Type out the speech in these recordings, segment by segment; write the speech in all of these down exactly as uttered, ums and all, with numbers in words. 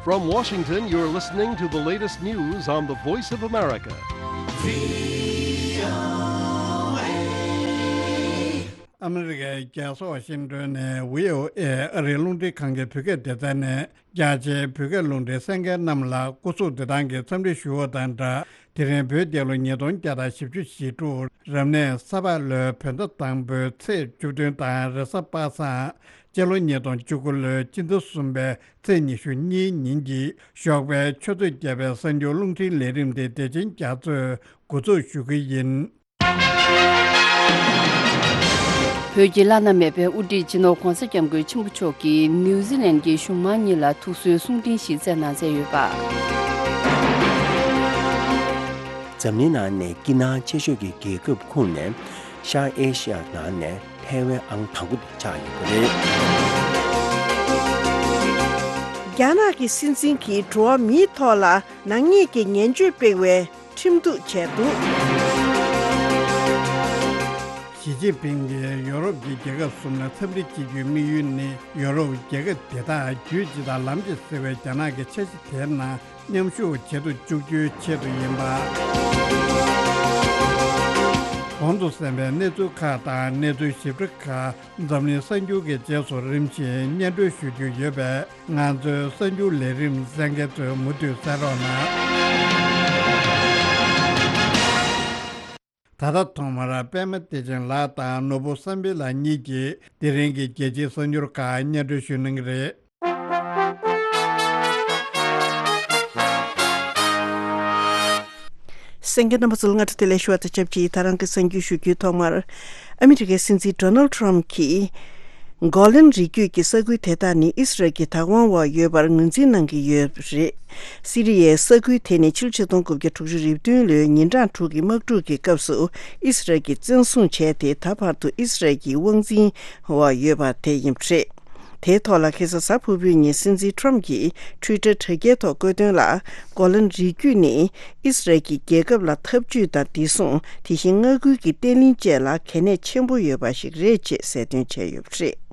From Washington, you're listening to the latest news on the Voice of America. ཨ་མི་རི་ཀའི་རྒྱལ་ས་ཝ་ཤིང་ཏོན་ནས་བྷི་ཨོ་ཨེ་ཨ་རིའི་རླུང་འཕྲིན་ཁང་གི་བོད་སྐད་སྡེ་ཚན་ནས་རྒྱ་ཆེའི་བོད་སྐད་རླུང་འཕྲིན་གསན་མཁན་རྣམས་ལ་སྐུ་གཟུགས་བདེ་ཐང་གི་འཚམས་འདྲི་ཞུ་བ་དང་སྦྲགས། དེ་རིང་བོད་རྒྱལ་ལོ་ཉིས་སྟོང་བརྒྱ་དང་བཞི་བཅུ་ཞེ་དྲུག་རབ་གནས་ས་ཕག་ལོའི་བོད་ཟླ་དང་པོའི་ཚེས་བཅུ་བདུན་དང་རེས་གཟའ་པ་སངས་སྤྱི་ལོ་ཉིས་སྟོང་བཅུ་དགུ་ལོའི་སྤྱི་ཟླ་གསུམ་པའི་ཚེས་ཉི་ཤུ་གཉིས་ཉིན་གྱི་ཞོགས་པའི་ཆུ་ཚོད་བརྒྱད་པའི་གསར་འགྱུར་རླུང་འཕྲིན་ལས་རིམ་དེ་བདེ་ཆེན་རྒྱ་མཚོས་འགོ་འཛུགས་ཞུ་གི་ཡིན། བོད་ཀྱི་བླ་ན་མེད་པའི་དབུ་ཁྲིད་སྤྱི་ནོར་༧གོང་ས་༧སྐྱབས་མགོན་ཆེན་པོ་མཆོག་གིས་ནིའུ་ཛི་ལན་གྱི་གཞུང་མང་གཉིས་ལ་ཐུགས་གསོའི་གསུང་འཕྲིན་ཞིག་བསྩལ་གནང་མཛད་ཡོད་པ། འཛམ་གླིང་ནང་ནས་སྐྱིད་སྣང་ཆེ་ཤོས་ཀྱི་རྒྱལ་ཁབ་ཁོངས་ནས་ཤར་ཨེ་ཤི་ཡ་ནང་ནས་ཐའེ་ཝན་ཨང་དང་པོ་དེ་ཆགས་ཡོད་པ་རེད། རྒྱ་ནག་གི་སྲིད་འཛིན་གྱིས་འགྲོ་བ་མིའི་ཐོག་ལ་ནག་ཉེས་ཀྱི་ངན་བྱུས་སྤེལ་བའི་ཁྲིམས་གཏུག་བྱས་འདུག། ཞི་ཅིན་ཕིང་གིས་ཡོ་རོབ་ཀྱི་རྒྱལ་ཁབ་གསུམ་ལ་འཚམས་འདྲི་བྱེད་རྒྱུའི་དམིགས་ཡུལ་ནི་ཡོ་རོབ་རྒྱལ་ཁབ་དེ་དག་རྒྱུད་སྤྱི་དང་ལམ་གཅིག་ཟེར་བའི་རྒྱ་ནག་གི་འཆར་གཞི་དེའི་ནང་མཉམ་ཞུགས་བྱེད་དུ་བཅུག་རྒྱུའི་ཆེད་དུ་ཡིན་པ། གོང་དུ་གསན་པའི་གནས་ཚུལ་ཁག་དང་གནས་ཚུལ་ཞིབ་ཕྲ་ཁག་འཛམ་གླིང་གསར་འགྱུར་གྱི་རྗེས་སུ་རིམ་བཞིན་སྙན་སྒྲོན་ཞུ་རྒྱུ་ཡོད་པས། ང་ཚོའི་གསར་འགྱུར་ལས་རིམ་གསན་མཁན་ཚོས་མུ་མཐུད་གསན་རོགས་གནང་། ད་ལྟ་ཐོག་མར་པད་མ་བདེ་ཆེན་ལགས་དང་ནོར་བུ་བསམ་འཕེལ་ལགས་གཉིས་ཀྱིས་དེ་རིང་གི་རྒྱལ་སྤྱིའི་གསར་འགྱུར་ཁག་སྙན་སྒྲོན་ཞུ་གནང་གི་རེད། གསན་མཁན་རྣམ་པ་ཚོ་ལ་སྔ་དྲོ་བདེ་ལེགས་ཞུ་བ་དང་ཆབས་ཅིག་ད་རང་གི་གསར་འགྱུར་ཞུ་རྒྱུའི་ཐོག་མར། ཨ་མི་རི་ཀའི་སྲིད་འཛིན་ཌོ་ནལ་ཊམ་གྱིས། གོ་ལན་རི་རྒྱུད་ཀྱི་ས་ཁུལ་དེ་དག་ནི་ཨི་སི་རལ་གྱི་བདག་དབང་འོག་ཡོད་པར་ངོས་འཛིན་གནང་གི་ཡོད་པ་རེད། སི་རི་ཡའི་ས་ཁུལ་དེ་ནི་ཕྱི་ལོ་ཆིག་སྟོང་དགུ་བརྒྱ་དྲུག་ཅུ་རེ་བདུན་ལོའི་ཉིན་གྲངས་དྲུག་གི་དམག་འཁྲུག་གི་སྐབས་སུ་ཨི་སི་རལ་གྱིས་བཙན་བཟུང་བྱས་ཏེ། ད་བར་དུ་ཨི་སི་རལ་གྱི་དབང་འཛིན་འོག་ཡོད་པ་དེ་ཡིན་པ་རེད། དེའི་ཐོག་ལ་ཁ་སང་གཟའ་ཕུར་བུའི་ཉིན་སྲིད་འཛིན་ཊམ་གྱིས་ཊུའི་ཊར་དྲ་རྒྱའི་ཐོག་བཀོད་དོན་ལ། གོ་ལན་རི་རྒྱུད་ནི་ཨི་སི་རལ་གྱི་རྒྱལ་ཁབ་ལ་འཐབ་ཇུས་དང་བདེ་སྲུང་། དེ་བཞིན་མངའ་ཁུལ་གྱི་བརྟན་ལྷིང་བཅས་ལ་གལ་གནད་ཆེན་པོ་ཡོད་པ་ཞིག་རེད་ཅེས་གསལ་སྟོན་བྱས་ཡོད་པ་རེད།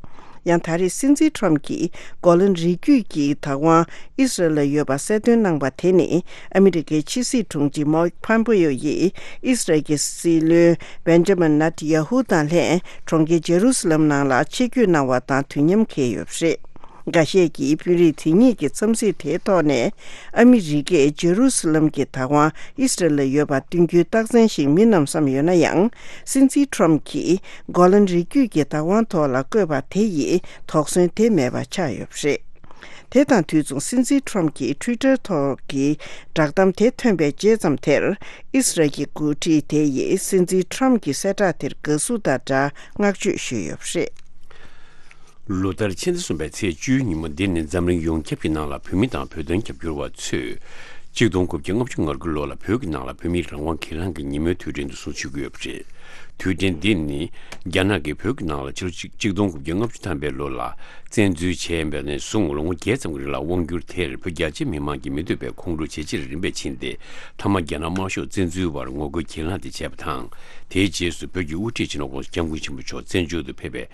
ཡང་ད་རེས་སྲིད་འཛིན་ཊམ་གྱིས་གོ་ལན་རི་རྒྱུད་ཀྱི་བདག་དབང་ཨི་སི་རལ་ལ་ཡོད་པ་གསལ་སྟོན་གནང་པ་དེ་ནི། ཨ་མི་རི་ཀའི་ཕྱི་སྲིད་དྲུང་ཆེ་མའེག་ཕམ་པེ་ཡོ་ཡིས་ཨི་སི་རལ་གྱི་སྲིད་བློན་བེན་ཇ་མིན་ནེ་ཐན་ཡ་ཧུ་དང་ལྷན་གྲོང་ཁྱེར་ཇེ་རུ་སི་ལམ་ནང་ལ་ཆིབས་བསྒྱུར་གནང་བ་དང་དུས་མཉམ་འཁེལ་ཡོད་པ་རེད། འགའ་ཤས་ཀྱིས་དཔོན་རིགས་དེ་གཉིས་ཀྱི་འཚམས་གཟིགས་དེའི་ཐོག་ནས། ཨ་མི་རི་ཀས་ཇེ་རུ་སི་ལམ་གྱི་བདག་དབང་ཨི་སི་རལ་ལ་ཡོད་པ་སྟོན་རྒྱུའི་རྟགས་མཚན་ཞིག་མིན་ནམ་བསམ་ཡོད་ན་ཡང་། སྲིད་འཛིན་ཊམ་གྱིས་གོ་ལན་རི་རྒྱུད་ཀྱི་བདག་དབང་ཐོག་ལ་བཀོད་པ་དེ་ཡིས་དོགས་ཟོན་དེ་མེད་པ་ཆགས་ཡོད་པ་རེད། དེ་དང་དུས་མཚུངས་སྲིད་འཛིན་ཊམ་གྱིས་ཊུའི་ཊར་ཐོག་གི་བསྒྲགས་གཏམ་དེ་ཐོན་པའི་རྗེས་ཙམ་དེར། ཨི་སི་རལ་གྱི་འགོ་ཁྲིད་དེ་ཡིས་སྲིད་འཛིན་ཊམ་གྱི་གསལ་བསྒྲགས་དེར་དགའ་བསུ་དང་སྦྲགས་བསྔགས་བརྗོད་ཞུས་ཡོད་པ་རེད། ལོ་ལྟར་ཕྱི་ཟླ་གསུམ་པའི་ཚེས་བཅུའི་ཉིན་མོ་འདི་ནི་འཛམ་གླིང་ཡོངས་ཁྱབ་ཀྱི་ནང་ལ་བོད་མི་དང་བོད་དོན་རྒྱབ་སྐྱོར་བ་ཚོས་གཅིག་སྟོང་དགུ་བརྒྱ་ལྔ་བཅུ་ང་དགུ་ལོ་ལ་བོད་ཀྱི་ནང་ལ་བོད་མིའི་རང་དབང་སྒེར་ལངས་ཀྱི་ཉིན་མོའི་དུས་དྲན་དུ་སྲུང་བརྩི་ཞུ་གི་ཡོད་པ་རེད། དུས་དྲན་འདི་ནི་རྒྱ་ནག་གིས་བོད་ཀྱི་ནང་ལ་ཕྱི་ལོ་གཅིག་གཅིག་སྟོང་དགུ་བརྒྱ་ལྔ་བཅུ་ཐམ་པའི་ལོ་ལ་བཙན་འཛུལ་བྱས་པ་ནས་བཟུང་ལོ་ངོ་བརྒྱད་ཙམ་གྱི་རིང་ལ་དབང་བསྒྱུར་དེར་བོད་རྒྱ་ཆེ་མི་མང་གིས་མི་འདོད་པའི་ཁོང་ཁྲོ་ཇེ་ཆེར་རིམ་པས་ཕྱིན་ཏེ། མཐའ་མ་རྒྱ་ནག་དམར་ཤོག་བཙན་འཛུལ་བར་ངོ་རྒོལ་གྱེན་ལངས་དེ་བྱས་པ་དང་། དེའི་རྗེས་སུ་བོད་ཀྱི་དབུ་ཁྲིད་སྤྱི་ནོར་༧གོང་ས་༧སྐྱབས་མགོན་ཆེན་པོ་མཆོག་བཙན་བྱོལ་དུ་ཕེབས་པའི་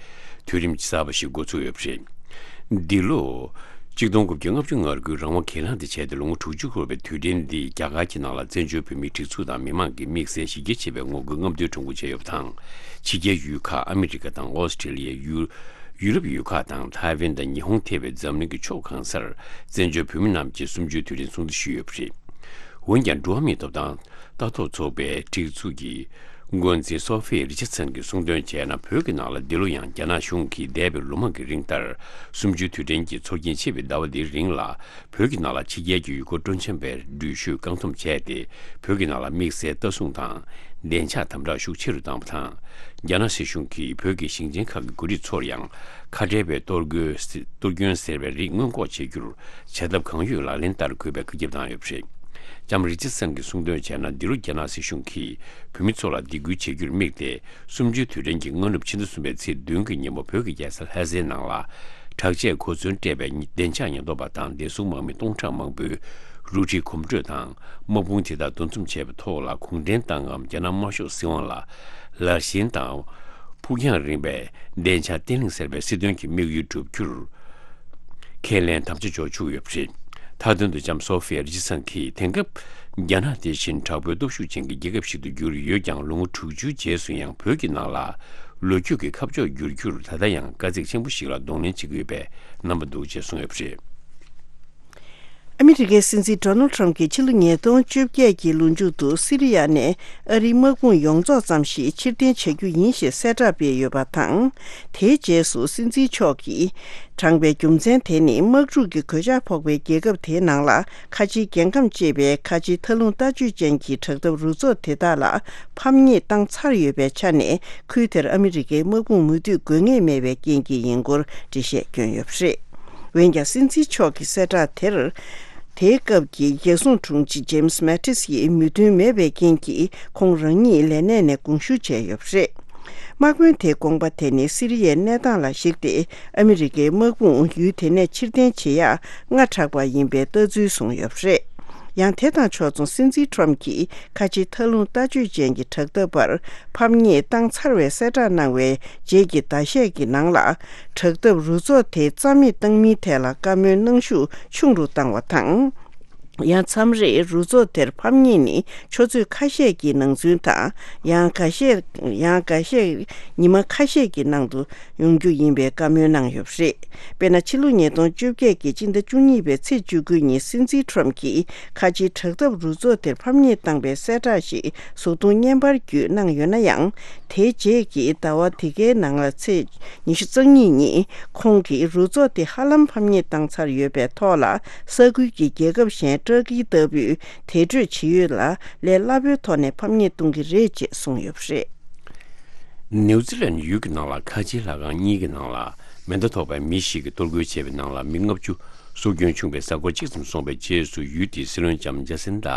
དུས་རིམ་གསར་པ་ཞིག་འགོ་ཚུགས་ཡོད་པ་རེད། འདི་ལོ། གཅིག་སྟོང་དགུ་བརྒྱ་ལྔ་བཅུ་ང་དགུའི་རང་དབང་གྱེན་ལངས་དེ་བྱས་ཏེ་ལོ་ངོ་དྲུག་ཅུ་འཁོར་བའི་དུས་དྲན་འདི་རྒྱ་གར་གྱི་ནང་ལ་བཙན་བྱོལ་བོད་མིའི་སྒྲིག་འཛུགས་དང་མི་མང་གི་དམིགས་བསལ་གཞི་རྒྱ་ཆེ་བའི་ངོ་རྒོལ་རྔམ་སྟོན་ཁྲོམ་སྐོར་བྱས་ཡོད་པ་དང་། ཕྱི་རྒྱལ་ཡུལ་ཁག་ཨ་མི་རི་ཀ་དང་ཨོ་སི་ཁྲེ་ལི་ཡ། ཡུ། ཡུ་རོབ་ཡུལ་ཁག་དང་ཐའེ་ཝན་དང་ཉི་ཧོང་ཐེ་བའི་འཛམ་གླིང་གི་ཕྱོགས་གང་སར་བཙན་བྱོལ་བོད་མི་རྣམས་ཀྱིས་གསུམ་བཅུའི་དུས་དྲན་སྲུང་བརྩི་ཞུས་ཡོད་པ་རེད། འོན་ཀྱང་འགྲོ་བ་མིའི་ཐོབ་ཐང་ལྟ་རྟོག་ཚོགས་པའི་སྒྲིག་འཛུགས་ཀྱི་འགོ་འཛིན་སོ་ཧྥི་རི་ཆར་སན་གྱིས་གསུངས་དོན་བྱས་ན། བོད་ཀྱི་ནང་ལ་འདི་ལོ་ཡང་རྒྱ་ནག་གཞུང་གིས་འདས་པའི་ལོ་མང་གི་རིང་ལྟར་གསུམ་བཅུའི་དུས་དྲན་གྱི་ཚོགས་རྒྱན་ཆེ་བའི་ཟླ་བ་འདིའི་རིང་ལ། བོད་ཀྱི་ནང་ལ་ཕྱི་རྒྱལ་གྱི་ཡུལ་སྐོར་སྤྲོ་འཆམ་པའི་འགྲུལ་བཞུད་བཀག་སྡོམ་བྱས་ཏེ། བོད་ཀྱི་ནང་ལ་དམིགས་བསལ་ལྟ་སྲུང་དང་བདེ་འཇགས་དམ་དྲག་ཤུགས་ཆེ་རུ་བཏང་བ་དང་། རྒྱ་ནག་སྲིད་གཞུང་གིས་བོད་ཀྱི་ཞིང་ཆེན་ཁག་གི་འགོ་ཁྲིད་ཚོར་ཡང་། ཁ་བྲལ་བའི་གཏོར་རྒོལ། གཏོར་སྐྱོན་ཟེར་བའི་རིགས་སྔོན་འགོག་བྱེད་རྒྱུར་བྱ་ཐབས་གང་ཡོད་ལག་ལེན་བསྟར་དགོས་པའི་བཀའ་ཁྱབ་བཏང་ཡོད་པ་རེད། ལྕམ་རི་ཆར་སན་གྱིས་གསུངས་དོན་བྱས་ན། འདི་ལོ་རྒྱ་ནག་སྲིད་གཞུང་གིས་བོད་མི་ཚོ་ལ་སྡིགས་སྐུལ་བྱེད་རྒྱུར་དམིགས་ཏེ། གསུམ་བཅུའི་དུས་དྲན་གྱི་སྔ་ནུབ་ཕྱི་ཟླ་གསུམ་པའི་ཚེས་བདུན་གྱི་ཉིན་མོ་བོད་ཀྱི་རྒྱལ་ས་ལྷ་སའི་ནང་ལ། དྲག་ཆས་གོ་མཚོན་སྤྲས་པའི་བདེ་འཇགས་ཉེན་རྟོག་པ་དང་བདེ་སྲུང་དམག་མི་སྟོང་ཕྲག་མང་པོས་རུ་ཁྲིད་གོམ་བགྲོད་དང་དམག་དཔུང་དེ་དག་འདུ་འཛོམས་བྱས་པའི་ཐོག་ལ་གུང་ཁྲན་ཏང་ངམ་རྒྱ་ནག་དམར་ཤོག་སྲིད་དབང་ལ་ལར་ཞེན་དང་། ཕུགས་རྒྱང་རིང་བའི་བདེ་འཇགས་བརྟན་ལྷིང་ཟེར་བའི་སྲིད་དོན་གྱི་དམིགས་ཡུལ་བསྒྲུབ་རྒྱུར་ཁས་ལེན་དམ་བཅའ་འཇོག་བཅུག་ཡོད་པ་རེད། མཐའ་དོན་དུ་ལྕམ་སོ་ཧྥི་ཡ་རི་ཇི་སན་གྱིས་དེང་སྐབས་རྒྱ་ནག་དེ་བཞིན་དྲག་པོའི་སྟོབས་ཤུགས་ཅན་གྱི་རྒྱལ་ཁབ་ཞིག་ཏུ་གྱུར་ཡོད་ཀྱང་། ལོ་ངོ་དྲུག་ཅུའི་རྗེས་སུ་ཡང་བོད་ཀྱི་ནང་ལ་ལོ་རྒྱུས་ཀྱི་ཁ་ཕྱོགས་བསྒྱུར་རྒྱུར་ད་ལྟ་ཡང་དཀའ་ཚེགས་ཆེན་པོ་ཞིག་ལ་གདོང་ལེན་བྱེད་ཀྱི་ཡོད་པའི་རྣམ་པ་འདུག་ཅེས་གསུངས་ཡོད་པ་རེད། ཨ་མི་རི་ཀའི་སྲིད་འཛིན་ཌོ་ནལ་ཁྲམ་གྱིས་ཕྱི་ལོ་ཉིས་སྟོང་བཅོ་བརྒྱད་ཀྱི་ལོ་མཇུག་ཏུ་སི་རི་ཡ་ནས་ཨ་རིའི་དམག་དཔུང་ཡོངས་རྫོགས་ཙམ་ཞིག་ཕྱིར་འཐེན་བྱ་རྒྱུ་ཡིན་ཞེས་གསལ་བསྒྲགས་སྤེལ་ཡོད་པ་དང་། དེའི་རྗེས་སུ་སྲིད་འཛིན་མཆོག་གིས་དྲངས་པའི་རྒྱུ་མཚན་དེ་ནི་དམག་འཁྲུག་གི་གོད་ཆག་ཕོག་པའི་རྒྱལ་ཁབ་དེའི་ནང་ལ་ཁ་ཆེའི་རྒྱལ་ཁམས་ཅེས་པའི་ཁ་ཆེའི་མཐའ་ལྷུང་ལྟ་སྤྱོད་ཅན་གྱི་དྲག་འཐབ་རུ་ཚོགས་དེ་དག་ལ་ཕམ་ཉེས་བཏང་ཚར་ཡོད་པའི་ཆ་ནས། ཁུལ་དེར་ཨ་མི་རི་ཀའི་དམག་དཔུང་མུ་མཐུད་དགོས་ངེས་མེད་པའི་རྐྱེན་གྱིས་ཡིན་སྐོར་འགྲེལ་བཤད་བསྐྱོན་ཡོད་པ་རེད། འོན་ཀྱང་། སྲིད་འཛིན་མཆོག་གི་གསལ་བསྒྲགས་དེར། དེའི་སྐབས་ཀྱི་རྒྱལ་སྲུང་དྲུང་ཆེ་ཇེམ་སི་མེ་ཏིས་ཡིས་མོས་མཐུན་མེད་པའི་རྐྱེན་གྱིས། ཁོང་རང་ཉིད་ལས་གནས་ནས་དགོངས་ཞུ་བྱས་ཡོད་པ་རེད། དམག་དཔོན་དེའི་དགོངས་པ་དེ་ནི་སི་རི་ཡའི་གནས་སྟངས་ལ་གཞིགས་ཏེ། ཨ་མི་རི་ཀའི་དམག་དཔུང་ཡུལ་དེ་ནས་ཕྱིར་འཐེན་བྱེད་ཡག་སྔ་དྲགས་པ་ཡིན་པའི་ལྟ་ཚུལ་བཟུང་ཡོད་པ་རེད། ཡང་། དེ་དང་ཕྱོགས་མཚུངས། སྲིད་འཛིན་ཁྲོམ་གྱིས་ཁ་ཆེའི་མཐའ་ལྷུང་ལྟ་སྤྱོད་ཅན་གྱི་དྲག་འཐབ་པར་ཕམ་ཉེས་བཏང་ཚར་བའི་གསལ་བསྒྲགས་གནང་བའི་རྗེས་ཀྱི་ཟླ་ཤས་ཀྱི་ནང་ལ། དྲག་འཐབ་རུ་ཚོགས་དེ་རྩ་མེད་བཏང་མིན་ཐད་ལ་བཀའ་མོལ་གནང་ཤུགས་ཆུང་རུ་བཏང་བ་དང་། ཡང་། མཚམས་རེར་རུ་ཚོགས་དེར་ཕམ་ཉེས་ནི་ཆུ་ཚོད་ཁ་ཤས་ཀྱི་ནང་ཚུན་དང་། ཡང་། འགའ་ཤས། ཡང་། འགའ་ཤས་ཉི་མ་ཁ་ཤས་ཀྱི་ནང་དུ་ཡོང་རྒྱུ་ཡིན་པའི་བཀའ་མོལ་གནང་ཡོད་པ་རེད། དཔེར་ན། ཕྱི་ལོ་ཉིས་སྟོང་བཅོ་བརྒྱད་ཀྱི་སྤྱི་ཟླ་བཅུ་གཉིས་པའི་ཚེས་བཅུ་དགུ་ཉིན། སྲིད་འཛིན་ཁྲོམ་གྱིས་ཁ་ཆེའི་དྲག་འཐབ་རུ་ཚོགས་དེར་ཕམ་ཉེས་བཏང་པའི་གསལ་བསྒྲགས་ཤིག་གཟུགས་མཐོང་བརྙན་པར་བརྒྱུད་གནང་ཡོད་ན་ཡང་། དེའི་རྗེས་ཀྱི་ཟླ་བ་དེ་གའི་ནང་ལ་ཚེས་ཉི་ཤུ་རྩ་གཉིས་ཉིན། ཁོང་གིས་རུ་ཚོགས་དེ་ཧ་ལམ་ཕམ་ཉེས་བཏང་ཚར་ཡོད་པའི་ཐོག་ལ། ས་ཁུལ་གྱི་རྒྱལ་ཁབ་གཞན་ཏྲ་ཀི་ལྟ་བུས་དེ་འཕྲོས་ཇི་ཡོད་ལ་ལས་སླ་པོའི་ཐོག་ནས་ཕམ་ཉེས་གཏོང་གི་རེད་ཅེས་གསུངས་ཡོད་པ་རེད། ནིའུ་ཛི་ལན་ཡུལ་གྱི་ནང་ལ་ཁ་ཆེའི་ལྷ་ཁང་གཉིས་ཀྱི་ནང་ལ་མེ་མདའ་ཐོགས་པའི་མི་ཞིག་གིས་གཏོར་རྒོལ་བྱས་པའི་ནང་ལ་མི་ལྔ་བཅུ་སྲོག་སྐྱོན་བྱུང་བའི་གཟའ་འཁོར་གཅིག་ཙམ་སོང་བའི་རྗེས་སུ། ཡུལ་དེའི་སྲིད་བློན་ལྕམ་ཇ་སིན་ད་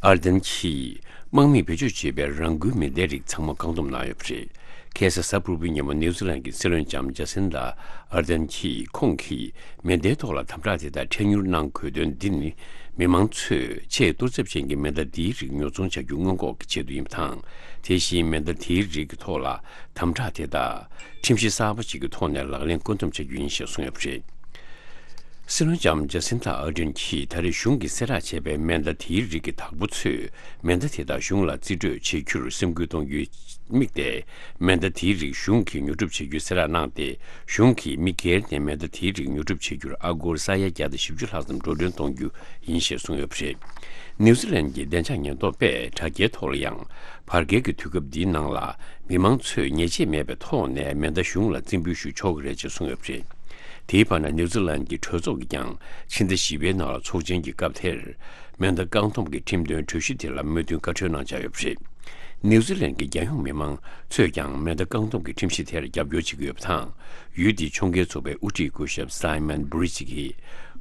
ཨར་དན་གྱིས་དམག་མིས་བེད་སྤྱོད་བྱས་པའི་རང་འགུལ་མེ་མདའི་རིགས་ཚང་མ་བཀག་སྡོམ་གནང་ཡོད་པ་རེད། ཁ་སང་གཟའ་ཕུར་བུའི་ཉིན་མོ་ནིའུ་ཛི་ལན་གྱི་སྲིད་བློན་ལྕམ་ཇ་སིན་ད་ཨར་དན་གྱིས། ཁོང་གིས་མེ་མདའི་ཐོག་ལ་དམ་དྲག་དེ་དག་འཕྲལ་མྱུར་གནང་དགོས་དོན་འདི་ནི། མི་མང་ཚོས་ཆེས་གཏོར་ཚབས་ཅན་གྱི་མེ་མདའ་འདིའི་རིགས་ཉོ་ཚོང་བྱ་རྒྱུ་སྔོན་འགོག་གི་ཆེད་དུ་ཡིན་པ་དང་། དེ་བཞིན་མེ་མདའ་དེའི་རིགས་ཀྱི་ཐོག་ལ་དམ་དྲག་དེ་དག་ཁྲིམས་གཞི་གསར་པ་ཞིག་གི་ཐོག་ནས་ལག་ལེན་བཀོད་འདོམས་བྱ་རྒྱུ་ཡིན་ཞེས་གསུངས་ཡོད་པ་རེད། སྲིད་བློན་ལྕམ་ཇ་སིན་ཐ་ཨར་ཌེན་གྱིས་ད་རེས་གཞུང་གིས་གསལ་བསྒྲགས་བྱས་པའི་མེ་མདའ་དེའི་རིགས་ཀྱི་བདག་པོ་ཚོས་མེ་མདའ་དེ་དག་གཞུང་ལ་རྩིས་སྤྲོད་བྱེད་རྒྱུར་སེམས་ཁུར་གཏོང་རྒྱུའི་དམིགས་ཏེ། མེ་མདའ་དེའི་རིགས་གཞུང་གིས་ཉོ་སྒྲུབ་བྱེད་རྒྱུའི་གསལ་བསྒྲགས་གནང་སྟེ། གཞུང་གིས་མི་སྒེར་ནས་མེ་མདའ་དེའི་རིགས་ཉོ་སྒྲུབ་བྱེད་རྒྱུར་ཨ་སྒོར་ས་ཡ་བརྒྱ་དང་བཞི་བཅུ་ལྷག་ཙམ་འགྲོ་གྲོན་གཏོང་རྒྱུ་ཡིན་ཞེས་གསུངས་ཡོད་པ་རེད། ནིའུ་ཛི་ལན་གྱི་བདེ་འཇགས་ཉེན་རྟོག་པས་དྲ་རྒྱའི་ཐོག་ལ་ཡང་། བར་བརྒལ་གྱི་དུས་སྐབས་འདིའི་ནང་ལ་མི་མང་ཚོས་ཉེས་ཆད་མེད་པའི་ཐོག་ནས་མེ་མདའ་གཞུང་ལ་རྩིས་འབུལ་ཞུ་ཆོག་གི་རེད་ཅེས་གསུངས་ཡོད་པ་རེད། དེའི་བར་ན། ནིའུ་ཛི་ལན་གྱི་གྲོས་ཚོགས་ཀྱིས་ཀྱང་ཕྱི་ཟླ་བཞི་པའི་ནང་ལ་ཚོགས་ཆེན་གྱི་སྐབས་དེར། མེ་མདའ་བཀག་སྡོམ་གྱི་ཁྲིམས་དོན་གྲོས་གཞི་དེ་ལ་མོས་མཐུན་བཀའ་འཁྲོལ་གནང་འཆར་ཡོད་པ་རེད། ནིའུ་ཛི་ལན་གྱི་རྒྱལ་ཡོངས་མི་མང་ཚོས་ཀྱང་མེ་མདའ་བཀག་སྡོམ་གྱི་ཁྲིམས་གཞི་དེར་རྒྱབ་སྐྱོར་བྱེད་ཀྱི་ཡོད་པ་དང་། ཡུལ་དེའི་ཕྱོགས་འགལ་ཚོགས་པའི་དབུ་ཁྲིད་སྐུ་ཞབས་སའི་མན་བྷུ་རི་ཇི་གིས།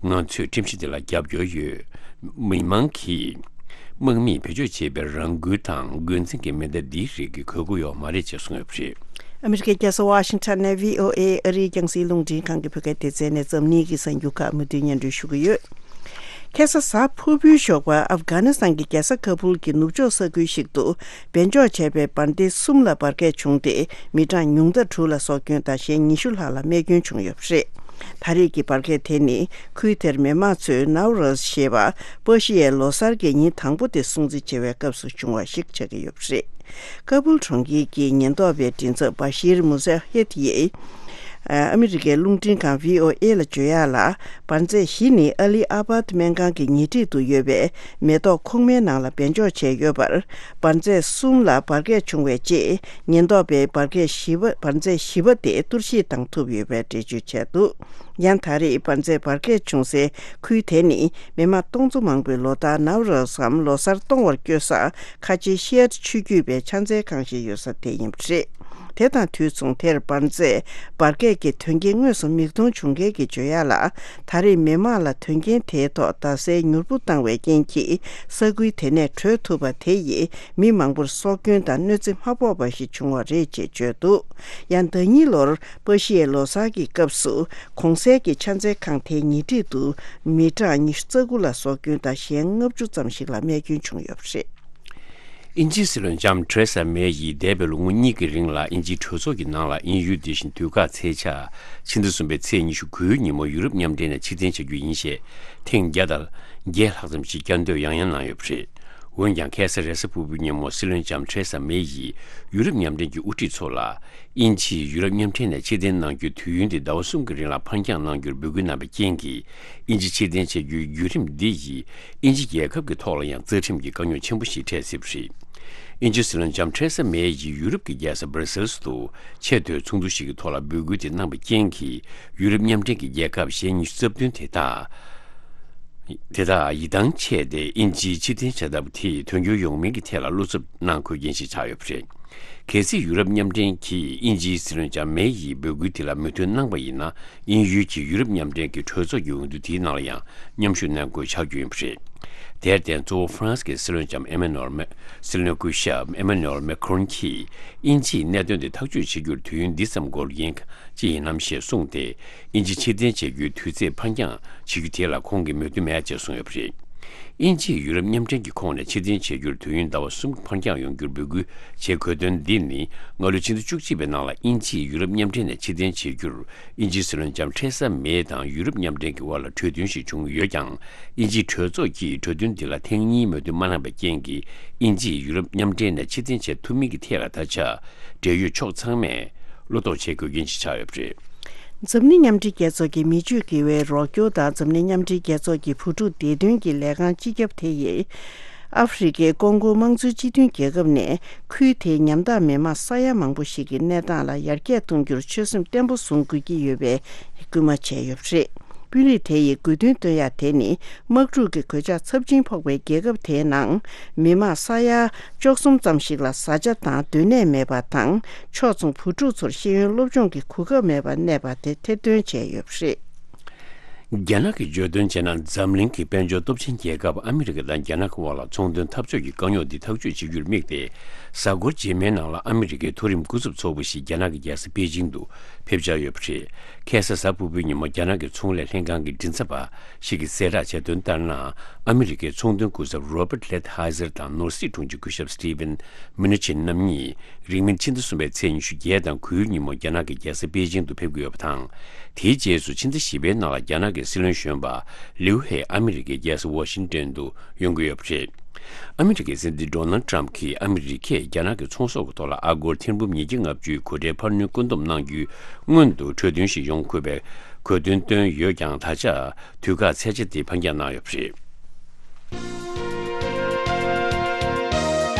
ང་ཚོས་ཁྲིམས་གཞི་དེ་ལ་རྒྱབ་སྐྱོར་ཡོད། མི་མང་གིས་དམག་མིས་བེད་སྤྱོད་བྱས་པའི་རང་འགུལ་དང་འགོས་འཛིན་གྱི་མེ་མདའ་འདིའི་རིགས་ཀྱི་དགོས་མཁོ་ཡོད་མ་རེད་ཅེས་གསུངས་ཡོད་པ་རེད། ཨ་མི་རི་ཀའི་རྒྱལ་ས་ཝ་ཤིང་ཊོན་ནས་བྷི་ཨོ་ཨེ་ཨ་རིའི་རྒྱང་སྲིང་རླུང་འཕྲིན་ཁང་གི་བོད་སྐད་སྡེ་ཚན་ནས་འཛམ་གླིང་གི་གསར་འགྱུར་ཁག་མུ་མཐུད་སྙན་སྒྲོན་ཞུ་གི་ཡོད། ཁ་སང་གཟའ་ཕུར་བུའི་ཞོགས་པ་ཨབ་གྷ་ནི་སི་ཐན་གྱི་རྒྱལ་ས་ཁ་བུལ་གྱི་ནུབ་ཕྱོགས་ས་ཁུལ་ཞིག་ཏུ་སྦས་འཇོག་བྱས་པའི་འབར་མདེལ་གསུམ་ལ་འབར་གས་བྱུང་སྟེ། མི་གྲངས་ཉུང་མཐའ་དྲུག་ལ་སྲོག་སྐྱོན་དང་གཞན་ཉི་ཤུ་ལྷག་ལ་རྨས་སྐྱོན་བྱུང་ཡོད་པ་རེད། ད་རེས་ཀྱི་འབར་གས་དེ་ནི་ཁུལ་དེར་མི་དམངས་ཚོས་ནའུ་རོས་ཞེས་པ་པ་ཤི་ཡའི་ལོ་གསར་གྱི་ཉིན་དང་པོ་དེ་སྲུང་བརྩི་བྱེད་པའི་སྐབས་སུ་བྱུང་བ་ཞིག་ཆགས་ཀྱི་ཡོད་པ་རེད། ཀ་བུལ་གྲོང་ཁྱེར་གྱི་ཉེན་རྟོག་པའི་མགྲིན་ཚབ་བ་ཤིར་མུ་ཟ་ཧེད་ཡིས། ཨ་མི་རི་ཀའི་རླུང་འཕྲིན་ཁང་བྷི་ཨོ་ཨེ་ལ་བརྗོད་ཡག་ལ། འབར་རྫས་བཞི་ནི་ཨ་ལི་ཨ་བྷད་སྨན་ཁང་གི་ཉེ་འཁྲིས་དུ་ཡོད་པའི་མེ་ཏོག་ཁུག་མའི་ནང་ལ་སྦས་འཇོག་བྱས་ཡོད་པར། འབར་རྫས་གསུམ་ལ་འབར་གས་བྱུང་བའི་རྗེས། ཉེན་རྟོག་པས་འབར་གས་བཞི་པ། འབར་རྫས་བཞི་པ་དེ་གཏོར་བཤིག་བཏང་ཐུབ་ཡོད་པའི་འགྲེལ་བརྗོད་བྱས་འདུག་ཡང་། ད་རེས་འབར་རྫས་འབར་གས་བྱུང་སའི་ཁུལ་དེ་ནི་མི་མང་སྟོང་ཚོ་མང་པོས་ལོ་ལྟར་ནའུ་རོས་སམ་ལོ་གསར་གཏོང་བར་བསྐྱོད་ས། ཁ་ཆེའི་ཤི་ཨ་ཊི་ཆོས་བརྒྱུད་པའི་ཕྱག་འཚལ་ཁང་ཞིག་ཡོད་ས་དེ་ཡིན་པ་རེད། དེ་དང་དུས་མཚུངས། དེར་འབར་རྫས་འབར་གས་ཀྱི་དོན་རྐྱེན་དངོས་སུ་མིག་མཐོང་བྱུང་མཁན་གྱིས་བརྗོད་ཡག་ལ། ད་རེས་མི་མང་ལ་དོན་རྐྱེན་དེའི་ཐོག་རྡ་སའི་མྱུར་པོ་བཏང་བའི་རྐྱེན་གྱིས། ས་ཁུལ་དེ་ནས་བྲོས་ཐུབ་པ་དེ་ཡིས་མི་མང་པོར་སྲོག་སྐྱོན་དང་གནོད་འཚེ་མ་ཕོག་པ་ཞིག་བྱུང་བ་རེད་ཅེས་བརྗོད་འདུག་ཡང་། ཟླ་ཉིན་ལོར་པ་ཤི་ཡའི་ལོ་གསར་གྱི་སྐབས་སུ། གོང་གསལ་གྱི་ཕྱག་འཚལ་ཁང་དེའི་ཉེ་འཁྲིས་དུ་མི་གྲངས་ཉི་ཤུ་རྩ་དགུ་ལ་སྲོག་སྐྱོན་དང་གཞན་ལྔ་བཅུ་ཙམ་ཞིག་ལ་རྨས་སྐྱོན་བྱུང་ཡོད་པ་རེད། དབྱིན་ཇིའི་སྲིད་བློན་ལྕམ་ཐེ་རེ་ས་མེ་ཡིས་འདས་པའི་ལོ་ངོ་གཉིས་ཀྱི་རིང་ལ་དབྱིན་ཇིའི་གྲོས་ཚོགས་ཀྱི་ནང་ལ་དབྱིན་ཡུལ་འདི་བཞིན་དུས་བཀག་ཚེས་ཆ་ཕྱི་ཟླ་གསུམ་པའི་ཚེས་ཉི་ཤུ་དགུའི་ཉིན་མོ་ཡུ་རོབ་མཉམ་འབྲེལ་ནས་ཕྱིར་འཐེན་བྱ་རྒྱུ་ཡིན་ཞེས་ཐེངས་བརྒྱ་དང་བརྒྱད་ལྷག་ཙམ་ཞིག་བསྐྱར་ཟློས་ཡང་ཡང་གནང་ཡོད་པ་རེད། འོན་ཀྱང་ཁ་སང་རེས་གཟའ་ཕུར་བུའི་ཉིན་མོ་སྲིད་བློན་ལྕམ་ཐེ་རེ་ས་མེ་ཡིས་ཡུ་རོབ་མཉམ་འབྲེལ་གྱི་དབུ་ཁྲིད་ཚོ་ལ། དབྱིན་ཇིས་ཡུ་རོབ་མཉམ་འབྲེལ་ནས་ཕྱིར་འཐེན་གནང་རྒྱུའི་དུས་ཡུན་དེ་ཟླ་བ་གསུམ་གྱི་རིང་ལ་ཕར་འགྱངས་གནང་རྒྱུར་འབོད་སྐུལ་གནང་བའི་རྐྱེན་གྱིས། དབྱིན་ཇི་ཕྱིར་འཐེན་བྱ་རྒྱུའི་བརྒྱུད་རིམ་འདི་ཡིས་དབྱིན་ཇི་རྒྱལ་ཁབ་ཀྱི་ཐོག་ལ་ཡང་རྩ་ཁྲིམས་ཀྱི་དཀའ་རྙོག་ཆེན་པོ་ཞིག་འཕྲད་སྲིད་པ་རེད། དབྱིན་ཇིའི་སྲིད་བློན་ལྕམ་ཐེ་རེ་ས་མེ་ཡིས་ཡུ་རོབ་ཀྱི་རྒྱལ་ས་སྦར་སེལ་སི་དུ་ཆེས་མཐོའི་ཚོགས་འདུ་ཞིག་གི་ཐོག་ལ་འབོད་སྐུལ་དེ་གནང་བའི་རྐྱེན་གྱིས། ཡུ་རོབ་མཉམ་འབྲེལ་གྱི་རྒྱལ་ཁབ་ཞེ་ཉི་ཤུ་རྩ་བདུན་དེ་དག་དེ་དག་ཡིད་ཐང་ཆད་དེ། དབྱིན་ཇིའི་ཕྱིར་འཐེན་བྱ་ཐབས་དེས་དོན་འཁྱོལ་ཡོང་མིན་གྱི་ཐད་ལ་བློ་འཚབ་གནང་དགོས་རྐྱེན་ཞིག་ཆགས་ཡོད་པ་རེད། གལ་སྲིད་ཡུ་རོབ་མཉམ་འབྲེལ་གྱིས་དབྱིན་ཇིའི་སྲིད་བློན་ལྕམ་མེ་ཡིས་འབོད་སྐུལ་དེ་ལ་མོས་མཐུན་གནང་པ་ཡིན་ན། དབྱིན་ཡུལ་གྱིས་ཡུ་རོབ་མཉམ་འབྲེལ་གྱི་གྲོས་ཚོགས་ཀྱི་འོས་བསྡུ་དེའི་ནང་ལ་ཡང་མཉམ་ཞུགས་གནང་དགོས་ཆགས་རྒྱུ་ཡིན་པ་རེད། དེར་བརྟེན། གཙོ་བོ་ཧྥ་རན་སི་གི་སྲིད་བློན་ལྕམ་ཨེ་མ་ནུ་ཨེལ་མེ། སྲིད་བློན་སྐུ་ཞབས་ཨེ་མ་ནུ་ཨེལ་མེ་ཁོ་རོན་གྱིས། དབྱིན་ཇིས་གནད་དོན་དེ་ཐག་གཅོད་བྱེད་རྒྱུར་དུས་ཡུན་འདི་ཙམ་འགོར་རྐྱེན་ཅི་ཡིན་ནམ་ཞེས་གསུངས་ཏེ། དབྱིན་ཇི་ཕྱིར་འཐེན་བྱེད་རྒྱུའི་དུས་ཚེས་ཕར་འགྱངས་བྱེད་རྒྱུ་དེ་ལ་ཁོང་གིས་མོས་མཐུན་མེད་ཅེས་གསུངས་ཡོད་པ་རེད། དབྱིན་ཇིས་ཡུ་རོབ་མཉམ་འབྲེལ་གྱི་ཁོངས་ནས་ཕྱིར་འཐེན་བྱེད་རྒྱུར་དུས་ཡུན་ཟླ་བ་གསུམ་ཕར་འགྱངས་ཡོང་རྒྱུར་འབོད་སྐུལ་བྱེད་དགོས་དོན་འདི་ནི། སྔ་ལོའི་ཕྱི་ཟླ་བཅུ་གཅིག་པའི་ནང་ལ་དབྱིན་ཇིས་ཡུ་རོབ་མཉམ་འབྲེལ་ནས་ཕྱིར་འཐེན་བྱེད་རྒྱུར། དབྱིན་ཇིའི་སྲིད་བློན་ལྕམ་ཐེ་རེ་ས་མེ་དང་ཡུ་རོབ་མཉམ་འབྲེལ་གྱི་དབར་ལ་གྲོས་མཐུན་ཞིག་བྱུང་ཡོད་ཀྱང་། དབྱིན་ཇིའི་གྲོས་ཚོགས་ཀྱིས་གྲོས་མཐུན་འདི་ལ་ཐེངས་གཉིས་མོས་མཐུན་མ་གནང་བའི་རྐྱེན་གྱིས། དབྱིན་ཇིས་ཡུ་རོབ་མཉམ་འབྲེལ་ནས་ཕྱིར་འཐེན་བྱེད་ཐུབ་མིན་གྱི་ཐད་ལ་ད་ཆ། འབྲེལ་ཡོད་ཕྱོགས་ཚང་མས་བློ་དོགས་བྱེད་དགོས་རྐྱེན་ཞིག་ཆགས་ཡོད་པ་རེད། འཛམ་གླིང་མཉམ་འབྲེལ་རྒྱལ་ཚོགས་ཀྱི་མི་སྤྱོད་དགེ་བའི་རོགས་སྐྱོར་དང་། འཛམ་གླིང་མཉམ་འབྲེལ་རྒྱལ་ཚོགས་ཀྱི་བུ་ཕྲུག་བདེ་དོན་གྱི་ལས་ཁང་སྤྱི་ཁྱབ་དེ་ཡིས། ཨ་ཧྥེ་རི་ཁའི་ཀོང་ཀོ་དམངས་གཙོའི་སྤྱི་མཐུན་རྒྱལ་ཁབ་ནས། ཁུལ་དེའི་ཉམ་ཐག་མི་མང་ས་ཡ་མང་པོ་ཞིག་གི་གནས་སྟངས་ལ་ཡར་རྒྱས་གཏོང་རྒྱུར་ཆོད་སེམས་བརྟན་པོ་བཟུང་དགོས་ཀྱི་ཡོད་པའི་སྐུལ་མ་བྱས་ཡོད་པ་རེད། དཔོན་རིགས་དེ་ཡིས་དགོས་འདུན་བཏོན་ཡ་དེ་ནི། དམག་འཁྲུག་གི་གོད་ཆག་ཚབས་ཆེན་ཕོག་པའི་རྒྱལ་ཁབ་དེའི་ནང་། མི་མང་ས་ཡ་བཅུ་གསུམ་ཙམ་ཞིག་ལ་བཟའ་བཅའ་དང་སྡོད་གནས་མེད་པ་དང་། ཕྱོགས་མཚུངས་བུ་ཕྲུག་ཚོར་ཤེས་ཡོན་སློབ་སྦྱོང་གི་གོ་སྐབས་མེད་པར་གནས་པ་དེ་ཐེར་འདོན་བྱས་ཡོད་པ་རེད། རྒྱ་ནག་གིས་བརྗོད་དོན་བྱས་ན། འཛམ་གླིང་གི་དཔལ་འབྱོར་སྟོབས་ཆེན་རྒྱལ་ཁབ་ཨ་མི་རི་ཀ་དང་རྒྱ་ནག་གི་དབར་ལ་ཚོང་དོན་འཐབ་ཕྱོགས་ཀྱི་དཀའ་རྙོག་འདི་ཐག་གཅོད་བྱེད་རྒྱུར་དམིགས་ཏེ། གཟའ་འཁོར་རྗེས་མའི་ནང་ལ་ཨ་མི་རི་ཀའི་མཐོ་རིམ་སྐུ་ཚབ་ཚོགས་པ་ཞིག་རྒྱ་ནག་གི་རྒྱལ་ས་པེ་ཅིང་དུ་ཕེབས་འཆར་ཡོད་པ་རེད། ཁ་སང་གཟའ་ཕུར་བུའི་ཉིན་མོ་རྒྱ་ནག་གི་ཚོང་ལས་ལྷན་ཁང་གི་མགྲིན་ཚབ་པ་ཞིག་གིས་གསལ་བསྒྲགས་བྱས་དོན་ལྟར་ན། ཨ་མི་རི་ཀའི་ཚོང་དོན་སྐུ་ཚབ་Robert Lighthizer་དང་ནོར་སྲིད་དྲུང་ཆེ་སྐུ་ཞབས་Steven Mnuchin་རྣམ་གཉིས། རིང་མིན་ཕྱི་ཟླ་གསུམ་པའི་ཚེས་ཉི་ཤུ་བརྒྱད་དང་དགུའི་ཉིན་མོ་རྒྱ་ནག་གི་རྒྱལ་ས་པེ་ཅིང་དུ་ཕེབས་ཀྱི་ཡོད་པ་དང་། དེའི་རྗེས་སུ་ཕྱི་ཟླ་བཞི་པའི་ནང་ལ་རྒྱ་ནག་གི་སྲིད་བློན་གཞོན་པ་ལིའུ་ཧེ་ཨ་མི་རི་ཀའི་རྒྱལ་ས་ཝ་ཤིང་ཏོན་དུ་ཡོང་གི་ཡོད་པ་རེད། ཨ་མི་རི་ཀའི་སྲིད་འཛིན་Donald Trump་གྱིས་ཨ་མི་རི་ཀས་རྒྱ་ནག་གི་ཚོང་ཟོག་གི་ཐོག་ལ་ཨ་སྒོར་ཐེར་འབུམ་ཉིས་བརྒྱ་ལྔ་བཅུའི་གོ་ཁྲལ་འཕར་སྣོན་བཀོད་འདོམས་གནང་རྒྱུའི་སྔོན་དུ་གྲོས་མཐུན་ཞིག་ཡོང་དགོས་པའི་གོ་སྟོན་བཏོན་ཡོད་ཀྱང་། ད་ཆ་དུས་བཀག་ཚད་ཆ་དེ་ཕར་འགྱངས་གནང་ཡོད་པ་རེད།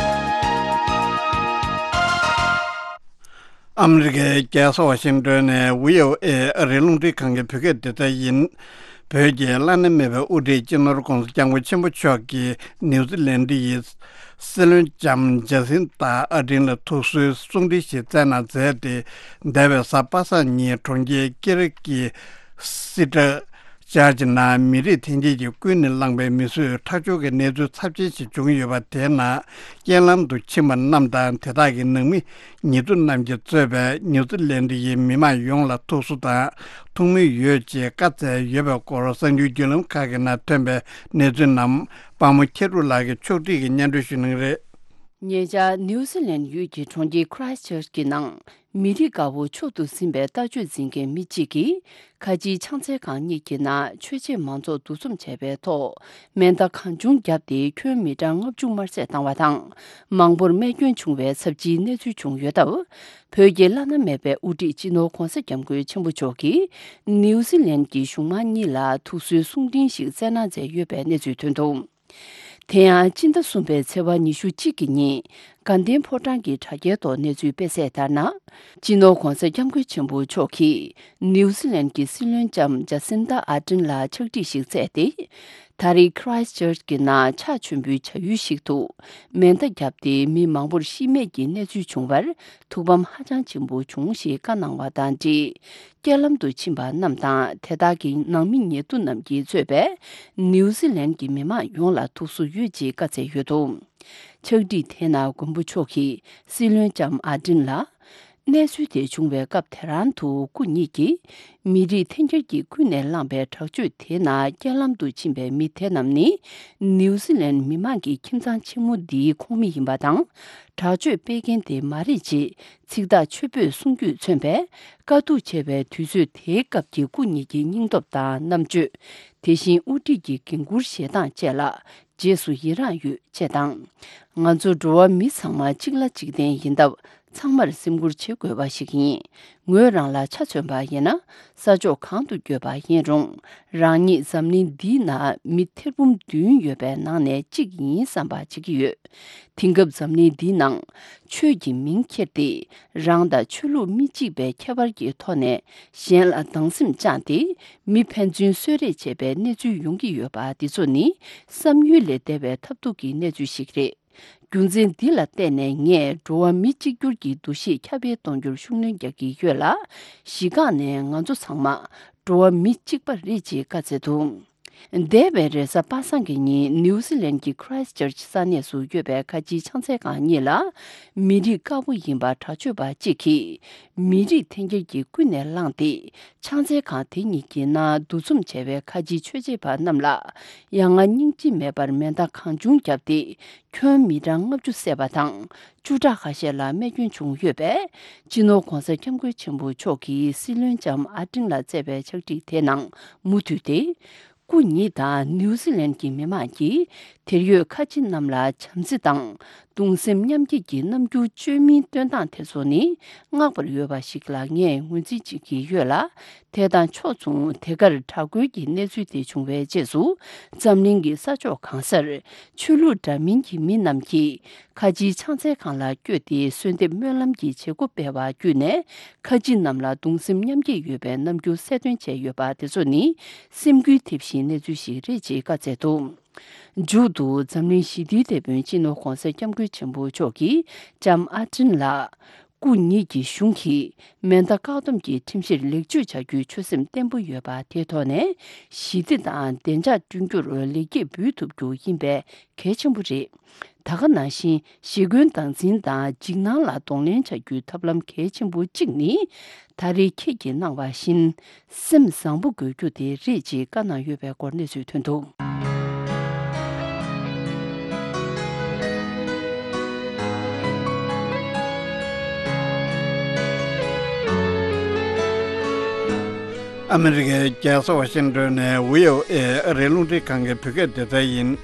ཨ་མི་རི་ཀའི་རྒྱལ་ས་ཝ་ཤིང་ཏོན་ནས་བྷི་ཨོ་ཨེ་ཨ་རིའི་རླུང་འཕྲིན་ཁང་གི་བོད་སྐད་སྡེ་ཚན་ཡིན། བོད་ཀྱི་བླ་ན་མེད་པའི་དབུ་ཁྲིད་སྤྱི་ནོར་༧གོང་ས་༧སྐྱབས་མགོན་ཆེན་པོ་མཆོག་གིས་ནིའུ་ཛི་ལན་ཌི་ཡི་སྲིད་བློན་ལྕམ་ཇ་སིན་ཏཱ་ཨར་ཌེན་ལ་ཐུགས་གསོའི་གསུང་འཕྲིན་ཞིག་བསྩལ་གནང་མཛད་དེ། འདས་པའི་གཟའ་པ་སངས་ཉིན་གྲོང་ཁྱེར་ཀེ་རི་གི་སི་ཏྲ་ཅར་ཅི་ནང་མི་རིགས་འཐེན་འཁྱེར་གྱིས་ཀུན་ནས་བསླངས་པའི་མི་གསོད་ཁྲག་སྦྱོར་གྱི་གནས་ཚུལ་ཚབས་ཆེན་ཞིག་བྱུང་ཡོད་པ་དེའི་ནང་རྐྱེན་ལམ་དུ་ཕྱིན་པ་རྣམས་དང་། དེ་དག་གི་ནང་མི་ཉེ་དུ་རྣམས་ཀྱིས་གཙོས་པའི་ནིའུ་ཛི་ལན་ཌི་ཡི་མི་མང་ཡོངས་ལ་ཐུགས་གསོ་དང་ཐུགས་སྨོན་ཡོད་ཅེས་བཀའ་སྩལ་ཡོད་པའི་སྐོར་གསར་འགྱུར་བརྒྱུད་ལམ་ཁག་གི་ནང་ཐོན་པའི་གནས་ཚུལ་རྣམས་དཔའ་མོ་ཁྱེད་རུ་ལགས་ཀྱིས་ཕྱོགས་སྒྲིག་གིས་སྙན་སྒྲོན་ཞུ་གནང་གི་རེད། ཉེ་ཆར་ནིའུ་ཛི་ལན་ཡུལ་གྱི་གྲོང་ཁྱེར་Christchurch་གྱི་ནང་མི་རིགས་དགའ་བོ་མཆོག་ཏུ་ཟིན་པའི་ལྟ་སྤྱོད་འཛིན་མཁན་མི་གཅིག་གིས་ཁ་ཆེའི་ཕྱག་འཚལ་ཁང་གཉིས་ཀྱི་ནང་ཆོས་བྱེད་མང་ཚོགས་འདུ་འཛོམས་བྱས་པའི་ཐོག་མེ་མདའ་གང་བྱུང་བརྒྱབ་སྟེ་ཁྱོན་མི་གྲངས་ལྔ་བཅུ་དམར་བསད་བཏང་བ་དང་། མང་པོར་རྨས་སྐྱོན་བྱུང་བའི་ཚབས་ཆེའི་གནས་ཚུལ་བྱུང་ཡོད་སྟབས། བོད་ཀྱི་བླ་ན་མེད་པའི་དབུ་ཁྲིད་སྤྱི་ནོར་༧གོང་ས་༧སྐྱབས་མགོན་ཆེན་པོ་མཆོག་གིས་ནིའུ་ཛི་ལན་གྱི་གཞུང་མང་གཉིས་ལ་ཐུགས་གསོའི་གསུང་འཕྲིན་ཞིག་བསྩལ་གནང་མཛད་ཡོད་པའི་གནས་ཚུལ་ཐོན་འདུག་དེ་ཡང་སྤྱི་ཟླ་གསུམ་པའི་ཚེས་པ་ཉི་ཤུ་གཅིག་གི་ཉིན་དགའ་ལྡན་ཕོ་བྲང་གི་དྲ་རྒྱའི་ཐོག་གནས་ཚུལ་སྤེལ་གསལ་ལྟར་ན། སྤྱི་ནོར་༧གོང་ས་༧སྐྱབས་མགོན་ཆེན་པོ་མཆོག་གིས་ནིའུ་ཛི་ལན་གྱི་སྲིད་བློན་ལྕམ་ཇ་སིན་ཏཱ་ཨར་ཌེན་ལ་ཕྱག་བྲིས་ཤིག་བསྩལ་ཏེ། ད་རེས་Christchurch་གྱི་ནང་ཕྱག་མཆོད་འབུལ་བྱ་ཡུལ་ཞིག་ཏུ་མེ་མདའ་བརྒྱབ་སྟེ་མི་མང་པོར་ཤི་རྨས་ཀྱི་གནས་ཚུལ་བྱུང་བར་ཐུགས་ཕམ་ཧ་ཅང་ཆེན་པོ་བྱུང་ཞེས་བཀའ་གནང་བ་དང་འབྲེལ། རྐྱེན་ལམ་དུ་ཕྱིན་པ་རྣམས་དང་དེ་དག་གི་ནང་མི་ཉེ་དུ་རྣམས་ཀྱིས་གཙོས་པའི་ནིའུ་ཛི་ལན་གྱི་མི་མང་ཡོངས་ལ་ཐུགས་གསོ་ཡོད་ཅེས་བཀའ་སྩལ་ཡོད་འདུག་ཕྱག་བྲིས་དེའི་ནང་མགོན་པོ་མཆོག་གིས་སྲིད་བློན་ལྕམ་ཨར་ཌེན་ལ། གནས་ཚུལ་དེ་བྱུང་བའི་སྐབས་དེ་རང་དུ་སྐུ་ཉིད་ཀྱིས་མི་རིགས་འཐེན་འཁྱེར་གྱིས་ཀུན་ནས་བསླངས་པའི་དྲག་སྤྱོད་དེའི་ནང་རྐྱེན་ལམ་དུ་ཕྱིན་པའི་མི་དེ་རྣམས་ནི་ནིའུ་ཛི་ལན་མི་མང་གི་ཁྱིམ་ཚང་ཆེན་མོ་འདིའི་ཁོངས་མི་ཡིན་པ་དང་། དྲག་སྤྱོད་སྤེལ་མཁན་དེ་མ་རེད་ཅེས་ཚིག་ཐག་ཆོད་པོས་གསུང་རྒྱུས་མཚོན་པས། དཀའ་སྡུག་ཆེ་བའི་དུས་ཚོད་དེའི་སྐབས་ཀྱི་སྐུ་ཉིད་ཀྱི་སྙིང་སྟོབས་དང་རྣམ་དཔྱོད། དེ་བཞིན་དབུ་ཁྲིད་ཀྱི་འགན་འཁུར་བཞེས་སྟངས་བཅས་ལ་རྗེས་སུ་ཡི་རངས་ཡོད་ཅེས་དང་། ང་ཚོ་འགྲོ་བ་མི་ཚང་མ་གཅིག་ལ་གཅིག་བརྟེན་ཡིན་སྟབས། ཚང་མར་སེམས་ཁུར་བྱེད་དགོས་པ་ཞིག་ཡིན། ངོས་རང་ལ་ཆ་མཚོན་པ་ཡིན་ན། ས་ཕྱོགས་གང་དུ་བསྐྱོད་པ་ཡིན་རུང་། རང་ཉིད་འཛམ་གླིང་འདིའི་ནང་མི་ཐེར་འབུམ་བདུན་ཡོད་པའི་ནང་ནས་གཅིག་ཡིན་བསམ་པ་བྱེད་ཀྱི་ཡོད། དེང་སྐབས་འཛམ་གླིང་འདིའི་ནང་ཆོས་ཀྱི་མིང་ཁྱེར་ཏེ། རང་དང་ཆོས་ལུགས་མི་གཅིག་པའི་ཁྱད་པར་གྱི་ཐོག་ནས་གཞན་ལ་སྡང་སེམས་བཅངས་ཏེ། མི་ཕན་ཚུན་གསོད་རེས་བྱེད་པའི་གནས་ཚུལ་ཡོང་གི་ཡོད་པ་འདི་ཚོ་ནི་བསམ་ཡུལ་ལས་འདས་པའི་ཐབས་སྡུག་གི་གནས་ཚུལ་ཞིག་རེད། རྒྱུ་མཚན་འདི་ལ་བརྟེན་ནས་ངས་འགྲོ་བ་མི་གཅིག་གྱུར་གྱི་འདུ་ཤེས་ཁྱབ་སྤེལ་གཏོང་རྒྱུར་ཤུགས་སྣོན་རྒྱག་གི་ཡོད་ལ། གཞི་རྐང་ནས་ང་ཚོ་ཚང་མ་འགྲོ་བ་མི་གཅིག་པ་རེད་ཅེས་བཀའ་སྩལ་འདུག་འདས་པའི་རེས་གཟའ་པ་སངས་ཀྱི་ཉིན་ནིའུ་ཛི་ལན་གྱི་ཁི་རའེ་སི་ཅར་ཅི་ས་གནས་སུ་ཡོད་པའི་ཁ་ཆེའི་ཕྱག་འཚལ་ཁང་གཉིས་ལ། མི་རིགས་དཀར་པོ་ཡིན་པ་དྲག་སྤྱོད་པ་གཅིག་གིས་མི་རིགས་འཐེན་འཁྱེར་གྱིས་ཀུན་ནས་བསླངས་ཏེ། ཕྱག་འཚལ་ཁང་དེ་གཉིས་ཀྱི་ནང་འདུ་འཛོམས་བྱས་པའི་ཁ་ཆེའི་ཆོས་བྱེད་པ་རྣམས་ལ་ཡ་ང་སྙིང་རྗེ་མེད་པར་མེ་མདའ་གང་བྱུང་བརྒྱབ་སྟེ། ཁྱོན་མི་གྲངས་ལྔ་བཅུ་བསད་པ་དང་། བཅུ་ཕྲག་ཁ་ཤས་ལ་རྨས་སྐྱོན་བྱུང་ཡོད་པས། སྤྱི་ནོར་༧གོང་ས་༧སྐྱབས་མགོན་ཆེན་པོ་མཆོག་གིས་སྲིད་བློན་ལྕམ་ཨ་ཏིན་ལ་བསྩལ་བའི་ཕྱག་བྲིས་དེའི་ནང་མུ་མཐུད་དེ། སྐུ་ཉིད་དང་ནིའུ་ཛི་ལན་གྱི་མི་མང་གིས་དེར་ཡོད་ཁ་ཆེ་རྣམས་ལ་བྱམས་བརྩེ་དང་གདུང་སེམས་མཉམ་སྐྱེད་ཀྱི་རྣམ་འགྱུར་བཅོས་མིན་སྟོན་སྟངས་དེ་ཚོ་ནི་བསྔགས་པར་འོས་པ་ཞིག་ལ་ངས་ངོས་འཛིན་བྱེད་ཀྱི་ཡོད་ལ། དེ་དང་ཕྱོགས་མཚུངས་དེ་གར་དྲག་རྒོལ་གྱི་གནས་ཚུལ་དེ་བྱུང་བའི་རྗེས་སུ། འཛམ་གླིང་གི་ས་ཕྱོགས་གང་སར་ཆོས་ལུགས་འདྲ་མིན་གྱི་མི་རྣམས་ཀྱིས་ཁ་ཆེའི་ཕྱག་འཚལ་ཁང་ལ་བསྐྱོད་དེ་གསོལ་འདེབས་སྨོན་ལམ་གྱི་བྱེད་སྒོ་སྤེལ་བ་བརྒྱུད་ནས། ཁ་ཆེ་རྣམས་ལ་གདུང་སེམས་མཉམ་སྐྱེད་ཡོད་པའི་རྣམ་འགྱུར་གསལ་སྟོན་བྱས་ཡོད་པ་དེ་ཚོ་ནི་སེམས་འགུལ་ཐེབས་ཤིང་གནས་ཚུལ་ཞིག་རེད་ཅེས་བཀའ་སྩལ་འདུག་མཇུག་ཏུ་འཛམ་གླིང་ཞི་བདེའི་དེད་དཔོན་སྤྱི་ནོར་༧གོང་ས་༧སྐྱབས་མགོན་ཆེན་པོ་མཆོག་གིས་ལྕམ་ཨ་ཏིན་ལ། སྐུ་ཉིད་ཀྱི་གཞུང་གིས་མེ་མདའ་བཀག་སྡོམ་གྱི་ཁྲིམས་གཞིར་ལེགས་བཅོས་བྱ་རྒྱུའི་ཆོད་སེམས་བརྟན་པོ་ཡོད་པ་དེའི་ཐོག་ནས་ཞི་བདེ་དང་བདེ་འཇགས་བསྐྲུན་རྒྱུར་ལེགས་སྐྱེས་འབུལ་ཐུབ་རྒྱུ་ཡིན་པས་གལ་ཆེན་པོ་རེད། ད་ག་ནང་བཞིན་ཞི་རྒོལ་སྟངས་འཛིན་དང་འཇིགས་སྣང་ལ་གདོང་ལེན་བྱ་རྒྱུའི་ཐབས་ལམ་གལ་ཆེན་པོ་གཅིག་ནི། ད་རེས་ཁྱེད་ཀྱིས་གནང་བ་བཞིན། སེམས་བཟང་པོ་དགོས་རྒྱུ་དེ་རེད་ཅེས་བཀའ་གནང་ཡོད་པའི་སྐོར་གནས་ཚུལ་ཐོན་འདུག་ཨ་མི་རི་ཀའི་རྒྱལ་ས་ཝ་ཤིང་ཏོན་ནས་བྷི་ཨོ་ཨེ་ཨ་རིའི་རླུང་འཕྲིན་ཁང་གི་བོད་སྐད་སྡེ་ཚན་ཡིན།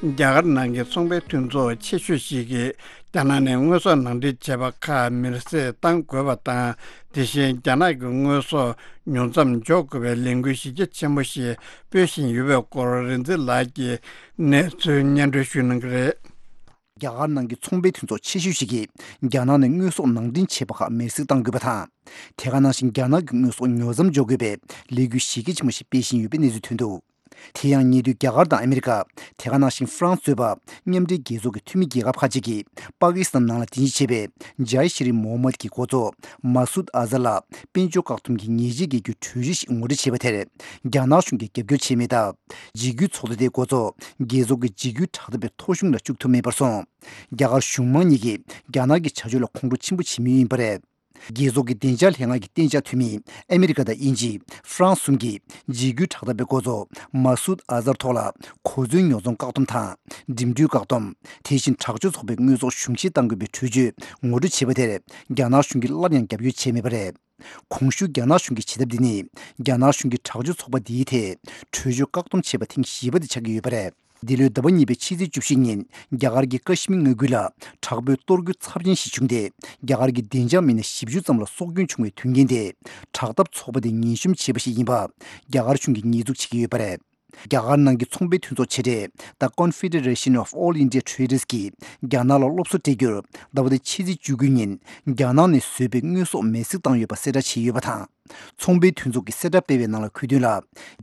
རྒྱ་གར་ནང་གི་ཚོང་པའི་མཐུན་ཚོགས་ཆེ་ཤོས་ཤིག་གིས། རྒྱ་ནག་ནས་དངོས་ཟོག་ནང་འདྲེན་བྱས་པ་ཁག་མེར་སྲེག་གཏང་དགོས་པ་དང་། དེ་བཞིན་རྒྱ་ནག་གི་དངོས་ཟོག་ཉུང་མཚམས་འཇོག་དགོས་པའི་ལས་འགུལ་གཞི་རྒྱ་ཆེན་པོ་ཞིག་སྤེལ་བཞིན་ཡོད་པའི་སྐོར། རིག་འཛིན་ལགས་ཀྱིས་གནས་ཚུལ་སྙན་སྒྲོན་ཞུ་གནང་གི་རེད། རྒྱ་གར་ནང་གི་ཚོང་པའི་མཐུན་ཚོགས་ཆེ་ཤོས་ཤིག་གིས། རྒྱ་ནག་ནས་དངོས་ཟོག་ནང་འདྲེན་བྱས་པ་ཁག་མེར་སྲེག་གཏང་དགོས་པ་དང་། དེ་ག་ནང་བཞིན་རྒྱ་ནག་གི་དངོས་ཟོག་ཉོ་མཚམས་འཇོག་དགོས་པའི་ལས་འགུལ་གཞི་རྒྱ་ཆེན་པོ་ཞིག་སྤེལ་བཞིན་ཡོད་པའི་གནས་ཚུལ་ཐོན་འདུག་དེ་ཡང་ཉེ་དུས་རྒྱ་གར་དང་ཨ་མི་རི་ཀ། དེ་ག་ནང་བཞིན་ཧྥ་རན་སི་གཙོས་པ་མཉམ་འབྲེལ་རྒྱལ་ཚོགས་ཀྱི་འཐུས་མི་རྒྱལ་ཁབ་ཁག་ཅིག་གིས་པ་ཀི་སི་ཐན་ནང་ལ་རྟེན་གཞི་བྱས་པའི་ཇའི་ཤི་རི་མོ་ཧམ་མད་ཀྱི་འགོ་གཙོ་མ་སུད་ཨ་ཛར་ལ་དཔལ་འབྱོར་བཀག་སྡོམ་གྱི་ཉེས་ཆད་འགེལ་རྒྱུའི་གྲོས་གཞི་ཞིག་ངོ་སྤྲོད་བྱས་པ་དེར་རྒྱ་ནག་གཞུང་གིས་རྒྱབ་སྐྱོར་བྱས་མེད་སྟབས། འཇིགས་སྐུལ་ཚོགས་སྡེ་དེའི་འགོ་གཙོ་རྒྱལ་ཚོགས་ཀྱི་འཇིགས་སྐུལ་དྲག་འཐབ་པའི་ཚོགས་ཆུང་ལ་བཅུག་ཐུབ་མེད་པར་སོང་། རྒྱ་གར་གཞུང་མང་གཉིས་ཀྱིས་རྒྱ་ནག་གི་བྱ་སྤྱོད་ལ་ཁོང་ཁྲོ་ཆེན་པོ་བྱེད་མུས་ཡིན་པ་རེད། རྒྱལ་ཚོགས་ཀྱི་བདེ་འཇགས་ལྷན་ཁང་གི་གཏན་འཇགས་འཐུས་མི་ཨ་མི་རི་ཀ་དང་དབྱིན་ཇི། ཧྥ་རན་སི་གསུམ་གྱིས་འཇིགས་སྐུལ་དྲག་འཐབ་པའི་འགོ་གཙོ་མ་སུད་ཨ་ཛར་ཐོག་ལ་གོ་མཚོན་ཉོ་ཚོང་བཀག་སྡོམ་དང་། འགྲིམ་འགྲུལ་བཀག་སྡོམ། དེ་བཞིན་དྲག་སྤྱོད་ཚོགས་པའི་དངོས་ཟོག་གཞུང་བཞེས་གཏང་དགོས་པའི་གྲོས་ཆོད་ངོ་སྤྲོད་བྱས་པ་དེར་རྒྱ་ནག་གཞུང་གིས་སླར་ཡང་རྒྱབ་སྐྱོར་བྱས་མེད་པ་རེད། གོང་ཞུས་རྒྱ་ནག་གཞུང་གི་བྱེད་ཐབས་འདི་ནི་རྒྱ་ནག་གཞུང་གིས་དྲག་སྤྱོད་ཚོགས་པ་འདིའི་ཐད་གྲོས་ཆོད་བཀག་སྡོམ་བྱས་པ་ཐེངས་བཞི་པ་དེ་ཆགས་ཀྱི་ཡོད་པ་རེད། འདི་ལོའི་ཟླ་བ་གཉིས་པའི་ཕྱི་ཚེས་བཅུ་བཞི་ཉིན་རྒྱ་གར་གྱི་ཀ་ཤི་མིར་མངའ་ཁུལ་ལ་དྲག་པོའི་གཏོར་རྒོལ་ཚབས་ཆེན་ཞིག་བྱུང་སྟེ། རྒྱ་གར་གྱི་བདེ་འཇགས་མི་སྣ་བཞི་བཅུ་ཙམ་ལ་སྲོག་སྐྱོན་བྱུང་བའི་དོན་རྐྱེན་དེ་དྲག་འཐབ་ཚོགས་པ་དེས་ངན་གཤོམ་བྱས་པ་ཞིག་ཡིན་པ་རྒྱ་གར་གཞུང་གིས་ཉེས་འཛུགས་བྱེད་ཀྱི་ཡོད་པ་རེད། རྒྱ་གར་ནང་གི་ཚོང་པའི་མཐུན་ཚོགས་ཆེ་གྲས་The Confederation of All India Traders གིས་རྒྱ་ནག་ལ་སློབ་གསོ་སྤྲད་རྒྱུར་ཟླ་བ་འདིའི་ཕྱི་ཚེས་བཅུ་དགུ་ཉིན་རྒྱ་ནག་ནས་བཟོས་པའི་དངོས་ཟོག་མེ་བསྲེགས་བཏང་ཡོད་པ་གསལ་བསྒྲགས་བྱས་ཡོད་པ་དང་། ཚོང་པའི་མཐུན་ཚོགས་ཀྱིས་གསལ་བསྒྲགས་སྤེལ་བའི་ནང་ལ་འཁོད་དོན་ལ།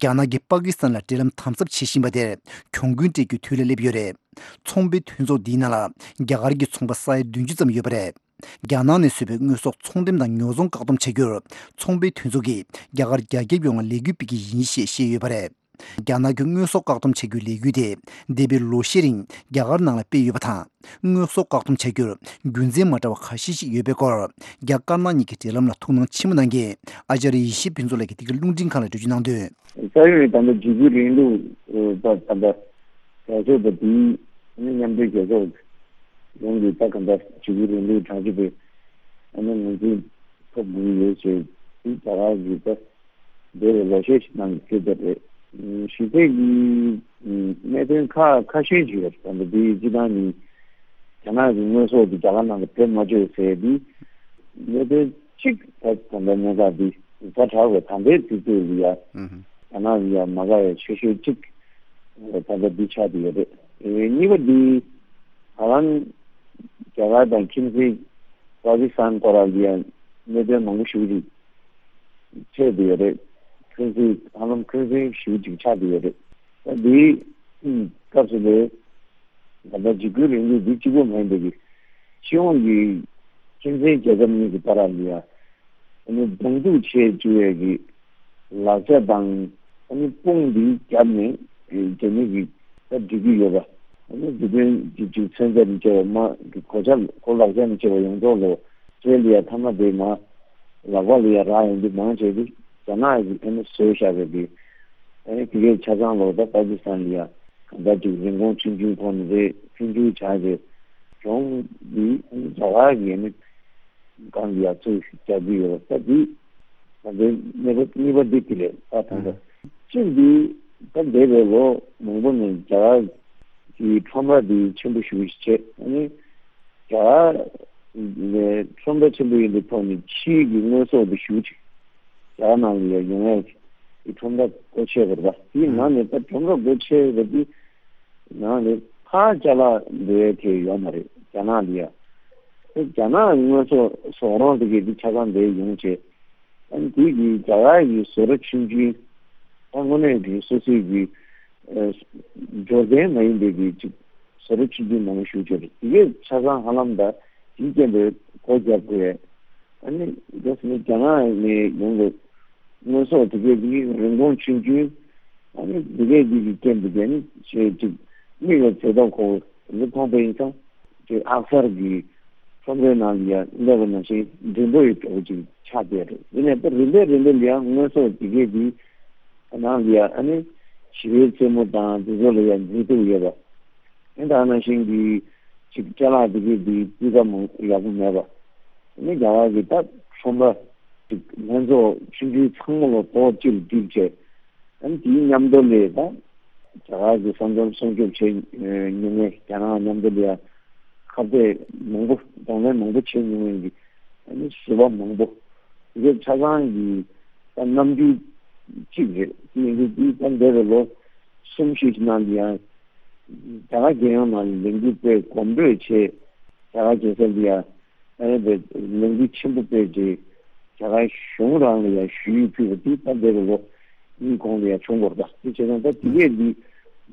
རྒྱ་ནག་གིས་པ་ཀི་སི་ཐན་ལ་འབྲེལ་ལམ་དམ་ཟབ་བྱེད་བཞིན་པ་དེར་གྱོང་གུན་སྤྲད་རྒྱུའི་དུས་ལ་སླེབས་ཡོད་རེད། ཚོང་པའི་མཐུན་ཚོགས་འདིའི་ནང་ལ་རྒྱ་གར་གྱི་ཚོང་པ་ས་ཡ་བདུན་ཅུ་ཙམ་ཡོད་པ་རེད། རྒྱ་ནག་ནས་བཟོས་པའི་དངོས་ཟོག་ཚོང་འགྲེམས་དང་ཉོ་ཚོང་བཀག་སྡོམ་བྱ་རྒྱུར་ཚོང་པའི་མཐུན་ཚོགས་ཀྱིས་རྒྱ་གར་རྒྱ་ཁྱབ་ཡོངས་ལ་ལས་འགུལ་སྤེལ་གྱི་ཡིན་ཞེས་བཤད་ཡོད་པ་རེད། རྒྱ་ནག་གི་དངོས་ཟོག་བཀག་སྡོམ་བྱ་རྒྱུའི་ལས་འགུལ་དེ་འདས་པའི་ལོ་ཤས་རིང་རྒྱ་གར་ནང་ལ་སྤེལ་ཡོད་པ་དང་། དངོས་ཟོག་བཀག་སྡོམ་བྱ་རྒྱུར་རྒྱུ་མཚན་མ་འདྲ་བ་ཁ་ཤས་ཤིག་ཡོད་པའི་སྐོར། རྒྱ་དཀར་ནག་གཉིས་ཀྱི་འབྲེལ་ལམ་ལ་ཐུགས་སྣང་ཆེན་པོ་གནང་མཁན་ཨ་ཅར་ཡེ་ཤེས་ཕུན་ཚོགས་ལགས་ཀྱིས་འདི་གའི་རླུང་འཕྲིན་ཁང་ལ་འགྲེལ་བརྗོད་གནང་དོན། ས་ཡོམ་ད་ལྟ་འཇིགས་སྐུལ་རིང་ལུགས་པ་ད་ལྟ་རྒྱ་ཤོག་པ་དེའི་མཉམ་འབྲེལ་རྒྱལ་ཚོགས་ཡོངས་ཀྱི་ད་ག་འདྲ་འཇིགས་སྐུལ་རིང་ལུགས་དྲག་སྤྱོད་པའི་ཨ་ནི་ངོས་འཛིན་ཐོབ་དགོས་ཡོད་ཅེས་དེ་རྒྱ་གར་གྱི་ད། འདས་པའི་ལོ་ཤས་ཤིག་ནང་གི་སྐད་ཆ་རེད། གཞི་རྩའི་གི་གནད་དོན་ཁ་ཁ་ཤས་ཤིག་ཡོད་རེད། ད་འདི་སྤྱི་བཏང་ནི་རྒྱ་ནག་གི་དངོས་ཟོག་དེ་རྒྱ་གར་ནང་ལ་བེད་མ་སྤྱོད་ཟེར་དེ་གནད་དོན་གཅིག་ད་ད་ལྟ་གནད་འགག་འདི་ཛ་དྲག་པའི་ད་ལྟའི་དུས་ཚོད་ལ་ཡ་རྒྱ་ནག་ལ་ཡ་མ་དགའ་ཡ་ཆེ་ཤོས་གཅིག་ད་ལྟ་འདི་ཆགས་བསྡད་ཡོད་རེད། གཉིས་པ་འདི་ད་ལམ་རྒྱ་གར་དང་ཁྱིམ་མཚེས་པ་ཀི་སི་ཐན་སྐོར་ལ་ཡ་གནད་དོན་མང་པོ་ཞིག་རེད། ཆེ་བསྡད་ཡོད་རེད། འཁོན་འཛིན་ཧ་ལམ་འཁོན་འཛིན་ཞེ་པོ་ཅིག་ཆགས་བསྡད་ཡོད་རེད། ད་འདིའི་སྐབས་སུ་ལས་ད་ལྟ་འཇིགས་སྐུལ་རིང་ལུགས་འདི་གཅིག་པོ་མ་ཡིན་པའི་གི་སྤྱི་ཡོངས་ཀྱི་ཁྱིམ་མཚེས་རྒྱལ་ཁབ་གཉིས་ཀྱི་བར་ལ་ཡ་ཨ་ནི་གདོང་གཏུག་བྱེད་བཅུག་ཡས་ཀྱི་ལག་ཆ་དང་ཨ་ནི་དཔུང་འདི་བརྒྱབ་ནས་རྒྱ་མི་གི་ད་འགྲིག་གི་ཡོད་པ། ཨ་ནི་དེ་དོན་གཅིག་གཅིག་མཚོན་ཆ་ནས་བཅད་པ་མ་གོ་ཆ་གོ་ལག་ཆ་ནས་བཅད་པ་ཡོངས་རྫོགས་ལོ་ཚོད་ལ་ཡ་ཐ་མ་དེ་མ། ལག་པ་ལ་ཡ་རག་ཡོང་དུས་མང་ཆེ་དེ་རྒྱ་ནག་གིས་ཨ་ནི་བཟོས་བཞག་པའི་དེ་ཨ་ནི་དེ་གའི་ཆ་ཚང་ལོ་ད་པ་ཀི་སི་ཐན་ལ་ཡ་གང་ལྟར་ཅིག་རིན་གོང་ཆུང་ཆུང་ཐོག་ནས་རེད། ཆུང་ཆུང་བྱ་རེད། གྱོང་འདི་ཨ་ནི་རྒྱ་གར་གྱིས་ཨ་ནི་གང་གི་ཡ་ཚུར་རྒྱག་གི་ཡོད་ད་འདི་ད་ལྟའི་གནས་བབ་གཉིས་པ་འདི་དེ་རེད། ད་ད་ལྟ་གཅིག་འདི་ད་འདས་པའི་ལོ་མང་པོ་ནས་རྒྱ་གར་གྱི་ཁྲོམ་ར་འདི་ཆེན་པོ་ཞིག་བྱས་ཨ་ནི། རྒྱ་གར་ནས་ཁྲོམ་ར་ཆེན་པོ་ཡིན་པའི་ཐོག་ནས་ཕྱིའི་གི་དངོས་ཟོག་དེ་ཞེ་པོ་ཅིག་རྒྱ་གར་ནང་ལ་ཡང་ཡོང་ཡས་ཀྱི་ཁྲོམ་ར་སྒོ་ཕྱེ་དགོས་རེད་པ། དེའི་ནང་ནས་ད་ཁྲོམ་ར་སྒོ་ཕྱེ་བ་དེ་ནང་ནས་ཕར་ཅ་ལག་འགྲོ་ཡས་དེ་ཡོད་མ་རེད་རྒྱ་ནག་ལ་ཡ། དེ་རྒྱ་ནག་དངོས་ཟོག་ཟོག་རོང་དེ་གས་དེ་ཆ་ཚང་དེ་ཡོང་བྱས། ཨ་ནི་དེ་གི་རྒྱ་གར་གྱི་བཟོ་གྲྭ་ཆུང་ཆུང་ད་དངོས་གནས་ཀྱི་སོ་སོའི་གི་ཨ་འབྱོར་ལྡན་མ་ཡིན་པའི་གི་ཅིག་བཟོ་གྲྭ་ཆུང་ཆུང་མང་པོ་ཞིག་ཡོད་རེད། དེ་གས་ཆ་ཚང་ཧ་ལམ་ད་དེའི་རྐྱེན་པས་སྒོ་རྒྱག་དགོས། ཨ་ནི་རྒྱ་ནག་ནས་ཡོང་བའི་དངོས་ཟོག་དེ་གས་དེ་རིན་གོང་ཆུང་ཆུང་ཨ་ནི་དེ་གས་དེ་གི་རྐྱེན་པས་དེ་ནི་ཆེས་ཅིག་མིག་ལ་མཛེས་སྟོབས་ཁོ་བོ་དེ་མཐོང་པ་ཡིན་ཙང་། དེ་ཨག་གསར་གྱི་ཁྲོམ་རའི་ནང་ལ་ཡ་སླེབས་པ་ནང་བཞིན་མགྲོན་པོ་ཡི་འདྲ་བོ་ཅིག་ཆགས་བསྡད་རེད། ཡིན་ནའི་ད་རིམ་པས་རིམ་པས་ལ་ཡ་དངོས་ཟོག་དེ་གས་དེ་ནང་ལ་ཡ་ཨ་ནི་ཞི་བའི་རྩེད་མོ་དང་དེ་ཚོ་ལ་ཡ་མཛེས་སྡུག་ཡོད་པ། ཨ་ནི་ད་ནང་བཞིན་གྱི་ཅིག་ཅ་ལག་དེ་གས་དེ་སྤུས་ཀ་མང་ཡག་པོ་མེད་པ། ཨ་ནི་རྒྱ་གར་གྱི་ད་ཁྲོམ་ར་ཅིག་ལྷན་ཚོགས་ཆུང་ཆུང་ཚང་མ་ལ་ཐོག་གཅིག་ལ་བསྒྲིགས་བྱས། ཨ་ནི་དེའི་མཉམ་དུ་ལས་ད་རྒྱ་གར་གྱི་ས་མཚམས་སྲུང་སྐྱོབ་བྱེད་མྱོང་མཁན་རྒྱ་ནག་མཉམ་དུ་ལས་ཁ་གཏད་མང་པོ་གདོང་ལེན་མང་པོ་བྱེད་མྱོང་མཁན་གྱི་ཨ་ནི་ཟུར་པ་མང་པོ་དེ་གའི་ཆ་ཚང་གི་ད་རྣམ་འགྱུར་གཅིག་རེད། དེ་ཡིན་དུས་དེ་ད་འདས་པའི་ལོ་གསུམ་བཞི་ཞིག་ནང་ལ་ཡང་རྒྱ་གར་རྒྱལ་ཡོངས་ནང་ལ་ལས་འགུལ་སྤེལ་གོམ་བགྲོད་བྱས། རྒྱ་གར་རྒྱལ་ས་ལ་ཡང་ཨ་ནི་བའི་ལས་འགུལ་ཆེན་པོ་སྤེལ་རྗེས་རྒྱ་གར་གཞུང་རང་ལ་ཡང་ཞུ་ཡིག་ཕུལ་བ་དེ་ད་འདས་པའི་ལོ་གཉིས་གོང་ལ་ཡང་བྱུང་བ་རེད་པ། དེ་བྱས་ཙང་ད་དེ་གས་འདི་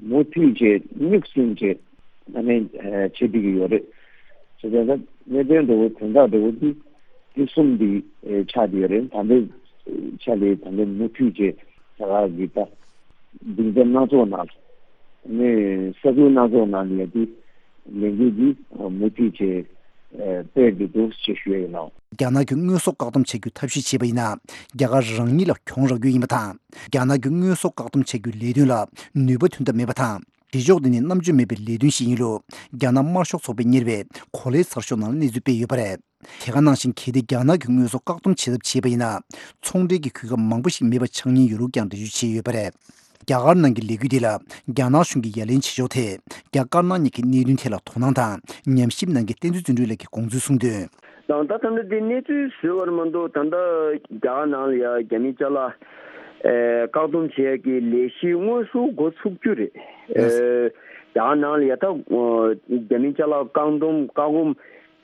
མུ་མཐུད་བྱས་མིག་བསྲིངས་བྱས་ཨ་ནི་བྱེད་བསྡད་ཀྱི་ཡོད་རེད། བྱས་ཙང་ད་གནད་དོན་འདྲ་བོ་དོན་དག་འདྲ་བོ་འདི་འདི་གསུམ་འདི་ཆགས་བསྡད་ཡོད་རེད། ད་ལྟའི་ཆ་ལས་ད་ལྟའི་མུ་མཐུད་བྱས་རྒྱ་གར་གྱི་ད་སྡིངས་ཆ་སྣ་ཚོགས་ནང་ལ་ནས་ས་ཁུལ་སྣ་ཚོགས་ནང་ལ་ཡང་འདི་ལས་འགུལ་འདི་མུ་མཐུད་བྱས་སྤེལ་དགོས་འདུག་ཅེས་ཞུ་ཡ་ཡིན་ནོ། རྒྱ་ནག་གི་དངོས་ཟོག་བཀག་སྡོམ་བྱ་རྒྱུ་ཐབས་ཤེས་བྱས་པ་ཡིན་ན་རྒྱ་གར་རང་ཉིད་ལ་གྱོང་རག་རྒྱུ་ཡིན་པ་དང་། རྒྱ་ནག་གི་དངོས་ཟོག་བཀག་སྡོམ་བྱ་རྒྱུའི་ལས་དོན་ལ་ནུས་པ་ཐོན་ཐབས་མེད་པ་དང་། བྱེད་ཕྱོགས་འདི་ནི་རྣམ་དཔྱོད་མེད་པའི་ལས་དོན་ཞིག་ཡིན་ལུགས་རྒྱ་ནག་དམར་ཤོག་ཚོགས་པས་གཉེར་བའི་གོ་ལའི་ཚགས་ཤོག་ནང་གནས་ཚུལ་སྤེལ་ཡོད་པ་རེད། དེ་ག་ནང་བཞིན་གལ་ཏེ་རྒྱ་ནག་གིས་དངོས་ཟོག་བཀག་སྡོམ་བྱེད་ཐབས་བྱས་པ་ཡིན་ན། ཚོང་འབྲེལ་གྱི་གོ་སྐབས་མང་པོ་ཞིག་མེད་པ་ཆགས་ཉེན་ཡོད་ལུགས་ཀྱང་འགྲེལ་བརྗོད་བྱས་ཡོད་པ་རེད། རྒྱ་གར་ནང་གི་ལས་འགུལ་འདི་ལ་རྒྱ་ནག་གཞུང་གིས་ཡ་ལན་བྱེད་ཕྱོགས་ཐད། རྒྱ་དཀར་ནག་གཉིས་ཀྱི་གནད་དོན་ཐད་ལ་དོ་སྣང་དང་ཉམས་ཞིབ་གནང་མཁན་བསྟན་འཛིན་བརྩོན་འགྲུས་ལགས་ཀྱིས་དགོངས་ཚུལ་གསུངས་དོན། དང་ད་ད་ལྟ་དེ་གནས་ཚུལ་བཟོས་པར་མ་གཏོགས་ད་ལྟ་རྒྱ་གར་ནང་ལ་ཡ་རྒྱ་མི་ཅ་ལག་ཨེ་བཀག་སྡོམ་བྱེད་ཡག་གི་ལས་གཞི་དངོས་སུ་འགོ་ཚུགས་རྒྱུ་རེད། ཨེ་རྒྱ་གར་ནང་ལ་ཡ་ད་རྒྱ་མི་ཅ་ལག་བཀག་སྡོམ་བཀག་སྡོམ་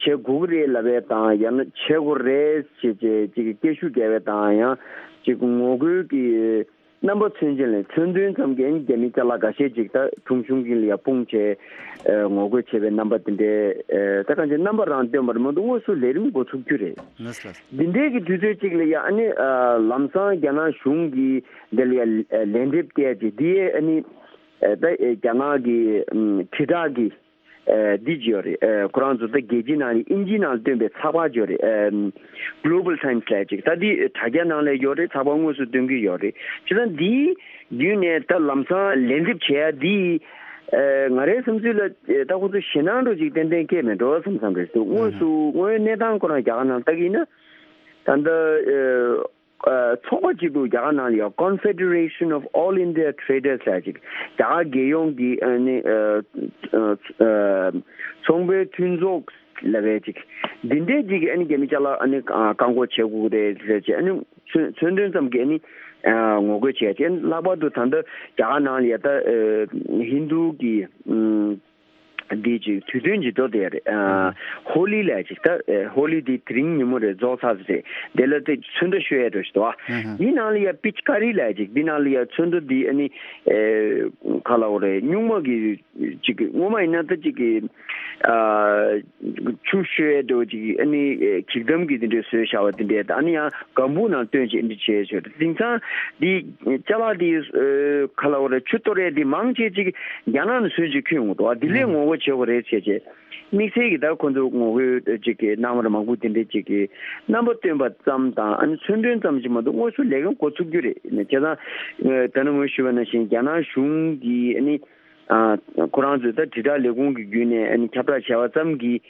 བྱེད་དགོས་ཀྱི་རེད་ལབ་པ་དང་ཡང་ན་བྱེད་དགོས་རེད་ཅེས་ཅེས་ཅིག་སྐད་ཤུགས་རྒྱག་པ་དང་ཡང་ཅིག་ངོ་རྒོལ་གྱི་ རྣམ་པ་མཚོན་བྱེད་ལས་མཚོན་དོན་ཙམ་གྱིས་ཨ་ནི་རྒྱ་མི་ཅ་ལག་འགའ་ཤས་ཅིག་ད་ཁྲུང་ཆུང་གི་ལ་ཡ་སྤུངས་བྱས་ཨ་ངོ་རྒོལ་བྱས་པའི་རྣམ་པ་དེ་འདྲའི་ཨ་ད་གང་ཅི་རྣམ་པ་རང་སྟོན་པར་མ་གཏོགས་དངོས་སུ་ལས་རིམ་འགོ་ཚུགས་རྒྱུ་རེད། ལགས་སོ། འདི་འདྲའི་གི་དུས་ཚོད་ཅིག་ལ་ཡ་ཨ་ནི་ཨ་ལམ་སང་རྒྱ་ནག་གཞུང་གིས་འདི་ལ་ཡ་ལན་འདེབས་སྟེར་ཅིག་འདི་ཡས་ཨ་ནི་ཨ་ད་རྒྱ་ནག་གི་ཨ་དྲིལ་བསྒྲགས་ཀྱི་ཨ་འདི་ཅིག་ཡོད་རེད། ཨ་ཁོ་རང་ཚོ་ད་རྒྱལ་སྤྱིའི་ནང་ལ་དབྱིན་ཇིའི་ནང་ལ་བཏོན་པའི་ཚགས་པར་ཅིག་ཡོད་རེད། ཨ་Global Times ལབ་ཅིག་ད་འདི་དྲ་རྒྱ་ནང་ལ་ཡོད་རེད། ཚགས་པར་དངོས་སུ་སྟོན་གྱི་ཡོད་རེད། བྱས་ཙང་འདིའི་བརྒྱུད་ནས་ད་ལམ་སང་ལན་འདེབས་བྱེད་ཡ་འདི་ཨ་ང་རའི་བསམ་ཚུལ་ལ་ཨ་ད་ཁོ་ཚོ་ཞེད་སྣང་འདྲ་ཅིག་ཏན་ཏན་སྐྱེས་མེད་འགྲོ་བསམ་བསམ་རེད་འདུག་དངོས་སུ་དངོས་ཡོད་གནས་སྟངས་ཁོ་རང་རྒྱ་གར་ནང་ལྟ་གི་ཡིན་ན་ད་ལྟ་ཨ། ཚོགས་པ་གཅིག་ཏུ་རྒྱ་གར་ནང་ལ་ཡང་Confederation of All India Traders ལབ་ཅིག་རྒྱ་གར་རྒྱལ་ཡོངས་ཀྱི་ཨ་ནི་ཚོང་པའི་མཐུན་ཚོགས་ལབ་པའི་ཅིག་འདི་འདྲའི་ཅིག་ཨ་ནི་རྒྱ་མི་ཅ་ལག་ཨ་ནི་བཀག་འགོག་བྱེད་དགོས་རེད་ཟེར་ཅིག་ཨ་ནི་མཚོན་དོན་ཙམ་གྱི་ཨ་ནི་ངོ་རྒོལ་བྱས་ཅིག་ལྷག་པར་དུ་ད་ལྟ་རྒྱ་གར་ནང་ལ་ཡ་ད་ཧིན་རྡུ་གི་འདི་ཅིག་དུས་སྟོན་ཅིག་འགྲོ་བསྡད་ཡོད་རེད། ཨ་ཧོ་ལི་ལབ་ཅིག་ད་ཨ་ཧོ་ལི་འདི་དེ་རིང་ཉིན་མོ་རེད་རྫོགས་ཚར་ཟིན་རེད། དེ་ལ་དེ་ཚོན་མདོག་ཤོད་ཡ་འགྲོ་ཞིག་འདུག་ཨ། འདི་ནང་ལ་ཡ་པིཆ་ཀ་རི་ལབ་ཅིག་འདི་ནང་ལ་ཡ་ཚོན་མདོག་འདི་ཨ་ནི་ཨེ་ག་ལ་འོ་རེད། སྨྱུག་མ་གི་ཅིག་སྔོན་མ་ཡིན་ན་ད་ཅིག་གི་ཨ་ཆུ་ཤོད་ཡ་འགྲོ་ཅིག་ཨ་ནི་ཨེ་གྱིག་དམ་གི་དེ་འདྲའི་བཟོས་བཞག་པ་དེ་འདྲའི་ད་ཨ་ནི་ཡང་སྒམ་པོ་ནང་བཏོན་ཅིག་འདི་བྱས་ཆོག་དེང་སང་འདི་ཅ་ལག་འདི་ཨེ་ག་ལ་འོ་རེད། ཆུ་གཏོར་ཡ་འདི་མང་ཆེ་ཅིག་རྒྱ་ནག་ནས་ཚོན་ཅིག་ཁྱོན་ཡོང་འདུག་ཨ། འདི་ལས་ངོ་རྒོལ་བྱེད་དགོས་རེད་བྱས་བྱས། དམིགས་བསལ་གྱི་ད་ཁོ་ཚོ་ངོ་རྒོལ་ཅིག་གི་གནང་བ་མང་པོ་དེ་འདྲ་ཅིག་གི་རྣམ་པ་སྟོན་པ་ཙམ་དང་ཨ་ནི་མཚོན་དོན་ཙམ་ཞིག་མ་གཏོགས་དངོས་སུ་ལས་ཀ་འགོ་ཚུགས་རྒྱུ་རེད། བྱས་ཙང་ད་ནི་ངོས་ཞུས་པ་ནང་བཞིན་རྒྱ་ནག་གཞུང་གིས་ཨ་ནི་ཁོ་རང་ཚོས་ད་དྲིལ་བསྒྲགས་ལས་ཁུངས་ཀྱི་བརྒྱུད་ནས་ཨ་ནི་ཁྱབ་བསྒྲགས་བྱས་པ་ཙམ་གྱིས་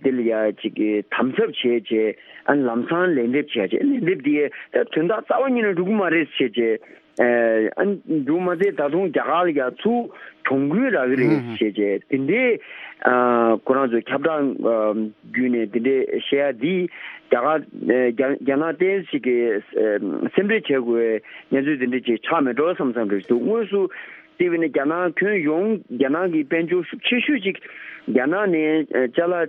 དེ་ལ་ཡ་ཅིག་གི་དམ་ཟབ་བྱས་བྱས་ཨ་ནི་ལམ་སང་ལན་འདེབས་བྱས་བྱས་ལན་འདེབས་དེ་ད་དོན་དག་རྩ་བ་ཉིད་ནས་འགྲུབ་ཀྱི་མ་རེད་བྱས་བྱས། ཨ་འདུག་མ་ཚད་ད་དུང་རྒྱ་གར་ལ་ཡ་ཚུར་གྱོང་གུན་རག་གི་རེད་ཞེས་བྱས་དེ་འདྲའི་ཁོ་རང་ཚོའི་ཁྱབ་བསྒྲགས་བརྒྱུད་ནས་དེ་འདྲའི་བཤད་ཡ་འདི་རྒྱ་གར་རྒྱ་རྒྱ་ནག་ཏོག་ཙམ་ཞིག་གི་སེམས་ཁྲལ་བྱེད་དགོས་པའི་གནས་ཚུལ་དེ་འདྲ་ཅིག་ཆགས་མེད་འགྲོ་བསམ་བསམ་རེད་འདུག་དངོས་སུ་བལྟས་པ་ཡིན་ན་རྒྱ་ནག་ཁྱོན་ཡོངས་རྒྱ་ནག་གི་དཔལ་འབྱོར་ཤུགས་ཆེ་ཤོས་ཅིག་རྒྱ་ནག་ནས་ཅ་ལག་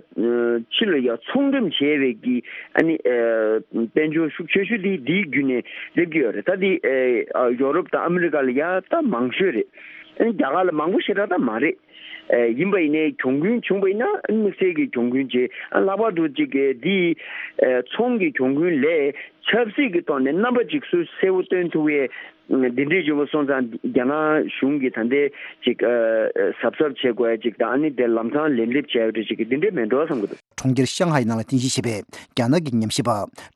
ཕྱི་ལ་ཡ་ཚོང་འགྲེམས་བྱས་པའི་གི་ཨ་ནི་དཔལ་འབྱོར་ཤུགས་ཆེ་ཤོས་དེ་འདིའི་བརྒྱུད་ནས་སླེབས་ཀྱི་ཡོད་རེད། ད་འདི་ཡོ་རོབ་དང་ཨ་མི་རི་ཀ་ལ་ཡ་ད་མང་ཤོས་རེད། ཨ་ནི་རྒྱ་གར་ལ་མང་པོ་ཞེ་དྲག་ད་མ་རེད། ཡིན་པ་ཡིན་ནའི་གྱོང་གུན་བྱུང་བ་ཡིན་ན་ཨ་ནི་དམིགས་བསལ་གྱི་གྱོང་གུན་བྱས། ཨ་ལྷག་པར་དུ་ཅིག་འདི་ཚོང་གི་གྱོང་གུན་ལས་ཆབ་སྲིད་ཀྱི་ཐོག་ནས་རྣམ་པ་ཅིག་སུ་གསལ་པོ་སྟོན་ཐུབ་ཡས། འདི་འདྲའི་བརྗོད་པ་སོང་ཙང་རྒྱ་ནག་གཞུང་གིས་ད་ལྟའི་ཅིག་གཟབ་གཟབ་བྱེད་དགོས་ཡ་ཅིག་དང་ཨ་ནི་དེ་ལམ་སང་ལན་འདེབས་བྱས་ཡོད་འདྲ་ཅིག་གི་འདི་འདྲའི་མེད་འགྲོ་བསམ་གི་འདུག་གྲོང་ཁྱེར་ཤང་ཧའེ་ནང་ལ་རྟེན་གཞི་བྱས་པའི་རྒྱ་ནག་གི་ཉམས་ཞིབ་པ་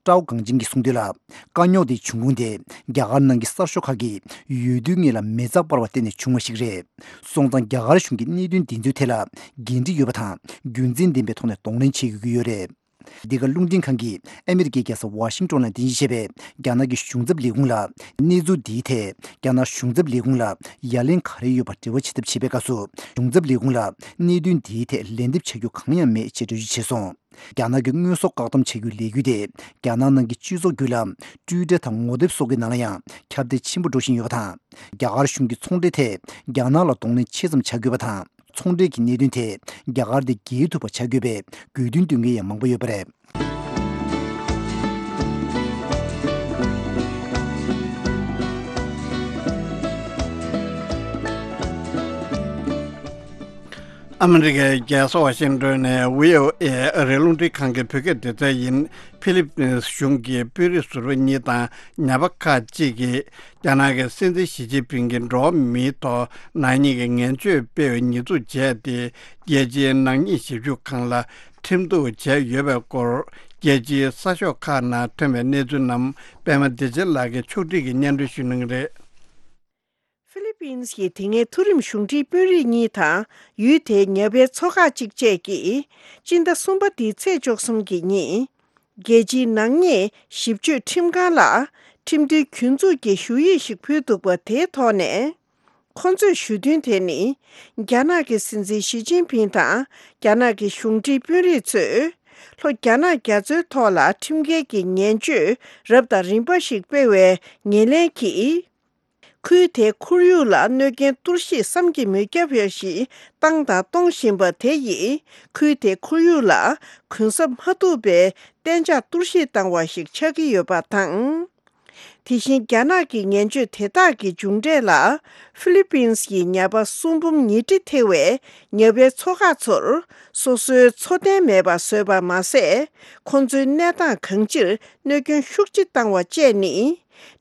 ཀྲའོ་གངས་ཅན་གྱིས་གསུངས་དོན་ལ། དཀའ་རྙོག་དེའི་འབྱུང་ཁུངས་དེ་རྒྱ་གར་ནང་གི་གསར་ཤོག་ཁག་གིས་འོས་བསྡུའི་སྔོན་ལ་མི་ཚགས་སྤར་བར་བརྟེན་ནས་བྱུང་བ་ཞིག་རེད། སོང་ཙང་རྒྱ་གར་གཞུང་གིས་གནད་དོན་འདི་ཚོའི་ཐད་ལ་འགན་འཁྲི་ཡོད་པ་དང་རྒྱུ་མཚན་ལྡན་པའི་ཐོག་ནས་གདོང་ལེན་བྱེད་དགོས་ཀྱི་ཡོད་རེད། འདི་ག་རླུང་འཕྲིན་ཁང་གིས་ཨ་མི་རི་ཀའི་རྒྱལ་ས་ཝ་ཤིང་ཏོན་ལ་རྟེན་གཞི་བྱས་པའི་རྒྱ་ནག་གི་གཞུང་ཚབ་ལས་ཁུངས་ལ་གནས་ཚུལ་འདིའི་ཐད་རྒྱ་ནག་གཞུང་ཚབ་ལས་ཁུངས་ལ་ཡ་ལན་ག་རེ་ཡོད་པ་འབྲེལ་བ་བྱེད་ཐབས་བྱེད་པའི་སྐབས་སུ། གཞུང་ཚབ་ལས་ཁུངས་ལ་གནད་དོན་འདིའི་ཐད་ལན་འདེབས་བྱ་རྒྱུ་གང་ཡང་མེད་ཅེས་འགྲེལ་བརྗོད་བྱས་སོང་། རྒྱ་ནག་གི་དངོས་ཟོག་བཀག་སྡོམ་བྱ་རྒྱུའི་ལས་འགུལ་དེ་རྒྱ་ནག་ནང་གི་སྤྱི་ཚོགས་བརྒྱུད་ལམ་ཊུའི་ཊར་དང་ངོ་དེབ་སོགས་ཀྱི་ནང་ལ་ཡང་ཁྱབ་གདལ་ཆེན་པོ་འགྲོ་བཞིན་ཡོད་པ་དང་། རྒྱ་གར་གཞུང་གིས་ཚོང་འབྲེལ་ཐད་རྒྱ་ནག་ལ་གདོང་ལེན་ཆེ་ཙམ་བྱ་དགོས་པ་དང་། ཚོང་འབྲེལ་གྱི་གནད་དོན་ཐད་རྒྱ་གར་དེ་རྒྱལ་ཐུབ་པ་བྱ་དགོས་པའི་དགོས་འདུན་བཏོན་མཁན་ཡང་མང་པོ་ཡོད་པ་རེད། ཨ་མི་རི་ཀའི་རྒྱལ་ས་ཝ་ཤིང་ཏོན་ནས་བྷི་ཨོ་ཨེ་ཨ་རིའི་རླུང་འཕྲིན་ཁང་གི་བོད་སྐད་སྡེ་ཚན་ཡིན། ཧྥི་ལི་པིན་གཞུང་གི་དཔོན་རིགས་ཟུར་པ་གཉིས་དང་ཉ་པ་ཁག་ཅིག་གིས་རྒྱ་ནག་གི་སྲིད་འཛིན་ཞི་ཅིན་ཕིང་གིས་འགྲོ་བ་མིའི་ཐོག་ནག་ཉེས་ཀྱི་ངན་བྱུས་སྤེལ་བའི་ཉེས་འཛུགས་བྱས་ཏེ། རྒྱལ་སྤྱིའི་ནག་ཉེས་ཞིབ་འཇུག་ཁང་ལ་ཁྲིམས་གཏུག་བྱས་ཡོད་པའི་སྐོར། རྒྱལ་སྤྱིའི་གསར་ཤོག་ཁག་ནང་ཐོན་པའི་གནས་ཚུལ་རྣམས་པད་མ་བདེ་ཆེན་ལགས་ཀྱིས་ཕྱོགས་སྒྲིག་གིས་སྙན་སྒྲོན་ཞུ་གནང་གི་རེད། ཧྥི་ལི་པིན་གྱི་དེ་སྔའི་མཐོ་རིམ་གཞུང་འབྲེལ་དཔོན་རིགས་གཉིས་དང་ཡུལ་དེའི་ཉ་པའི་ཚོ་ཁག་ཅིག་བཅས་ཀྱིས་སྤྱི་ཟླ་གསུམ་པ་འདིའི་ཚེས་བཅུ་གསུམ་གྱི་ཉིན། རྒྱལ་སྤྱིའི་ནག་ཉེས་ཞིབ་དཔྱོད་ཁྲིམས་ཁང་ལ་ཁྲིམས་མཐུན་གྱོད་འཛུགས་ཀྱི་ཞུ་ཡིག་ཞིག་ཕུལ་འདུག་པ་དེའི་ཐོག་ནས། ཁོ་ཚོས་ཞུ་དོན་དེ་ནི། རྒྱ་ནག་གི་སྲིད་འཛིན་ཞི་ཅིན་ཕིང་དང་རྒྱ་ནག་གི་གཞུང་འབྲེལ་དཔོན་རིགས་ཚོས། ལྷོ་རྒྱ་ནག་རྒྱ་མཚོའི་ཐོག་ལ་ཁྲིམས་འགལ་གྱི་ངན་བྱུས་རབ་དང་རིམ་པ་ཞིག་སྤེལ་བའི་ཉེར་ལེན་གྱིས། ཁུལ་དེའི་ཁོར་ཡུག་ལ་གནོད་སྐྱོན་གཏོར་བཤིག་བསམ་གྱིས་མི་ཁྱབ་པ་ཞིག་བཏང་དང་གཏོང་བཞིན་པ་དེ་ཡིས། ཁུལ་དེའི་ཁོར་ཡུག་ལ་གུན་གསབ་མ་ཐུབ་པའི་གཏན་འཇགས་གཏོར་བཤིག་བཏང་བ་ཞིག་ཆགས་ཀྱི་ཡོད་པ་དང་། དེ་བཞིན་རྒྱ་ནག་གི་ངན་བྱུས་དེ་དག་གི་མཇུག་འབྲས་ལ། ཧྥི་ལི་པིན་སི་ཡི་ཉ་པ་གསུམ་འབུམ་ཉིས་ཁྲི་ཐེ་བའི་ཉ་པའི་ཚོ་ཁག་ཚོར་སོ་སོའི་འཚོ་རྟེན་མེད་པར་བཟོས་པ་མ་ཟད། ཁོ་ཚོའི་གནས་སྟངས་གང་ཅིར་གནོད་སྐྱོན་ཤུགས་ཆེ་བཏང་བ་བཅས་ནི།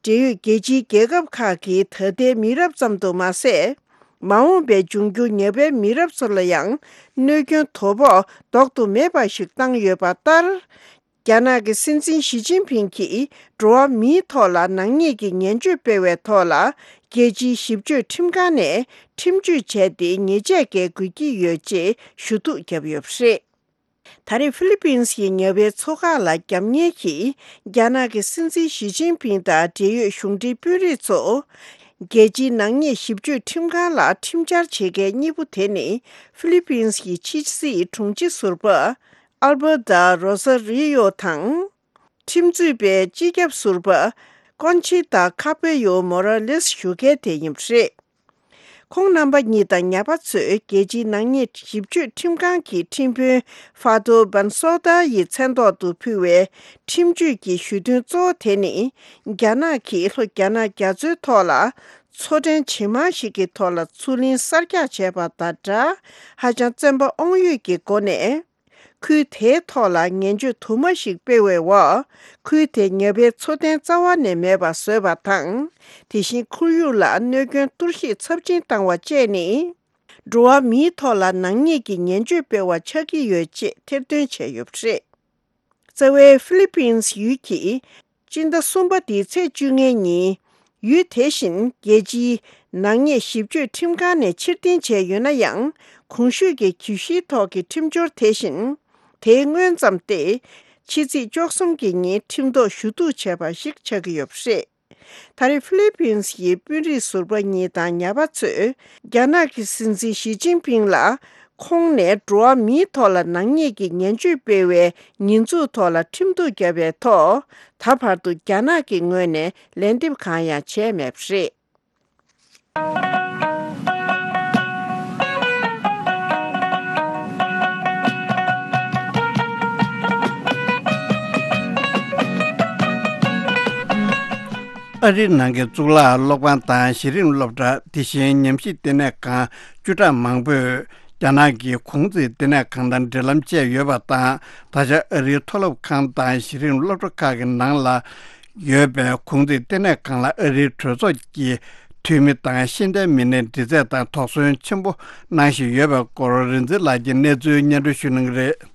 འབྲེལ་ཡོད་རྒྱལ་སྤྱིའི་རྒྱལ་ཁབ་ཁག་གི་ད་ལྟའི་མི་རབས་ཙམ་དུ་མ་ཟད། མ་འོངས་པའི་འབྱུང་འགྱུར་ཉ་པའི་མི་རབས་ཚོ་ལ་ཡང་གནོད་སྐྱོན་དོ་ཕོག་ལྡོག་ཏུ་མེད་པ་ཞིག་བཏང་ཡོད་པ་ལྟར། རྒྱ་ནག་གི་སྲིད་འཛིན་ཞི་ཅིན་ཕིང་གིས་འགྲོ་བ་མིའི་ཐོག་ལ་ནག་ཉེས་ཀྱི་ངན་བྱུས་སྤེལ་བའི་ཐོག་ལ། རྒྱལ་སྤྱིའི་ཞིབ་དཔྱོད་ཁྲིམས་ཁང་ནས་ཁྲིམས་གཅོད་བྱས་ཏེ་ཉེས་ཆད་འགེལ་དགོས་ཀྱི་ཡོད་ཅེས་ཞུ་གཏུག་བརྒྱབ་ཡོད་པ་རེད། ད་རེས་ཧྥི་ལི་པིན་སི་ཡི་ཉ་པའི་ཚོ་ཁག་ལ་རྒྱབ་གཉེར་གྱིས། རྒྱ་ནག་གི་སྲིད་འཛིན་ཞི་ཅིན་ཕིང་དང་འབྲེལ་ཡོད་གཞུང་འབྲེལ་དཔོན་རིགས་ཚོ། རྒྱལ་སྤྱིའི་ནག་ཉེས་ཞིབ་དཔྱོད་ཁྲིམས་ཁང་ལ་ཁྲིམས་འཆར་བྱེད་མཁན་གཉིས་པོ་དེ་ནི། ཧྥི་ལི་པིན་སི་ཡི་ཕྱི་སྲིད་དྲུང་ཆེ་ཟུར་པ། ཨལ་བྷར་ཏ་རོ་ས་རི་ཡོ་དང་། ཁྲིམས་རྩོད་པའི་སྤྱི་ཁྱབ་ཟུར་པ། ཀོན་ཆི་ཏ་ཁ་པེ་ཡོ་མོ་ར་ལེས་ཞུ་མཁན་དེ་ཡིན་པ་རེད། ཁོང་རྣམ་པ་གཉིས་དང་ཉ་པ་ཚོས་རྒྱལ་སྤྱིའི་ནག་ཉེས་ཞིབ་དཔྱོད་ཁྲིམས་ཁང་གི་ཁྲིམས་དཔོན་ཧྥ་ཏོ་བན་སོ་ཏཱ་ཡི་མཚན་ཐོག་ཏུ་ཕུལ་བའི་ཁྲིམས་གཅོད་ཀྱི་ཞུ་དོན་གཙོ་བོ་དེ་ནི། རྒྱ་ནག་གིས་ལྷོ་རྒྱ་ནག་རྒྱ་མཚོའི་ཐོག་ལ་མཚོ་ཕྲན་ཇེ་མང་ཞིག་གི་ཐོག་ལ་མཚོ་གླིང་གསར་རྒྱག་བྱས་པ་དང་སྦྲགས། ཧ་ཅང་བཙན་པ་དབང་ཡོད་ཀྱི་སྒོ་ནས། ཁུལ་དེའི་ཐོག་ལ་ངན་བྱུས་དུ་མ་ཞིག་སྤེལ་བའི་འོག་ཁུལ་དེའི་ཉ་པའི་འཚོ་རྟེན་རྩ་བ་ནས་མེད་པ་བཟོས་པ་དང་། དེ་བཞིན་ཁོར་ཡུག་ལ་གནོད་སྐྱོན་གཏོར་བཤིག་ཚབས་ཆེན་བཏང་བ་བཅས་ནི། འགྲོ་བ་མིའི་ཐོག་ལ་ནག་ཉེས་ཀྱི་ངན་བྱུས་སྤེལ་བ་ཆགས་ཀྱི་ཡོད་ཅེས་ཐེར་འདོན་བྱས་ཡོད་པ་རེད། རྩ་བའི་ཧྥི་ལི་པིན་སི་ཡུལ་གྱིས། སྤྱི་ཟླ་གསུམ་པ་འདིའི་ཚེས་བཅོ་ལྔའི་ཉིན། ཡུལ་དེ་བཞིན་རྒྱལ་སྤྱིའི་ནག་ཉེས་ཞིབ་དཔྱོད་ཁྲིམས་ཁང་ནས་ཕྱིར་འཐེན་བྱས་ཡོད་ན་ཡང་། གོང་ཞུས་ཀྱི་གྱོད་གཞིའི་ཐོག་གི་ཁྲིམས་སྦྱོར་དེ་བཞིན། དེའི་སྔོན་ཙམ་སྟེ། ཕྱི་ཚེས་བཅུ་གསུམ་གྱི་ཉིན་ཁྲིམས་ཐོག་ཞུ་གཏུག་བྱས་པ་ཞིག་ཆགས་ཀྱི་ཡོད་པ་རེད། ད་རེས་ཧྥི་ལི་པིན་སི་ཡི་དཔོན་རིགས་ཟུར་པ་གཉིས་དང་ཉ་པ་ཚོས། རྒྱ་ནག་གི་སྲིད་འཛིན་ཞི་ཅིན་ཕིང་ལ། ཁོང་ནས་འགྲོ་བ་མིའི་ཐོག་ལ་ནག་ཉེས་ཀྱི་ངན་བྱུས་སྤེལ་བའི་ཉེས་འཛུགས་ཐོག་ལ་ཁྲིམས་གཏུག་བརྒྱབ་པའི་ཐོག་ད་བར་དུ་རྒྱ་ནག་གི་ངོས་ནས་ལན་འདེབས་གང་ཡང་བྱས་མེད་པ་རེད། ཨ་རིའི་ནང་གི་གཙུག་ལག་སློབ་ཁང་དང་གཞི་རིམ་སློབ་གྲྭ། དེ་བཞིན་ཉམས་ཞིབ་བསྟི་གནས་ཁང་བཅུ་ཕྲག་མང་པོས་རྒྱ་ནག་གི་གུང་ཚིགས་བསྟི་གནས་ཁང་དང་འབྲེལ་ལམ་བཅད་ཡོད་པ་དང་། ད་ཆ་ཨ་རིའི་མཐོ་སློབ་ཁང་དང་གཞི་རིམ་སློབ་གྲྭ་ཁག་གི་ནང་ལ་ཡོད་པའི་གུང་ཚིགས་བསྟི་གནས་ཁང་ལ་ཨ་རིའི་གྲོས་ཚོགས་ཀྱི་འཐུས་མི་དང་ཤེས་ལྡན་མི་སྣའི་འདྲི་རྩད་དང་དོགས་ཟོན་ཆེན་པོ་གནང་བཞིན་ཡོད་པའི་སྐོར། རིག་འཛིན་ལགས་ཀྱིས་གནས་ཚུལ་སྙན་སྒྲོན་ཞུ་གནང་གི་རེད།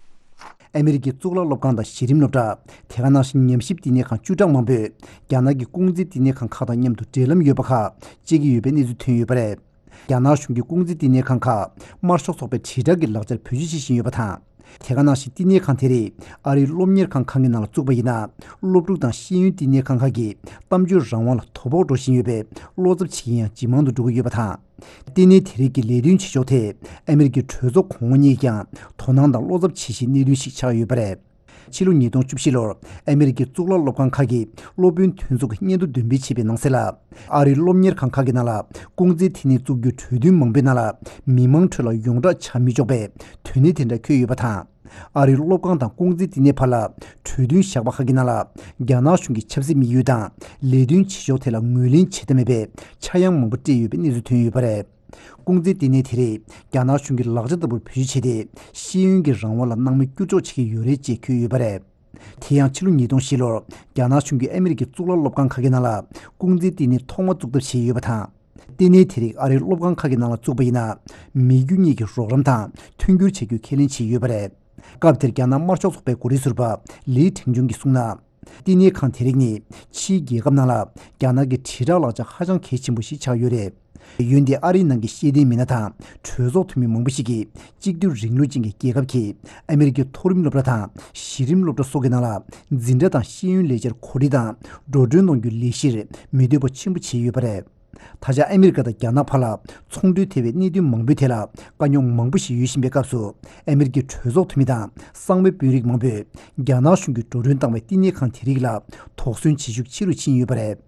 ཨ་མི་རི་ཀའི་གཙུག་ལག་སློབ་ཁང་དང་གཞི་རིམ་སློབ་གྲྭ། དེ་ག་ནང་བཞིན་ཉམས་ཞིབ་བསྟི་གནས་ཁང་བཅུ་ཕྲག་མང་པོས་རྒྱ་ནག་གི་ཀུང་ཙི་བསྟི་གནས་ཁང་ཁག་དང་མཉམ་དུ་འབྲེལ་ལམ་ཡོད་པ་ཁག་བཅད་ཀྱི་ཡོད་པའི་གནས་ཚུལ་ཐོན་ཡོད་པ་རེད། རྒྱ་ནག་གཞུང་གིས་ཀུང་ཙི་བསྟི་གནས་ཁང་ཁག་དམར་ཤོག་ཚོགས་པའི་དྲིལ་བསྒྲགས་ཀྱི་ལག་ཆར་བེད་སྤྱོད་བྱེད་བཞིན་ཡོད་པ་དང་། དེ་ག་ནང་བཞིན་བསྟི་གནས་ཁང་དེ་རིགས་ཨ་རིའི་སློབ་གཉེར་ཁང་ཁག་གི་ནང་ལ་བཙུགས་པ་ཡིན་ན། སློབ་ཕྲུག་དང་ཤེས་ཡོན་བསྟི་གནས་ཁང་ཁག་གི་གཏམ་བརྗོད་རང་དབང་ལ་དོ་ཕོག་འགྲོ་བཞིན་ཡོད་པས། བློ་འཚབ་བྱེད་མཁན་ཡང་ཇེ་མང་དུ་འགྲོ་གི་ཡོད་པ་དང་། བསྟི་གནས་དེ་རིགས་ཀྱི་ལས་དོན་བྱེད་ཕྱོགས་ཐད་ཨ་མི་རི་ཀའི་གྲོས་ཚོགས་གོང་འོག་གཉིས་ཀྱང་དོ་སྣང་དང་བློ་འཚབ་བྱེད་བཞིན་གནད་དོན་ཞིག་ཆགས་ཡོད་པ་རེད། ཕྱི་ལོ་ཉིས་སྟོང་བཅུ་བཞི་ལོར་ཨ་མི་རི་ཀའི་གཙུག་ལག་སློབ་ཁང་ཁག་གིས་སློབ་དཔོན་དོན་ཚོགས་ཀྱི་སྙན་ཐོ་འདོན་སྤེལ་བྱས་པའི་ནང་གསལ་ལ། ཨ་རིའི་སློབ་གཉེར་ཁང་ཁག་གི་ནང་ལ་ཀུང་ཙི་བསྟི་གནས་བཙུགས་རྒྱུའི་གྲོས་མཐུན་མང་པོའི་ནང་ལ་མི་མང་ཁྲོད་ལ་ཡོངས་བསྒྲགས་བྱ་མི་ཆོག་པའི་དོན་གནད་དེ་འདྲ་འཁོད་ཡོད་པ་དང་། ཨ་རིའི་སློབ་ཁང་དང་ཀུང་ཙི་བསྟི་གནས་བར་ལ་གྲོས་མཐུན་བཞག་པ་ཁག་གི་ནང་ལ། རྒྱ་ནག་གཞུང་གི་ཆབ་སྲིད་དམིགས་ཡུལ་དང་ལས་དོན་བྱེད་ཕྱོགས་ཐད་ལ་ངོས་ལེན་བྱེད་ཐབས་མེད་པའི་ཆག་ཡང་མང་པོ་སྤྲད་ཡོད་པའི་གནས་ཚུལ་ཐོན་ཡོད་པ་རེད། ཀུང་ཙི་བསྟི་གནས་དེ་རིགས་རྒྱ་ནག་གཞུང་གི་ལག་ཆ་ལྟ་བུར་བེད་སྤྱོད་བྱས་ཏེ། ཤེས་ཡོན་གྱི་རང་དབང་ལ་སྣང་མེད་བསྐྱུར་འཇོག་བྱེད་ཀྱི་ཡོད་རེད་ཅེས་འཁོད་ཡོད་པ་རེད། དེ་ཡང་ཕྱི་ལོ་ཉིས་སྟོང་བཞི་ལོར་རྒྱ་ནག་གཞུང་གིས་ཨ་མི་རི་ཀའི་གཙུག་ལག་སློབ་ཁང་ཁག་གི་ནང་ལ་ཀུང་ཙི་བསྟི་གནས་ཐོག་མ་བཙུགས་ཐབས་བྱས་ཡོད་པ་དང་། བསྟི་གནས་དེ་རིགས་ཨ་རིའི་སློབ་ཁང་ཁག་གི་ནང་ལ་བཙུགས་པ་ཡིན་ན། མི་རྒྱུ་གཉིས་ཀྱི་རོགས་རམ་དང་མཐུན་འགྱུར་བྱ་རྒྱུ་ཁས་ལེན་བྱས་ཡོད་པ་རེད། སྐབས་དེར་རྒྱ་ནག་དམར་ཤོག་ཚོགས་པའི་འགོ་ཁྲིད་ཟུར་པ་ལི་ཁྲེང་ཆུང་གིས་གསུངས་ན། བསྟི་གནས་ཁང་དེ་རིགས་ནི་ཕྱིའི་རྒྱལ་ཁབ་ནང་ལ་རྒྱ་ནག་གི་དྲིལ་བསྒྲགས་ལག་ཆ་ཧ་ཅང་གལ་ཆེན་པོ་ཞིག་ཆགས་ཡོད་རེད། འོན་ཏེ་ཨ་རིའི་ནང་གི་ཤེས་ལྡན་མི་སྣ་དང་གྲོས་ཚོགས་འཐུས་མི་མང་པོ་ཞིག་གིས། གཅིག་སྡུད་རིང་ལུགས་ཅན་གྱི་རྒྱལ་ཁབ་ཀྱིས་ཨ་མི་རི་ཀའི་མཐོ་རིམ་སློབ་གྲྭ་དང་གཞི་རིམ་སློབ་གྲྭ་སོགས་ཀྱི་ནང་ལ་འཛིན་གྲྭ་དང་ཤེས་ཡོན་ལས་འཆར་གོ་སྒྲིག་དང་འགྲོ་གྲོན་གཏོང་རྒྱུའི་ལས་གཞིར་མི་འདོད་པ་ཆེན་པོ་བྱས་ཡོད་པ་རེད། ད་ཆ་ཨ་མི་རི་ཀ་དང་རྒྱ་ནག་བར་ལ་ཚོང་འབྲེལ་ཐེ་བའི་གནད་དོན་མང་པོའི་ཐད་ལ་དཀའ་རྙོག་མང་པོ་ཞིག་ཡོད་བཞིན་པའི་སྐབས་སུ། ཨ་མི་རི་ཀའི་གྲོས་ཚོགས་འཐུས་མི་དང་གསང་བའི་དཔོན་རིགས་མང་པོས་རྒྱ་ནག་གཞུང་གིས་འགྲོ་གྲོན་བཏང་བའི་བསྟི་གནས་ཁང་དེ་རིགས་ལ་དོགས་ཟོན་བྱེད་ཤུགས་ཆེ་རུ་ཕྱིན་ཡོད་པ་རེད།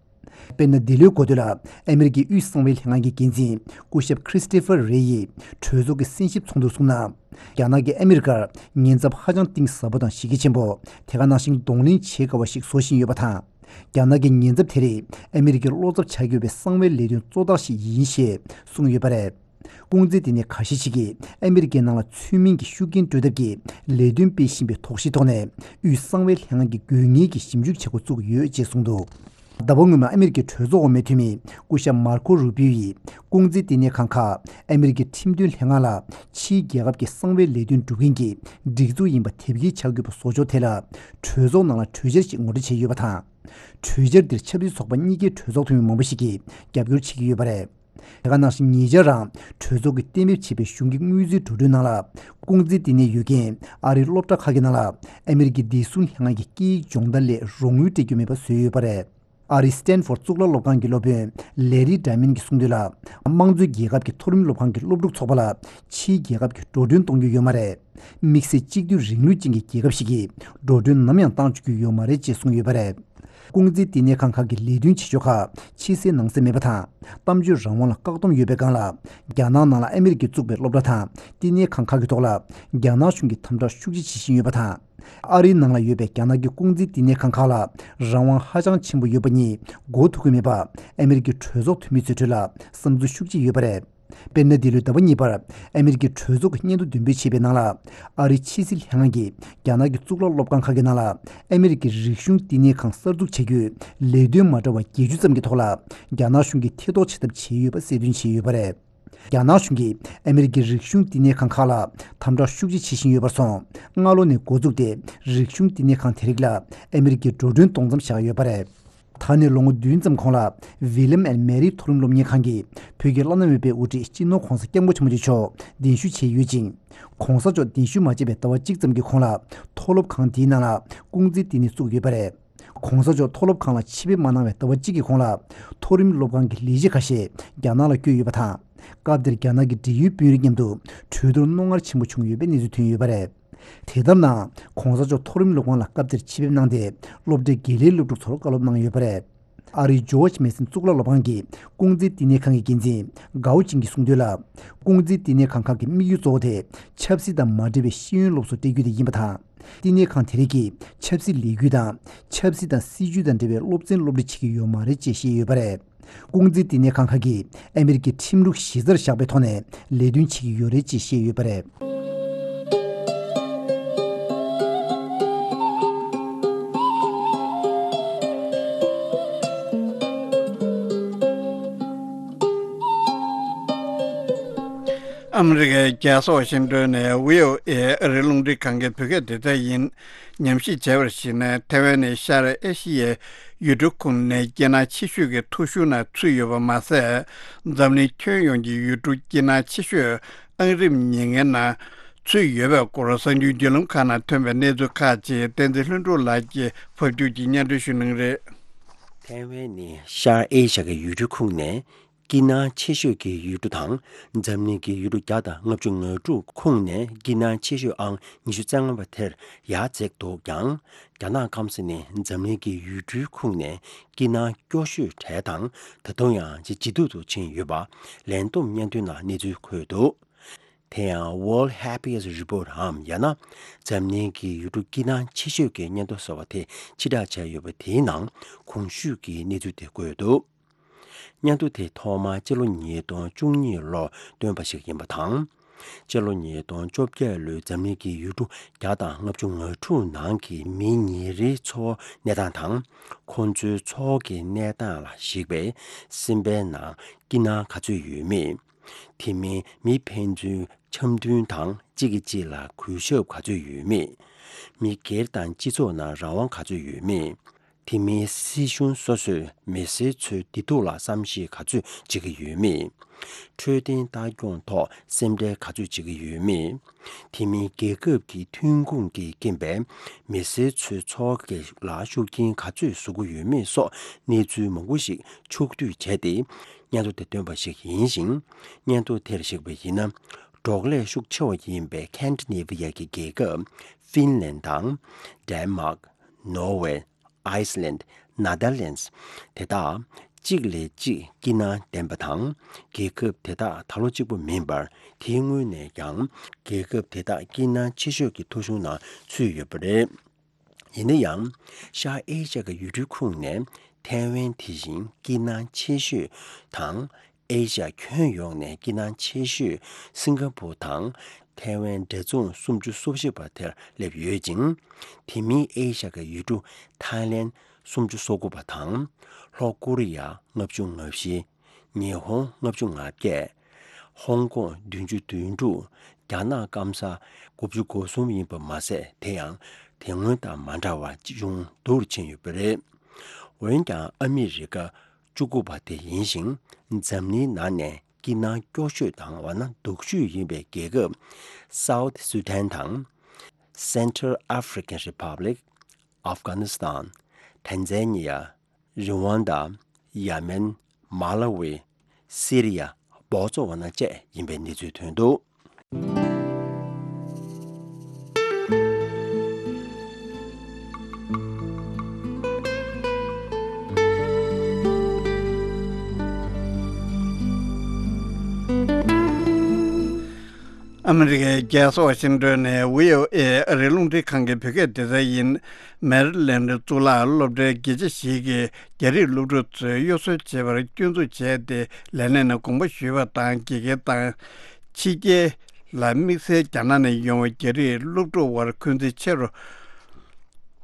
དཔེར་ན། འདི་ལོའི་འགོ་སྟོད་ལ་ཨ་མི་རི་ཀའི་དབུས་གསང་བའི་ལྷན་ཁང་གི་འགན་འཛིན་སྐུ་ཞབས་ཁྲི་སི་ཏི་ཕར་རེ་ཡིས་གྲོས་ཚོགས་ཀྱི་གསན་ཞིབ་ཚོགས་འདུར་གསུངས་ན། རྒྱ་ནག་གིས་ཨ་མི་རི་ཀར་ཉེན་ཚབས་ཧ་ཅང་གཏིང་ཟབ་པོ་དང་གཞི་རྒྱ་ཆེན་པོ། དེ་ག་ནང་བཞིན་གདོང་ལེན་བྱེད་དཀའ་བ་ཞིག་བཟོ་བཞིན་ཡོད་པ་དང་། རྒྱ་ནག་གི་ཉེན་ཚབས་དེ་རིགས་ཨ་མི་རི་ཀའི་བློ་འཚབ་བྱ་དགོས་པའི་གསང་བའི་ལས་དོན་གཙོ་རྟགས་ཤིག་ཡིན་ཞེས་གསུངས་ཡོད་པ་རེད། ལྐོག་འཛིན་ལྟེ་གནས་ཁ་ཤས་ཤིག་གིས་ཨ་མི་རི་ཀའི་ནང་ལ་ཚུལ་མིན་གྱི་ཤུགས་རྐྱེན་སྤྲོད་ཐབས་ཀྱི་ལས་དོན་སྤེལ་བཞིན་པའི་དོགས་གཞིའི་ཐོག་ནས། དབུས་གསང་བའི་ལྷན་ཁང་གིས་དགོས་ངེས་ཀྱི་ཞིབ་འཇུག་བྱེད་འགོ་བཙུགས་ཡོད་ཅེས་གསུངས་འདུག་ཟླ་བ་སྔོན་མ་ཨ་མི་རི་ཀའི་གྲོས་ཚོགས་འོག་མའི་འཐུས་མི་སྐུ་ཞབས་མར་ཁོ་རུ་པིའོ་ཡིས། ལྐོག་འཛིན་ལྟེ་གནས་ཁང་ཁག་ཨ་མི་རི་ཀའི་ཁྲིམས་དོན་ལྷན་ཁང་ལ་ཕྱིའི་རྒྱལ་ཁབ་ཀྱི་གསང་བའི་ལས་དོན་སྒྲུབ་མཁན་གྱི་སྒྲིག་འཛུགས་ཡིན་པ་དེབ་སྐྱེལ་བྱ་དགོས་པ་བཟོ་ཕྱོགས་དེ་ལ། གྲོས་ཚོགས་ནང་ལ་གྲོས་འཆར་ཞིག་ངོ་སྤྲོད་བྱས་ཡོད་པ་དང་། གྲོས་འཆར་འདིར་ཆབ་སྲིད་ཚོགས་པ་གཉིས་ཀའི་གྲོས་ཚོགས་འཐུས་མི་མང་པོ་ཞིག་གིས་རྒྱབ་སྐྱོར་བྱེད་ཀྱི་ཡོད་པ་རེད། དེ་ག་ནང་བཞིན་ཉེ་ཆར་རང་གྲོས་ཚོགས་ཀྱིས་གཏན་འབེབས་བྱས་པའི་གཞུང་གི་དངུལ་རྩིས་འགྲོ་གྲོན་ནང་ལ། ལྐོག་འཛིན་ལྟེ་གནས་ཡོད་མཁན་ཨ་རིའི་སློབ་གྲྭ་ཁག་གི་ནང་ལ་ཨ་མི་རི་ཀའི་བདེ་སྲུང་ལྷན་ཁང་གི་སྐད་ཡིག་སྦྱོང་བརྡར་ལས་རོགས་དངུལ་སྤྲད་རྒྱུ་མེད་པ་བཟོས་ཡོད་པ་རེད། ཨ་རིའི་སི་ཏན་ཧྥོར་གཙུག་ལག་སློབ་ཁང་གི་སློབ་དཔོན་ལེ་རི་ཌའི་མན་གྱིས་གསུངས་དོན་ལ། དམངས་གཙོའི་རྒྱལ་ཁབ་ཀྱི་མཐོ་རིམ་སློབ་ཁང་གི་སློབ་ཕྲུག་ཚོགས་པ་ལ་ཕྱིའི་རྒྱལ་ཁབ་ཀྱིས་འགྲོ་གྲོན་གཏོང་རྒྱུ་ཡོད་མ་རེད། དམིགས་བསལ་གཅིག་སྡུད་རིང་ལུགས་ཅན་གྱི་རྒྱལ་ཁབ་ཞིག་གིས་འགྲོ་གྲོན་ནམ་ཡང་བཏང་ཆོག་རྒྱུ་ཡོད་མ་རེད་ཅེས་གསུངས་ཡོད་པ་རེད། ལྐོག་འཛིན་ལྟེ་གནས་ཁང་ཁག་གི་ལས་དོན་བྱེད་ཕྱོགས་ཁག་ཕྱི་གསལ་ནང་གསལ་མེད་པ་དང་། གཏམ་བརྗོད་རང་དབང་ལ་བཀག་སྡོམ་ཡོད་པའི་སྒང་ལ། རྒྱ་ནག་ནང་ལ་ཨ་མི་རི་ཀས་བཙུགས་པའི་སློབ་གྲྭ་དང་ལྟེ་གནས་ཁང་ཁག་གི་ཐོག་ལ་རྒྱ་ནག་གཞུང་གིས་དམ་དྲག་ཤུགས་ཆེ་བྱེད་བཞིན་ཡོད་པ་དང་། ཨ་རིའི་ནང་ལ་ཡོད་པའི་རྒྱ་ནག་གི་ལྐོག་འཛིན་ལྟེ་གནས་ཁང་ཁག་ལ་རང་དབང་ཧ་ཅང་ཆེན་པོ་ཡོད་པ་གཉིས་མགོ་ཐུག་གི་མེད་པ། ཨ་མི་རི་ཀའི་གྲོས་ཚོགས་འཐུས་མི་ཚོའི་ཁྲོད་ལ་བསམ་ཚུལ་ཤུགས་ཆེ་ཡོད་པ་རེད། དཔེར་ན། འདི་ལོའི་ཟླ་བ་གཉིས་པར་ཨ་མི་རི་ཀའི་གྲོས་ཚོགས་ཀྱི་སྙན་ཐོ་འདོན་སྤེལ་བྱས་པའི་ནང་ལ། ཨ་རིའི་ཕྱི་སྲིད་ལྷན་ཁང་གིས་རྒྱ་ནག་གི་གཙུག་ལག་སློབ་ཁང་ཁག་གི་ནང་ལ་ཨ་མི་རི་ཀའི་རིག་གཞུང་ལྟེ་གནས་ཁང་གསར་འཛུགས་བྱ་རྒྱུའི་ལས་དོན་མ་འདྲ་བ་བརྒྱད་ཅུ་ཙམ་གྱི་ཐོག་ལ། རྒྱ་ནག་གཞུང་གིས་ཐེ་གཏོགས་བྱེད་ཐབས་བྱས་ཡོད་པ་གསལ་སྟོན་བྱས་ཡོད་པ་རེད། རྒྱ་ནག་གཞུང་གིས་ཨ་མི་རི་ཀའི་རིག་གཞུང་ལྟེ་གནས་ཁང་ཁག་ལ་དམ་དྲག་ཤུགས་ཆེ་བྱེད་བཞིན་ཡོད་པར་སོང་། སྔ་ལོ་ནས་འགོ་བཙུགས་ཏེ། རིག་གཞུང་ལྟེ་གནས་ཁང་དེ་རིགས་ལ་ཨ་མི་རི་ཀས་འགྲོ་གྲོན་གཏོང་མཚམས་བཞག་ཡོད་པ་རེད། ད་ནས་ལོ་ངོ་བདུན་ཙམ་གོང་ལ། ཝི་ལི་ཡམ་ཨེན་མེ་རི་མཐོ་རིམ་སློབ་གཉེར་ཁང་གིས་བོད་ཀྱི་བླ་ན་མེད་པའི་དབུ་ཁྲིད་སྤྱི་ནོར་༧གོང་ས་༧སྐྱབས་མགོན་ཆེན་པོ་མཆོག་གདན་ཞུ་བྱས་ཡོད་ཅིང་། ༧གོང་ས་མཆོག་གདན་ཞུ་མ་བྱས་པའི་ཟླ་བ་གཅིག་ཙམ་གྱི་གོང་ལ། མཐོ་སློབ་ཁང་དེའི་ནང་ལ་ལྐོག་འཛིན་ལྟེ་གནས་བཙུགས་ཡོད་པ་རེད། ༧གོང་ས་མཆོག་མཐོ་སློབ་ཁང་ལ་ཆེད་ཕེབས་མ་གནང་བའི་ཟླ་བ་གཅིག་གི་གོང་ལ། མཐོ་རིམ་སློབ་ཁང་གི་ལས་བྱེད་ཁ་ཤས་རྒྱ་ནག་ལ་བསྐྱོད་ཡོད་པ་དང་། སྐབས་དེར་རྒྱ་ནག་གི་འབྲེལ་ཡོད་དཔོན་རིགས་མཉམ་དུ་གྲོས་བསྡུར་རྣོ་ངར་ཆེན་པོ་བྱུང་ཡོད་པའི་གནས་ཚུལ་ཐོན་ཡོད་པ་རེད། དེ་ལྟར་ན། ༧གོང་ས་མཆོག་མཐོ་རིམ་སློབ་ཁང་ལ་སྐབས་དེར་ཆེད་ཕེབས་གནང་སྟེ། སློབ་གྲྭའི་དགེ་ལས་སློབ་ཕྲུག་ཚོར་བཀའ་སློབ་གནང་ཡོད་པ་རེད། ཨ་རིའི་ཇོརྗ་མེ་སན་གཙུག་ལག་སློབ་ཁང་གི་ལྐོག་འཛིན་ལྟེ་གནས་ཁང་གི་འགན་འཛིན་གའོ་ཅིང་གིས་གསུངས་དོན་ལ། ལྐོག་འཛིན་ལྟེ་གནས་ཁང་ཁག་གི་དམིགས་ཡུལ་གཙོ་བོ་དེ། ཆབ་སྲིད་དང་མ་འབྲེལ་བའི་ཤེས་ཡོན་སློབ་གསོ་སྤྲད་རྒྱུ་དེ་ཡིན་པ་དང་། ལྟེ་གནས་ཁང་དེ་རིགས་ཀྱིས་ཆབ་སྲིད་ལས་འགུལ་དང་། ཆབ་སྲིད་དང་སྲིད་ཇུས་དང་འབྲེལ་བའི་སློབ་ཚན་སློབ་ཁྲིད་བྱེད་ཀྱི་ཡོད་མ་རེད་ཅེས་བཤད་ཡོད་པ་རེད། ལྐོག་འཛིན་ལྟེ་གནས་ཁང་ཁག་གིས་ཨ་མི་རི་ཀའི་ཁྲིམས་ལུགས་གཞི་རྩར་བཞག་པའི་ཐོག་ནས་ལས་དོན་བྱེད་ཀྱི་ཡོད་རེད་ཅེས་བཤད་ཡོད་པ་རེད། ཨ་མི་རི་ཀའི་རྒྱལ་ས་ཝ་ཤིང་ཏོན་ནས་བྷི་ཨོ་ཨེ་ཨ་རིའི་རླུང་འཕྲིན་ཁང་གི་བོད་སྐད་སྡེ་ཚན་ཡིན། ཉམས་ཞིབ་བྱས་པར་གཞིགས་ན། ཐའེ་ཝན་ནི་ཤར་ཨེ་ཤི་ཡའི་ཡུལ་གྲུ་ཁོངས་ནས་སྐྱིད་སྣང་ཆེ་ཤོས་ཀྱི་ཐོ་གཞུང་ནང་ཚུད་ཡོད་པ་མ་ཟད། འཛམ་གླིང་ཁྱོན་ཡོངས་ཀྱི་ཡུལ་གྲུ་སྐྱིད་སྣང་ཆེ་ཤོས་ཨང་རིམ་ཉེར་ལྔའི་ནང་ཚུད་ཡོད་པའི་སྐོར། གསར་འགྱུར་བརྒྱུད་ལམ་ཁག་ནང་ཐོན་པའི་གནས་ཚུལ་ཁག་ཅིག་བསྟན་འཛིན་ལྷུན་གྲུབ་ལགས་ཀྱིས་ཕབ་སྒྱུར་གྱིས་སྙན་སྒྲོན་ཞུ་གནང་གི་རེད། ཐའེ་ཝན་ནི་ཤར་ཨེ་ཤ་ཡའི་ཡུལ་གྲུ་ཁོངས་ནས། སྐྱིད་སྣང་ཆེ་ཤོས་ཀྱི་ཡུལ་གྲུ་དང་། འཛམ་གླིང་གི་ཡུལ་གྲུ་བརྒྱ་དང་ལྔ་བཅུ་ང་དྲུག་ཁོངས་ནས་སྐྱིད་སྣང་ཆེ་ཤོས་ཨང་ཉི་ཤུ་རྩ་ལྔ་པ་དེར་ཡར་འཛེགས་འདུག་ཀྱང་། རྒྱ་ནག་སྐམ་ས་ནི་འཛམ་གླིང་གི་ཡུལ་གྲུའི་ཁོངས་ནས་སྐྱིད་སྣང་སྐྱོ་ཤོས་གྲས་དང་། ད་དུང་ཡང་ཇེ་ཇེ་སྡུག་ཏུ་ཕྱིན་ཡོད་པ་ལན་ཏུང་སྙན་ཐོའི་ནང་གནས་ཚུལ་འཁོད་འདུག་དེ་ཡང་World Happiest Report འམ། ཡང་ན། འཛམ་གླིང་གི་ཡུལ་གྲུ་སྐྱིད་སྣང་ཆེ་ཤོས་ཀྱི་སྙན་ཐོ་ཟེར་བ་དེ་ཕྱིར་བསྒྲགས་བྱས་ཡོད་པ་དེའི་ནང་གོང་ཞུས་ཀྱི་གནས་ཚུལ་དེ་འཁོད་འདུག་སྙན་ཐོ་དེ་ཐོག་མར་སྤྱི་ལོ་ཉིས་སྟོང་བཅུ་གཉིས་ལོར་བཏོན་པ་ཞིག་ཡིན་པ་དང་། སྤྱི་ལོ་ཉིས་སྟོང་བཅོ་བརྒྱད་ལོའི་འཛམ་གླིང་གི་ཡུལ་གྲུ་བརྒྱ་དང་ལྔ་བཅུ་ང་དྲུག་ནང་གི་མི་ཉིན་རེའི་འཚོ་བ་གནས་སྟངས་དང་། ཁོང་ཚོའི་འཚོ་བ་གི་གནས་སྟངས་ལ་གཞིགས་པའི་སེམས་པའི་ནང་སྐྱིད་སྣང་ག་ཚོད་ཡོད་མེད། དེ་མིན་མི་ཕན་ཚུན་འཆམ་མཐུན་དང་གཅིག་གིས་གཅིག་ལ་གུས་ཞབས་ག་ཚོད་ཡོད་མེད། མི་སྒེར་དང་སྤྱི་ཚོགས་ནང་རང་དབང་ག་ཚོད་ཡོད་མེད། དེ་མིན་སྲིད་གཞུང་སོ་སོས་མི་སེར་ཚོའི་བདེ་སྡུག་ལ་བསམ་ཤེས་ག་ཚོད་བྱེད་ཀྱི་ཡོད་མེད། འཕྲོད་བསྟེན་ལྟ་སྐྱོང་ཐོག་སེམས་ཁྲལ་ག་ཚོད་བྱེད་ཀྱི་ཡོད་མེད། དེ་མིན་རྒྱལ་ཁབ་ཀྱི་ཐོན་ཁུངས་ཀྱི་རྐྱེན་པས་མི་སེར་ཚོའི་འཚོ་བ་ལ་ཤུགས་རྐྱེན་ག་ཚོད་བཟོ་གི་ཡོད་མེད་སོགས་གནས་ཚུལ་མང་པོ་ཞིག་ཕྱོགས་བསྡུས་བྱས་ཏེ། སྙན་ཐོ་དེ་བཏོན་པ་ཞིག་ཡིན་ཞིང་། སྙན་ཐོ་དེར་གཞིགས་པ་ཡིན་ན། འབྲོག་ལས་ཤུགས་ཆེ་བ་ཡིན་པའི་ཁན་ཌི་ནེ་ཝི་ཡ་གི་རྒྱལ་ཁབ་ཧྥིན་ལན་དང་། ཌེན་མཱག་ནོར་ཝེ། ཨའི་སི་ལན། ནེ་དར་ལན་དེ་དག་གཅིག་ལས་གཅིག་སྐྱིད་སྣང་ལྡན་པ་དང་། རྒྱལ་ཁབ་དེ་དག་ད་ལོ་གཅིག་པུ་མིན་པར། དེའི་སྔོན་ནས་ཀྱང་རྒྱལ་ཁབ་དེ་དག་སྐྱིད་སྣང་ཆེ་ཤོས་ཀྱི་ཐོ་གཞུང་ནང་ཚུད་ཡོད་པ་རེད། ཡིན་ན་ཡང་། ཤར་ཨེ་ཤ་ཡའི་ཡུལ་གྲུ་ཁོངས་ནས་ཐའེ་ཝན་དེ་བཞིན་སྐྱིད་སྣང་ཆེ་ཤོས་དང་། ཨེ་ཤ་ཡ་ཁྱོན་ཡོངས་ནས་སྐྱིད་སྣང་ཆེ་ཤོས་སིང་ག་པུར་དང་ཐའེ་ཝན་འབྲེལ་ཚོགས་སུམ་ཅུ་སོ་བཞི་པ་དེར་སླེབས་ཡོད་ཅིང་། དེ་མིན་ཨེ་ཤ་ཡའི་ཡུལ་གྲུ་ཐའི་ལེན་སུམ་ཅུ་སོ་དགུ་པ་དང་། ལྷོ་ཀོ་རི་ཡ་ལྔ་བཅུ་ང་བཞི། ཉི་ཧོང་ལྔ་བཅུ་ང་བརྒྱད། ཧོང་ཀོང་བདུན་ཅུ་དོན་དྲུག་རྒྱ་ནག་སྐམ་ས་དགུ་བཅུ་གོ་གསུམ་ཡིན་པ་མ་ཟད། དེ་ཡང་དེ་སྔོན་དང་མ་འདྲ་བར་ཅུང་སྡུག་རུ་ཕྱིན་ཡོད་པ་རེད། འོན་ཀྱང་ཨ་མི་རི་ཀ་བཅུ་དགུ་པ་དེ་ཡིན་ཞིང་། འཛམ་གླིང་ནང་ནས་སྐྱིད་སྣང་སྐྱོ་ཤོས་དང་འོ་ན་སྡུག་ཤོས་ཡིན་པའི་རྒྱལ་ཁབ་South Sudan དང་། Central African Republic། Afghanistan། Tanzania། Rwanda། Yemen། Malawi། Syria། Botswana བཅས་ཡིན་པའི་གནས་ཚུལ་ཐོན་འདུག་ཨ་མི་རི་ཀའི་རྒྱལ་ས་ཝ་ཤིང་ཏོན་ནས་བྷི་ཨོ་ཨེ་ཨ་རིའི་རླུང་འཕྲིན་ཁང་གི་བོད་སྐད་སྡེ་ཚན་ཡིན། མེ་རི་ལེན་ཌི་གཙུག་ལག་སློབ་གྲྭའི་དགེ་ཆེ་ཞིག་གིས་རྒྱ་རིགས་སློབ་ཕྲུག་ཚོས་གཡོ་ཟོལ་བྱེད་པར་སྐྱོན་འཛུགས་བྱས་ཏེ། ལས་གནས་ནས་དགོངས་པ་ཞུས་པ་དང་། དགེ་རྒན་དང་ཕྱི་རྒྱལ་ལ་དམིགས་བསལ་རྒྱ་ནག་ནས་ཡོང་བའི་རྒྱ་རིགས་སློབ་ཕྲུག་དབར་འཁོན་འཛིན་ཆེ་རུ་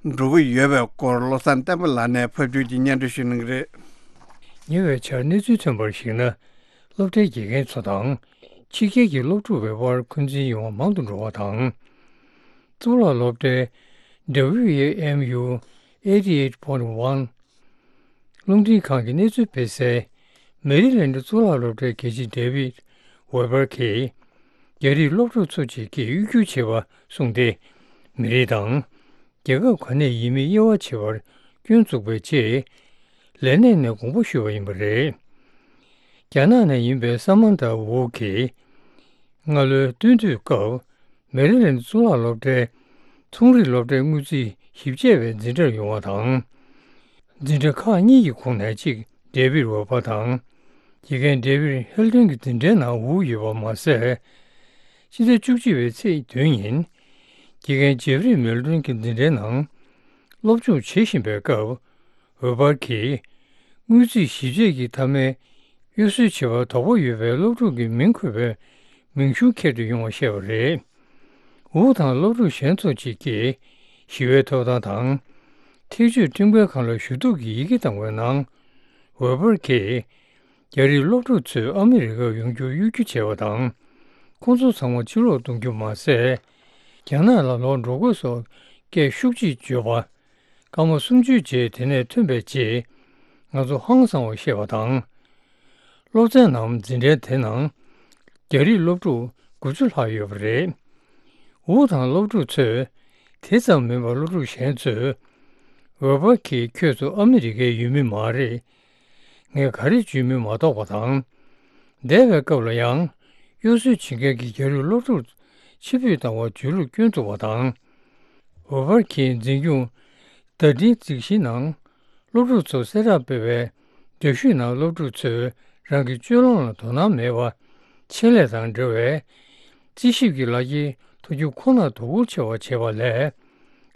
འགྲོ་གི་ཡོད་པའི་སྐོར། བློ་བཟང་བསྟན་པ་ལགས་ནས་ཕབ་སྒྱུར་གྱིས་སྙན་སྒྲོན་ཞུ་གནང་གི་རེད། ཉེ་བའི་ཆར་གནས་ཚུལ་ཐོན་པར་གཞིགས་ན། སློབ་གྲྭའི་དགེ་རྒན་ཚོ་དང་། ཕྱི་རྒྱལ་གྱི་སློབ་ཕྲུག་པའི་དབར་འཁོན་འཛིན་ཡོང་བ་མང་དུ་འགྲོ་བ་དང་། གཙུག་ལག་སློབ་གྲྭའི་W A M U eighty eight point one རླུང་འཕྲིན་ཁང་གི་གནས་ཚུལ་སྤེལ་སའི་མེ་རི་ལན་ཌི་གཙུག་ལག་སློབ་གྲྭའི་དགེ་ཆེ་ཌེ་ཝིད་ཝེ་བར་གྱིས། རྒྱ་རིགས་སློབ་ཕྲུག་ཚོ་གཅིག་གིས་གཡོ་སྒྱུ་བྱས་པ་གསུངས་ཏེ། མི་རིགས་དང་། རྒྱལ་ཁབ་ག་ནས་ཡིན་མིན་དབྱེ་བ་ཕྱེ་བར་སྐྱོན་བཙུགས་པའི་རྗེས། ལས་གནས་ནས་དགོངས་པ་ཞུས་པ་ཡིན་པ་རེད། རྒྱ་ནག་ནས་ཡིན་པའི་ས་མན་ཐ་ཝུའུ་གིས། སྔ་ལོའི་སྟོན་དུས་སྐབས། མེ་རི་ལན་གཙུག་ལག་སློབ་གྲྭའི་ཚོང་རིག་སློབ་གྲྭའི་དངུལ་རྩིས་ཞིབ་དཔྱད་པའི་འཛིན་གྲྭར་ཡོང་བ་དང་། འཛིན་གྲྭ་ཁག་གཉིས་ཀྱི་ཁོངས་ནས་གཅིག་ཌེ་བིད་ཝེ་པར་དང་། དགེ་རྒན་ཌེ་བིད་ཧེལ་ཏོན་གྱི་འཛིན་གྲྭའི་ནང་དབུགས་ཡོད་པ་མ་ཟད། ཕྱི་ཟླ་བཅུ་གཅིག་པའི་ཚེས་བདུན་ཉིན། དགེ་རྒན་ཇེབ་རི་མེལ་ཏོན་གྱི་འཛིན་གྲྭའི་ནང་སློབ་སྦྱོང་བྱེད་བཞིན་པའི་སྐབས། ཝེ་པར་གྱིས། དངུལ་རྩིས་ཞིབ་དཔྱད་ཀྱི་མཐའ་མའི་གཡོ་ཟོལ་བྱེད་པར་དོགས་པ་ཡོད་པའི་སློབ་ཕྲུག་གི་མིང་འཁོད་པའི་མིང་གཞུང་འཁྱེར་དུ་ཡོང་བ་བཤད་པ་རེད། ཝུ་དང་སློབ་ཕྲུག་གཞན་ཚོ་གཅིག་གིས་ཞི་བའི་ཐོབ་ཐང་དང་། འཐབ་ཇུས་ཁྲིམས་འགལ་ཁང་ལ་ཞུ་གཏུག་གི་ཡི་གེ་བཏང་བའི་ནང་། ཝེ་པར་གྱིས། རྒྱ་རིགས་སློབ་ཕྲུག་ཚོས་ཨ་མི་རི་ཀར་ཡོང་རྒྱུར་གཡོ་སྒྱུ་བྱས་པ་དང་། ཁོང་ཚོ་ཚང་མ་ཕྱིར་ལོག་གཏོང་རྒྱུ་མ་ཟད། རྒྱ་ནག་ལ་ལོག་འགྲོ་དགོས་སོགས་སྐད་ཤུགས་ཆེ་བརྗོད་པ། སྐར་མ་སུམ་ཅུའི་རྗེས་དེ་ནས་ཐོན་པའི་རྗེས། ང་ཚོ་ཧང་སངས་པ་ཤེས་པ་དང་། སློབ་ཚན་ནམ་འཛིན་གྲྭའི་དེ་ནང་། རྒྱ་རིགས་སློབ་ཕྲུག་དགུ་བཅུ་ལྷག་ཡོད་པ་རེད། ཝུ་དང་སློབ་ཕྲུག་ཚོས། དེ་ཙམ་མིན་པར་སློབ་ཕྲུག་གཞན་ཚོས། ཝེ་པར་གྱིས་ཁྱོད་ཚོ་ཨ་མི་རི་ཀའི་ཡུལ་མི་མ་རེད། ངས་ག་རེ་བརྗོད་མིན་མ་རྟོགས་པ་དང་། འདས་པའི་སྐབས་ལ་ཡང་། གཡོ་ཟོལ་བྱེད་མཁན་གྱི་རྒྱ་རིགས་སློབ་ཕྲུག་ཕྱིར་འབུད་བཏང་བར་བརྗོད་ལུགས་སྐྱོན་བཙུགས་པ་དང་། ཝེ་པར་གྱིས་འཛིན་སྐྱོང་བརྡ་འཕྲིན་རྩིས་གཞིའི་ནང་། སློབ་ཕྲུག་ཚོར་གསལ་བསྒྲགས་སྤེལ་བའི་འདྲ་བཤུས་ནང་སློབ་ཕྲུག་ཚོས་རང་གི་སྤྱོད་ལམ་ལ་དོ་སྣང་མེད་པ། ཆེད་ལས་དང་འབྲེལ་བའི་རྩིས་ཞིབ་ཀྱི་ལག་འཁྱེར་ཐོབ་རྒྱུ་ཁོ་ནར་དོ་ཁུར་ཆེ་བ་བྱེད་པ་ལས།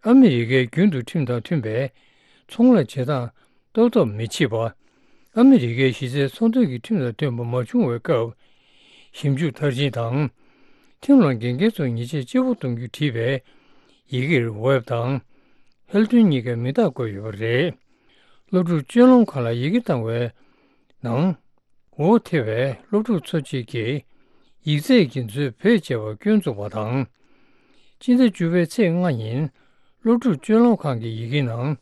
ཨ་མི་རི་ཀའི་རྒྱུན་དུ་ཁྲིམས་དང་མཐུན་པའི་ཚོང་ལས་བྱེད་སྟངས་ཏོག་ཏོག་མི་བྱེད་པ། ཨ་མི་རི་ཀའི་གཞི་རྩའི་ཚོང་དོན་གྱི་ཁྲིམས་དང་མཐུན་པ་མ་བྱུང་བའི་སྐབས། ཞིབ་འཇུག་མཐར་ཕྱིན་དང་། ཁྲིམས་ལ་འགལ་འགལ་ཚོར་ཉེས་ཆད་ལྕི་པོ་གཏོང་རྒྱུ་བྲིས་པའི་ཡི་གེར་ཝེབ་དང་། ཧེལ་ཏོན་གཉིས་ཀའི་མིང་རྟགས་བཀོད་ཡོད་པ་རེད། སློབ་ཕྲུག་སྤྱོད་ལམ་ཁང་ལ་ཡི་གེ་བཏང་བའི་ནང་། འོ་ཐེ་བའི་སློབ་ཕྲུག་ཚོ་གཅིག་གིས་ཡིག་ཚད་ཀྱི་མཛོད་བེད་སྤྱད་པར་སྐྱོན་བཙུགས་པ་དང་། སྤྱི་ཟླ་བཅུ་པའི་ཚེས་ལྔ་ཉིན་སློབ་ཕྲུག་སྤྱོད་ལམ་ཁང་གི་ཡི་གེ་ནང་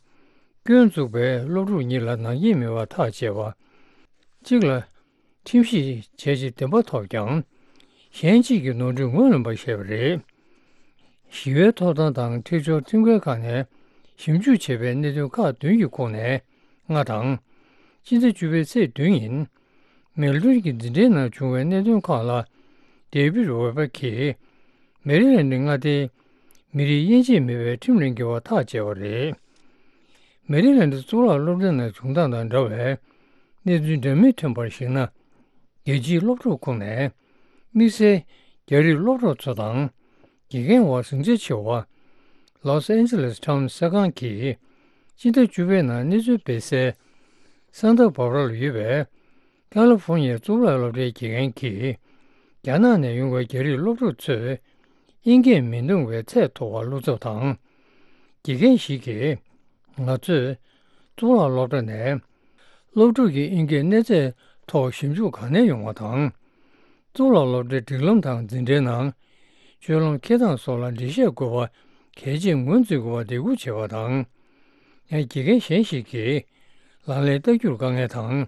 སྐྱོན་བཙུགས་པས་སློབ་ཕྲུག་གཉིས་ལ་ནག་ཉེས་མེད་པར་ཐག་བཅད་པ། གཅིག་ལ་ཁྲིམས་ཞིབ་བྱས་རྗེས་བདེན་པ་ཐོབ་ཀྱང་། གཞན་གཅིག་གིས་ནོར་འཁྲུལ་ངོས་ལེན་པ་བཤད་པ་རེད། ཞི་བའི་ཐོབ་ཐང་དང་འཁྲིག་སྦྱོར་ཁྲིམས་འགལ་ཁང་ནས་ཞིབ་འཇུག་བྱས་པའི་གནད་དོན་ཁག་བདུན་གྱི་ཁོངས་ནས་ལྔ་དང་། སྤྱི་ཟླ་བཅུ་པའི་ཚེས་བདུན་ཉིན། མེལ་ཏོན་གྱི་འཛིན་གྲྭའི་ནང་བྱུང་བའི་གནད་དོན་ཁག་ལ། ཌེ་བིད་ཝེ་པར་གྱིས། མེ་རི་ལན་ཌི་མངའ་སྡེའི་མི་རིགས་དབྱེ་འབྱེད་མེད་པའི་ཁྲིམས་ལ་འགལ་བར་ཐག་བཅད་པ་རེད། མེ་རི་ལན་ཌི་གཙུག་ལག་སློབ་གྲྭའི་ནང་བྱུང་སྟངས་དང་འདྲ་བའི་གནས་ཚུལ་འདྲ་མིན་ཐོན་པར་གཞིགས་ན། རྒྱལ་སྤྱིའི་སློབ་ཕྲུག་ཁོངས་ནས། དམིགས་བསལ་རྒྱ་རིགས་སློབ་གྲོགས་ཚོ་དང་། དགེ་རྒན་བར་ཟིང་ཆ་ཆེ་བ། ལོས་ཨན་ཇེ་ལེས་ཊའུན་གསར་ཁང་གིས་སྤྱི་ཟླ་བཅུ་པའི་ནང་གནས་ཚུལ་སྤེལ་གསལ། ས་མཐོ་བྷ་བྷ་ར་ལ་ཡོད་པའི་ཀ་ལི་ཧྥོར་ནི་ཡའི་གཙུག་ལག་སློབ་གྲྭའི་དགེ་རྒན་གྱིས་རྒྱ་ནག་ནས་ཡོང་བའི་རྒྱ་རིགས་སློབ་ཕྲུག་ཚོས་དབྱིན་སྐད་མི་འདོན་པའི་ཚད་མཐོ་བ་བློ་འཚབ་དང་། དགེ་རྒན་ཞིག་གིས་ང་ཚོས་གཙུག་ལག་སློབ་གྲྭ་ནས་སློབ་ཕྲུག་གི་དབྱིན་སྐད་གནས་ཚད་ཐོག་ཞིབ་འཇུག་ག་ནས་ཡོང་བ་དང་། གཙུག་ལག་སློབ་གྲྭའི་སྒྲིག་ལམ་དང་འཛིན་གྲྭའི་ནང་སྤྱོད་ལམ་འཁྱེར་སྟངས་སོགས་ལ་འགྲེལ་བཤད་དགོས་པ་གལ་ཆེན་ངོས་འཛིན་དགོས་པ་འདེད་སྐུལ་བྱས་པ་དང་། ཡང་དགེ་རྒན་གཞན་ཞིག་གིས་ལག་ལེན་བསྟར་རྒྱུར་དཀའ་ངལ་དང་།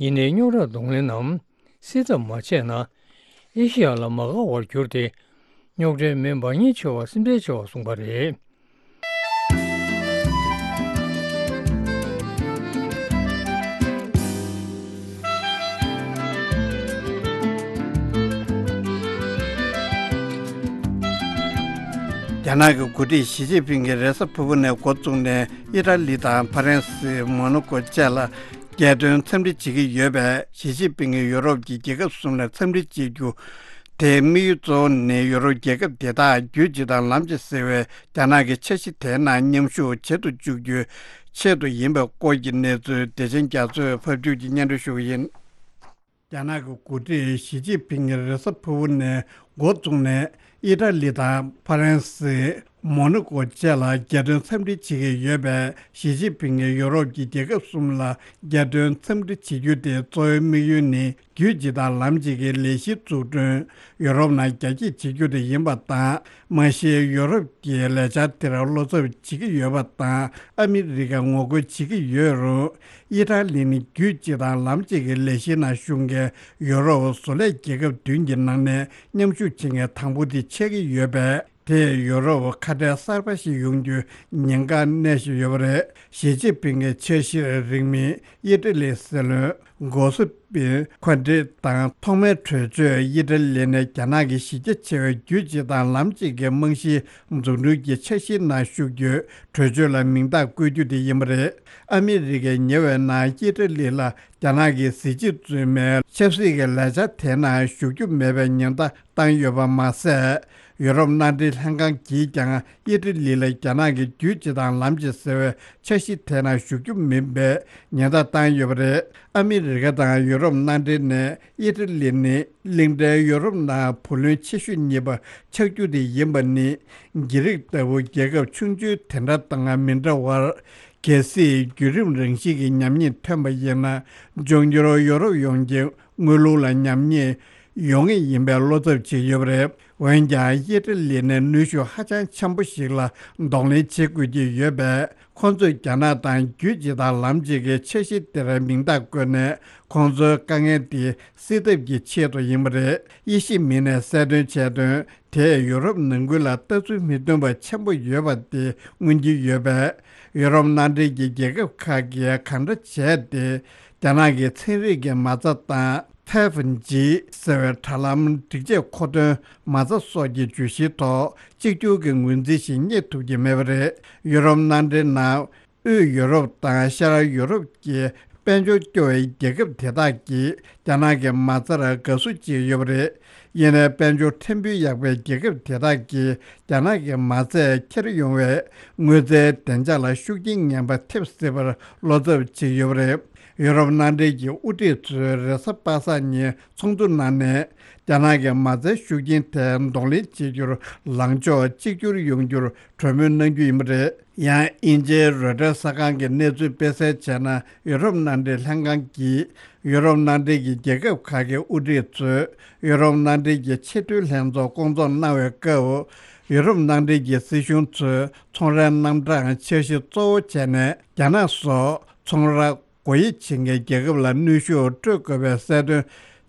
ཡིན་ནའི་རྙོག་དྲ་གདོང་ལེན་ནམ་སེལ་ཐབས་མ་བྱས་ན། ཨེ་ཤི་ཡ་ལ་མ་དགའ་བར་གྱུར་ཏེ། རྙོག་དྲའི་མེ་འབར་ཉེན་ཆེ་བ་སེམས་ཁྲལ་ཆེ་བ་གསུངས་པ་རེད། རྒྱ་ནག་གི་འགོ་ཁྲིད་ཞི་ཅིན་ཕིང་གིས་རེས་གཟའ་ཕུར་བུ་ནས་འགོ་བཙུགས་ནས་ཨི་ཊ་ལི་དང་ཕ་རན་སི། མོ་ནོ་ཀོ་བཅས་ལ་རྒྱལ་དོན་འཚམས་འདྲི་བྱེད་ཀྱི་ཡོད་པས། ཞི་ཅིན་ཕིང་གིས་ཡུ་རོབ་ཀྱི་རྒྱལ་ཁབ་གསུམ་ལ་འཚམས་འདྲི་བྱེད་རྒྱུ་དེའི་དམིགས་ཡུལ་གཙོ་བོ་ནི་ཡུ་རོབ་རྒྱལ་ཁབ་དེ་དག་རྒྱུད་གཅིག་དང་ལམ་གཅིག་ཟེར་བའི་རྒྱ་ནག་གི་འཆར་གཞི་དེའི་ནང་མཉམ་ཞུགས་བྱེད་དུ་བཅུག་རྒྱུའི་ཆེད་དུ་ཡིན་པའི་སྐོར་གྱི་གནས་ཚུལ་བདེ་ཆེན་རྒྱ་མཚོས་ཕབ་སྒྱུར་གྱིས་སྙན་སྒྲོན་ཞུ་གི་ཡིན། རྒྱ་ནག་གི་འགོ་ཁྲིད་ཞི་ཅིན་ཕིང་གིས་རེས་གཟའ་ཕུར་བུ་ནས་འགོ་བཙུགས་ནས་ཨི་ཊ་ལི་དང་ཕ་རན་སི། མོ་ནོ་ཀོ་བཅས་ལ་རྒྱལ་དོན་འཚམས་འདྲི་བྱེད་ཀྱི་ཡོད་པས། ཞི་ཅིན་ཕིང་གིས་ཡོ་རོབ་ཀྱི་རྒྱལ་ཁབ་གསུམ་ལ་རྒྱལ་དོན་འཚམས་འདྲི་བྱེད་རྒྱུ་དེ་གཙོ་བོའི་དམིགས་ཡུལ་ནི་རྒྱུད་གཅིག་དང་ལམ་གཅིག་གི་ལས་གཞི་འཛུགས་སྐྲུན་ཡོ་རོབ་ནང་རྒྱ་སྐྱེད་བྱེད་རྒྱུ་དེ་ཡིན་པ་དང་། མ་གཞི་ཡོ་རོབ་ཀྱིས་ལས་འཆར་དེར་བློ་འཚབ་བྱེད་ཀྱི་ཡོད་པ་དང་། ཨ་མི་རི་ཀ་ངོ་རྒོལ་བྱེད་ཀྱི་ཡོད་རུང་། ཨི་ཊ་ལི་ནི་རྒྱུད་གཅིག་དང་ལམ་གཅིག་གི་ལས་གཞིའི་ནང་ཞུགས་མཁན་ཡོ་རོབ་བཟོ་ལས་རྒྱལ་ཁབ་བདུན་གྱི་ནང་ནས་མཉམ་ཞུགས་བྱེད་མཁན་དང་པོ་དེ་ཆགས་ཀྱི་ཡོད་པས། དེས་ཡུ་རོབ་ཁ་བྲལ་གསར་པ་ཞིག་ཡོང་རྒྱུའི་ཉེན་ཁ་གནས་བཞིན་ཡོད་པ་རེད། ཞི་ཅིན་ཕིང་གི་འཆར་གཞིར་རིང་མིན་ཨི་ཊ་ལིའི་སྲིད་བློན་གོ་སི་པི་ཁོན་ཏེ་དང་ཐོག་མའི་གྲོས་ཆོད་ཨི་ཊ་ལི་ནས་རྒྱ་ནག་གི་གཞི་རྒྱ་ཆེ་བའི་རྒྱུད་གཅིག་དང་ལམ་གཅིག་གི་རྨང་གཞིའི་འཛུགས་སྐྲུན་གྱི་འཆར་གཞིའི་ནང་ཞུགས་རྒྱུའི་གྲོས་ཆོད་ལ་མིང་རྟགས་བཀོད་རྒྱུ་དེ་ཡིན་པ་རེད། ཨ་མི་རི་ཀས་ཉེ་བའི་ནང་ཨི་ཊ་ལི་ལ་རྒྱ་ནག་གི་གཟི་བརྗིད་བཙུན་མའི་ཆབ་སྲིད་ཀྱི་ལས་འཆར་དེའི་ནང་ཞུགས་རྒྱུ་མེད་པའི་ཉེན་བརྡ་བཏང་ཡོད་པ་མ་ཟད། ཡུ་རོབ་མནའ་འབྲེལ་ལྷན་ཁང་གིས་ཀྱང་ཨི་ཊ་ལི་ལ་རྒྱ་ནག་གི་རྒྱུད་གཅིག་དང་ལམ་གཅིག་ཟེར་བའི་འཆར་གཞི་དེའི་ནང་ཞུགས་རྒྱུ་མིན་པའི་ཉེན་བརྡ་བཏང་ཡོད་པ་རེད། ཨ་མི་རི་ཀ་དང་ཡུ་རོབ་མནའ་འབྲེལ་ནས་ཨི་ཊ་ལི་ནི་གླིང་ཕྲན་ཡུ་རོབ་ནང་བུ་ལོན་ཆེ་ཤོས་གཉིས་པ་ཆགས་རྒྱུ་དེ་ཡིན་པ་ནི། གྷི་རིག་ལྟ་བུ་རྒྱལ་ཁབ་ཆུང་ཆུང་དེ་འདྲ་དང་མི་འདྲ་བར། གལ་སྲིད་བརྒྱུད་རིམ་རང་བཞིན་གྱི་ཉམས་ཉེས་ཐོན་པ་ཡིན་ན། འབྱུང་འགྱུར་ཡོ་རོབ་ཡོངས་ཀྱི་དངུལ་ལུགས་ལ་ཉམས་ཉེས་ཡོང་ངེས་ཡིན་པའི་བློ་འཚབ་བྱེད་ཀྱི་ཡོད་པ་རེད། འོན་ཀྱང་ཨི་ཊ་ལི་ནི་ནུས་ཤུགས་ཧ་ཅང་ཆེན་པོ་ཞིག་ལ་གདོང་ལེན་བྱེད་དགོས་ཀྱི་ཡོད་པས། ཁོང་ཚོས་རྒྱ་ནག་དང་རྒྱུད་གཅིག་དང་ལམ་གཅིག་གི་འཆར་གཞི་དེར་མིང་རྟགས་བཀོད་ནས། ཁོང་ཚོའི་དཀའ་ངལ་དེ་སེལ་ཐབས་ཀྱི་ཆེད་དུ་ཡིན་པ་རེད། དབྱེ་ཞིབ་མི་སྣས་གསལ་སྟོན་བྱས་དོན། དེས་ཡུ་རོབ་ནང་ཁུལ་ལ་ལྟ་ཚུལ་མི་མཐུན་པ་ཆེན་པོ་ཡོད་པ་དེ་མངོན་གྱི་ཡོད་པས། ཡུ་རོབ་མནའ་འབྲེལ་གྱི་རྒྱལ་ཁབ་ཁག་གིས་གང་འདྲ་བྱས་ཏེ། རྒྱ་ནག་གི་ཚན་རིག་གི་མ་རྩ་དང་། ཕེབ་ཇི་ཟེར་བའི་དྲ་ལམ་སྒྲིག་ཆས་མཁོ་འདོན་མ་རྩ་སོགས་ཀྱི་བརྗོད་གཞིའི་ཐོག་གཅིག་གྱུར་གྱི་ངོས་འཛིན་ཞིག་རྙེད་ཐུབ་ཀྱི་མེད་པ་རེད། ཡུ་རོབ་མནའ་འབྲེལ་ནང་། དབུས་ཡུ་རོབ་དང་ཤར་ཡུ་རོབ་ཀྱི་དཔལ་འབྱོར་སྐྱོ་བའི་རྒྱལ་ཁབ་དེ་དག་གིས་རྒྱ་ནག་གི་མ་རྩར་དགའ་བསུ་བྱེད་ཀྱི་ཡོད་པ་རེད། ཡིན་ནའི་དཔལ་འབྱོར་ཕྲན་བུ་ཡག་པའི་རྒྱལ་ཁབ་དེ་དག་གིས་རྒྱ་ནག་གི་མ་རྩས་འཁྱེར་ཡོང་བའི་དངུལ་རྩའི་བདེ་འཇགས་ལ་ཤུགས་རྐྱེན་ངན་པ་ཐེབས་སྲིད་པར་བློ་འཚབ་བྱེད་ཀྱི་ཡོད་པ་རེད། ཡུ་རོབ་མནའ་འབྲེལ་གྱི་དབུ་ཁྲིད་ཚོས་རེས་གཟའ་པ་སངས་ཉིན་ཚོགས་འདུ་གནང་ནས། རྒྱ་ནག་གི་མ་རྩའི་ཤུགས་རྐྱེན་དེ་གདོང་ལེན་བྱེད་རྒྱུར་ལངས་ཕྱོགས་གཅིག་གྱུར་ཡོང་རྒྱུར་གྲོས་མོལ་གནང་རྒྱུ་ཡིན་པ་རེད། ཡང་དབྱིན་ཇིའི་རོའི་ཊར་གསར་ཁང་གིས་གནས་ཚུལ་སྤེལ་གསལ་བྱས་ན། ཡུ་རོབ་མནའ་འབྲེལ་ལྷན་ཁང་གིས་ཡུ་རོབ་མནའ་འབྲེལ་གྱི་རྒྱལ་ཁབ་ཁག་གི་དབུ་ཁྲིད་ཚོས་ཡུ་རོབ་མནའ་འབྲེལ་གྱི་ཆེས་མཐོའི་ལྷན་ཚོགས་སྐོང་ཚོགས་གནང་བའི་སྐབས། ཡུ་རོབ་མནའ་འབྲེལ་གྱི་སྲིད་གཞུང་ཚོས་ཚོང་རའི་རྣམ་གྲངས་འཆར་གཞི་གཙོ་བོ་བྱས་ནས། རྒྱ་ནག་སོགས་ཚོང་ར་སྒོ་དབྱེ་བྱེད་མཁན་རྒྱལ་ཁབ་ལ་གནོན་ཤུགས་སྤྲོད་དགོས་པའི་གསལ་སྟོན་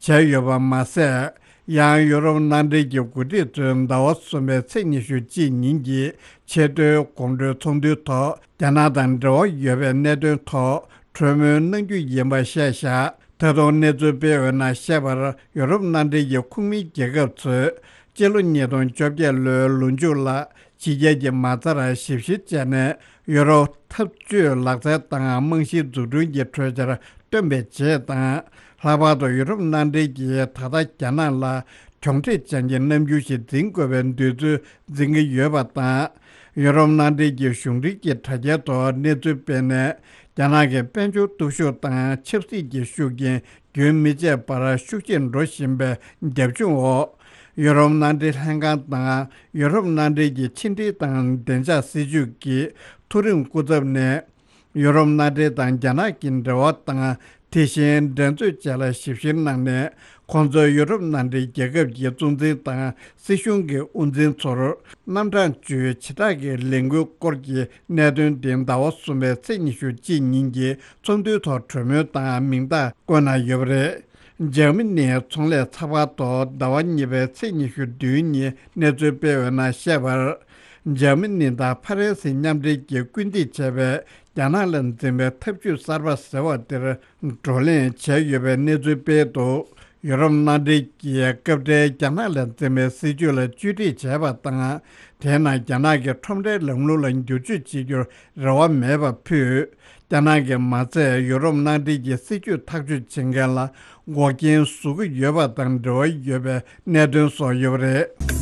བྱས་ཡོད་པ་མ་ཟད། ཡང་ཡུ་རོབ་མནའ་འབྲེལ་གྱི་འགོ་ཁྲིད་ཚོས་ཟླ་བ་གསུམ་པའི་ཚེས་ཉི་ཤུ་གཅིག་ཉིན་གྱི་ཆེས་མཐོའི་དགོང་དྲོའི་ཚོགས་འདུའི་ཐོག་རྒྱ་ནག་དང་འབྲེལ་བ་ཡོད་པའི་གནད་དོན་ཐོག་གྲོས་མོལ་གནང་རྒྱུ་ཡིན་པ་བཤད་བཞག་ད་དུང་གནས་ཚུལ་སྤེལ་བའི་ནང་བཤད་པར། ཡུ་རོབ་མནའ་འབྲེལ་གྱི་ཁོངས་མིའི་རྒྱལ་ཁབ་ཚོས་སྤྱི་ལོ་ཉིས་སྟོང་བཅོ་བརྒྱད་ལོའི་ལོ་མཇུག་ལ། ཕྱི་རྒྱལ་གྱི་མ་རྩར་ཞིབ་བཤེར་བྱས་ནས། ཡུ་རོ་འཐབ་ཇུས་ལག་རྩལ་དང་རྨང་གཞིའི་འཛུགས་སྐྲུན་གྱི་གྲོས་འཆར་བཏོན་པའི་རྗེས་དང་། ལྷག་པར་དུ་ཡུ་རོབ་མནའ་འབྲེལ་གྱིས་ད་ལྟ་རྒྱ་ནག་ལ་གྱོང་ཁྲིད་ཅན་གྱི་རྣམ་འགྱུར་ཞིག་འཛིན་དགོས་པའི་འདོད་ཚུལ་འཛིན་གྱི་ཡོད་པ་དང་ ཡུ་རོབ་མནའ་འབྲེལ་གྱི་གཞུང་འབྲེལ་གྱི་དྲ་རྒྱའི་ཐོག་གནས་ཚུལ་སྤེལ་ནས། རྒྱ་ནག་གི་དཔལ་འབྱོར་སྟོབས་ཤུགས་དང་ཆབ་སྲིད་ཀྱི་ཤུགས་རྐྱེན་རྒྱུན་མི་ཆད་པར་ཤུགས་ཆེར་འགྲོ་བཞིན་པའི་རྒྱབ་ལྗོངས་འོག་ཡུ་རོབ་མནའ་འབྲེལ་ལྷན་ཁང་དང་ཡུ་རོབ་མནའ་འབྲེལ་གྱི་ཕྱི་འབྲེལ་དང་བདེ་འཇགས་སྲིད་ཇུས་ཀྱི་མཐོ་རིམ་སྐུ་ཚབ་ནས། ཡུ་རོབ་མནའ་འབྲེལ་དང་རྒྱ་ནག་གི་འབྲེལ་བ་དང་། དེ་བཞིན་འགྲན་རྩོད་བཅས་ལ་ཞིབ་བཤེར་གནང་ནས། ཁོང་ཚོས་ཡུ་རོབ་མནའ་འབྲེལ་རྒྱལ་ཁབ་ཀྱི་གཙོ་འཛིན་དང་སྲིད་གཞུང་གི་དབུ་འཛིན་ཚོར་རྣམ་གྲངས་བཅུའི་བྱེ་བྲག་གི་ལས་འགུལ་སྐོར་གྱི་གནད་དོན་དེ་ཟླ་བ་གསུམ་པའི་ཚེས་ཉི་ཤུ་གཅིག་ཉིན་གྱི་ཚོགས་འདུའི་ཐོག་གྲོས་མོལ་དང་མིང་རྟགས་བཀོད་གནང་ཡོད་པ་རེད། འཇར་མ་ནིའི་ཚོང་ལས་ཚགས་པར་ཐོག་ཟླ་བ་གཉིས་པའི་ཚེས་ཉི་ཤུ་བདུན་ཉིན་གནས་ཚུལ་སྤེལ་བའི་ནང་བཤད་པར། འཇར་མ་ནི་དང་ཕ་རན་སི་མཉམ་འབྲེལ་གྱིས་སྐུལ་འདེད་བྱས་པའི་རྒྱ་ནག་ལ་འཛིན་པའི་ཐབས་ཇུས་གསར་པ་ཟེར་བ་དེར་བགྲོ་གླེང་བྱས་ཡོད་པའི་གནས་ཚུལ་སྤེལ་འདུག་ཡུ་རོབ་མནའ་འབྲེལ་གྱིས་སྐབས་འཕྲལ་རྒྱ་ནག་ལ་འཛིན་པའི་སྲིད་ཇུས་ལ་བཅོས་སྒྲིག་བྱས་པ་དང་། དེས་ན་རྒྱ་ནག་གི་ཁྲོམ་རའི་ལམ་ལུགས་ལ་འགྱུར་བཅོས་བྱེད་རྒྱུར་རེ་བ་མེད་པ་ཕུད། རྒྱ་ནག་གིས་མ་ཚད་ཡུ་རོབ་མནའ་འབྲེལ་གྱི་སྲིད་ཇུས་ཐག་གཅོད་བྱེད་མཁན་ལ་འགོག་རྐྱེན་བཟོ་གི་ཡོད་པ་དང་འབྲེལ་བ་ཡོད་པའི་གནད་དོན་སོགས་ཡོད་པ་རེད།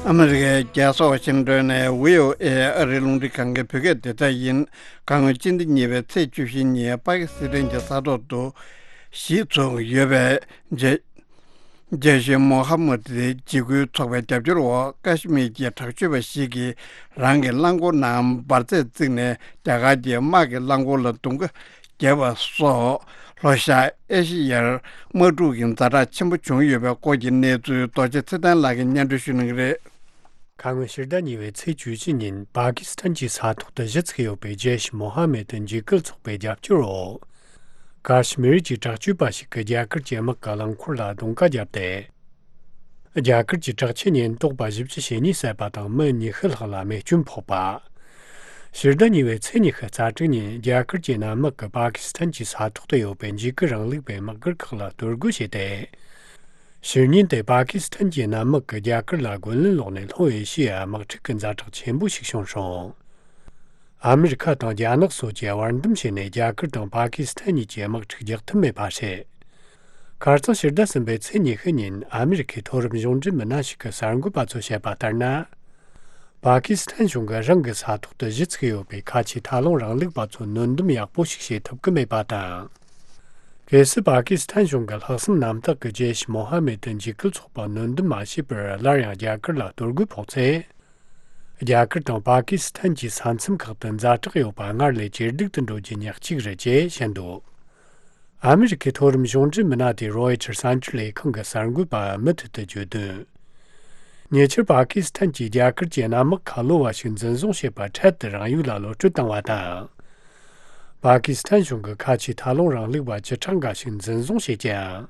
ཨ་མི་རི་ཀའི་རྒྱལ་ས་ཝ་ཤིང་ཏོན་ནས་བྷི་ཨོ་ཨེ་ཨ་རིའི་རླུང་འཕྲིན་ཁང་གི་བོད་སྐད་སྡེ་ཚན་ཡིན། ཁ་སྔོན་སྤྱི་ཟླ་གཉིས་པའི་ཚེས་བཅུ་བཞི་ཉིན་པ་ཀི་སི་ཐན་གྱི་ས་ཐོག་ཏུ་གཞིས་ཚུགས་ཡོད་པའི་རྗེ་རྗེ་ཤེས་མོ་ཧ་མུད་འཇིགས་སྐུལ་ཚོགས་པའི་རྒྱབ་སྐྱོར་འོག་ཀ་ཤི་མིར་གྱི་དྲག་སྤྱོད་པ་ཞིག་གིས་རང་གི་རླངས་འཁོར་ནང་འབར་རྫས་བརྩིགས་ནས་རྒྱ་གར་གྱི་དམག་གི་རླངས་འཁོར་ལ་རྡུང་རྡེག་བརྒྱབ་པ་སོགས། ལྷོ་ཤར་ཨེ་ཤི་ཡར་དམག་འཁྲུག་གི་ཛ་དྲག་ཆེན་པོ་བྱུང་ཡོད་པའི་སྐོར་གྱི་གནས་ཚུལ་རྡོ་རྗེ་ཚེ་བརྟན་ལགས་ཀྱིས་སྙན་སྒྲོན་ཞུ་གནང་གི་རེད། ཁ་སྔོན་ཕྱི་ཟླ་གཉིས་པའི་ཚེས་བཅུ་གཅིག་ཉིན་པ་ཀི་སི་ཐན་གྱི་ས་ཐོག་ཏུ་གཞི་ཚུགས་ཡོད་པའི་རྗེ་ཤེས་མོ་ཧ་མེད་འཇིགས་སྐུལ་ཚོགས་པའི་རྒྱབ་སྐྱོར་འོག་ཀ་ཤི་མིར་གྱི་དྲག་སྤྱོད་པ་ཞིག་གིས་རྒྱ་གར་གྱི་དམག་གི་རླངས་འཁོར་ལ་རྡུང་རྡེག་བརྒྱབ་སྟེ། རྒྱ་གར་གྱི་དྲག་ཆས་ཉེན་རྟོག་པ་བཞི་བཅུ་ཞེ་གཉིས་བསད་པ་དང་མི་ཉི་ཤུ་ལྷག་ལ་རྨས་སྐྱོན་ཕོག་པ། ཕྱི་ཟླ་གཉིས་པའི་ཚེས་ཉི་ཤུ་རྩ་དྲུག་ཉིན་རྒྱ་གར་གྱི་གནམ་དམག་གིས་པ་ཀི་སི་ཐན་གྱི་ས་ཐོག་ཏུ་ཡོད་པའི་འཇིགས་སྐུལ་རིང་ལུགས་པའི་དམག་སྒར་ཁག་ལ་གཏོར་རྒོལ་བྱས་ཏེ། ཕྱི་ཉིན་དེ་པ་ཀི་སི་ཐན་གྱི་གནམ་དམག་གིས་རྒྱ་གར་ལ་རྒོལ་ལན་སློག་ནས་ལྷོ་ཨེ་ཤི་ཡའི་དམག་འཁྲུག་གི་ཛ་དྲག་ཆེན་པོ་ཞིག་བྱུང་སོང་། ཨ་མི་རི་ཁ་དང་རྒྱ་ནག་སོགས་ཀྱིས་བར་འདུམ་བྱས་ནས་རྒྱ་གར་དང་པ་ཀི་སི་ཐན་གཉིས་ཀྱི་དམག་འཁྲུག་རྒྱག་ཐུབ་མེད་པ་རེད། ཁ་རྩང་ཕྱི་ཟླ་གསུམ་པའི་ཚེས་ཉི་ཤུ་ཉིན་ཨ་མི་རི་ཁའི་མཐོ་རིམ་གཞུང་འབྲེལ་མི་སྣ་ཞིག་གིས་གསར་འགོད་པ་ཚོས་བཤད་པ་ལྟར་ན། པ་ཀི་སི་ཐན་གཞུང་གིས་རང་གི་ས་ཐོག་ཏུ་གཞི་ཚུགས་ཡོད་པའི་ཁ་ཆེའི་མཐའ་ལྷུང་རིང་ལུགས་པ་ཚོ་གནོན་སྡོམ་ཡག་པོ་ཞིག་བྱེད་ཐུབ་ཀྱི་མེད་པ་དང་། གལ་སྲིད་པ་ཀི་སི་ཐན་གཞུང་གིས་ལྷག་བསམ་རྣམ་དག་གིས་རྗེ་ཤེས་མོ་ཧ་མེད་འཇིགས་སྐུལ་ཚོགས་པ་གནོན་སྡོམ་མ་བྱས་པར་སླར་ཡང་རྒྱ་གར་ལ་གཏོར་རྒོལ་ཕོག་ཚེ། རྒྱ་གར་དང་པ་ཀི་སི་ཐན་གྱི་ས་མཚམས་ཁག་ཏུ་ཛ་དྲག་ཡོད་པ་སྔར་ལས་ཇེ་སྡུག་ཏུ་འགྲོ་རྒྱུ་ཉག་གཅིག་རེད་ཅེས་བཤད་འདུག་ཨ་མི་རི་ཁའི་མཐོ་རིམ་གཞུང་འབྲེལ་མི་སྣ་དེས་རོའི་ཊར་གསར་འགྱུར་ལས་ཁང་གི་གསར་འགོད་པར་མུ་མཐུད་དུ་བརྗོད་དོན། ཉེ་ཆར་པ་ཀི་སི་ཐན་གྱིས་རྒྱ་གར་གྱི་གནམ་དམག་ཁ་ལོ་བ་ཞིག་འཛིན་བཟུང་བྱས་པ་འཕྲལ་དུ་རང་ཡུལ་ལ་གློད་གྲོལ་བཏང་བ་དང་། པ་ཀི་སི་ཐན་གཞུང་གིས་ཁ་ཆེའི་མཐའ་ལྷུང་རིང་ལུགས་པ་བཅུ་ཕྲག་འགའ་ཞིག་འཛིན་བཟུང་བྱས་ཀྱང་།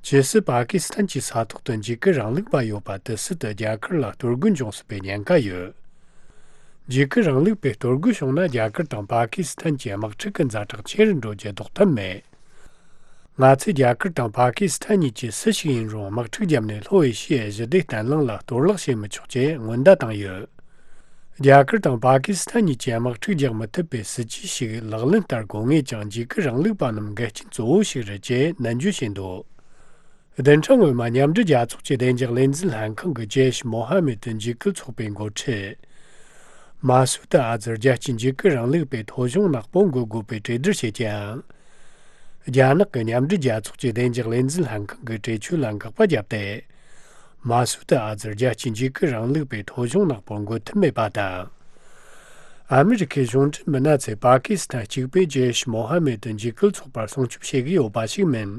ཇི་སྲིད་པ་ཀི་སི་ཐན་གྱི་ས་ཐོག་ཏུ་འཇིགས་སྐུལ་རིང་ལུགས་པ་ཡོད་པ་དེ་སྲིད་དུ་རྒྱ་གར་ལ་གཏོར་རྒོལ་འབྱུང་སྲིད་པའི་ཉེན་ཁ་ཡོད། འཇིགས་སྐུལ་རིང་ལུགས་པས་གཏོར་རྒོལ་བྱུང་ན་རྒྱ་གར་དང་པ་ཀི་སི་ཐན་གྱི་དམག་འཁྲུག་གི་ཛ་དྲག་ཆེ་རུ་འགྲོ་རྒྱུ་ལྡོག་ཐབས་མེད། ང་ཚོས་རྒྱ་གར་དང་པ་ཀི་སི་ཐན་གཉིས་ཀྱིས་སུ་ཞིག་ཡིན་རུང་དམག་འཁྲུག་བརྒྱབ་ནས་ལྷོ་ཨེ་ཤི་ཡའི་ཞི་བདེ་བརྟན་ལྷིང་ལ་གཏོར་བརླག་བྱེད་མི་ཆོག་ཅེས་སྔོན་བརྡ་བཏང་ཡོད། རྒྱ་གར་དང་པ་ཀི་སི་ཐན་གཉིས་ཀྱིས་དམག་འཁྲུག་རྒྱག་མི་ཐུབ་པའི་སྲིད་ཇུས་ཤིག་ལག་ལེན་བསྟར་དགོས་ངེས་ཀྱང་འཇིགས་སྐུལ་རིང་ལུགས་པ་རྣམས་འགལ་རྐྱེན་གཙོ་བོ་ཞིག་རེད་ཅེས་ནན་བརྗོད་བྱས་འདུག་བདུན་ཕྲག་སྔོན་མ་མཉམ་འབྲེལ་རྒྱལ་ཚོགས་ཀྱི་བདེ་འཇགས་ལས་འཛིན་ལྷན་ཁང་གིས་ཇེ་ཤེས་མོ་ཧ་མེད་འཇིགས་སྐུལ་ཚོགས་པའི་འགོ་ཁྲིད། མ་སུད་ཨ་ཛར་རྒྱལ་སྤྱིའི་འཇིགས་སྐུལ་རིང་ལུགས་པའི་ཐོ་གཞུང་ནག་པོ་འགོད་དགོས་པའི་གྲོས་བསྡུར་བྱས་ཀྱང་། རྒྱ་ནག་གི་མཉམ་འབྲེལ་རྒྱལ་ཚོགས་ཀྱི་བདེ་འཇགས་ལས་འཛིན་ལྷན་ཁང་གི་གྲོས་ཆོད་ལ་འགག་པ་བརྒྱབ་སྟེ། མ་སུད་ཨ་ཛར་རྒྱལ་སྤྱིའི་འཇིགས་སྐུལ་རིང་ལུགས་པའི་ཐོ་གཞུང་ནག་པོ་འགོད་ཐུབ་མེད་པ་དང་། ཨ་མི་རི་ཁའི་གཞུང་འབྲེལ་མི་སྣ་ཚོས་པ་ཀི་སི་ཐན་གཅིག་པུས་ཇེ་ཤེས་མོ་ཧ་མེད་འཇིགས་སྐུལ་ཚོགས་པར་སྲུང་སྐྱོབ་བྱེད་ཀྱི་ཡོད་པ་ཞིག་མིན།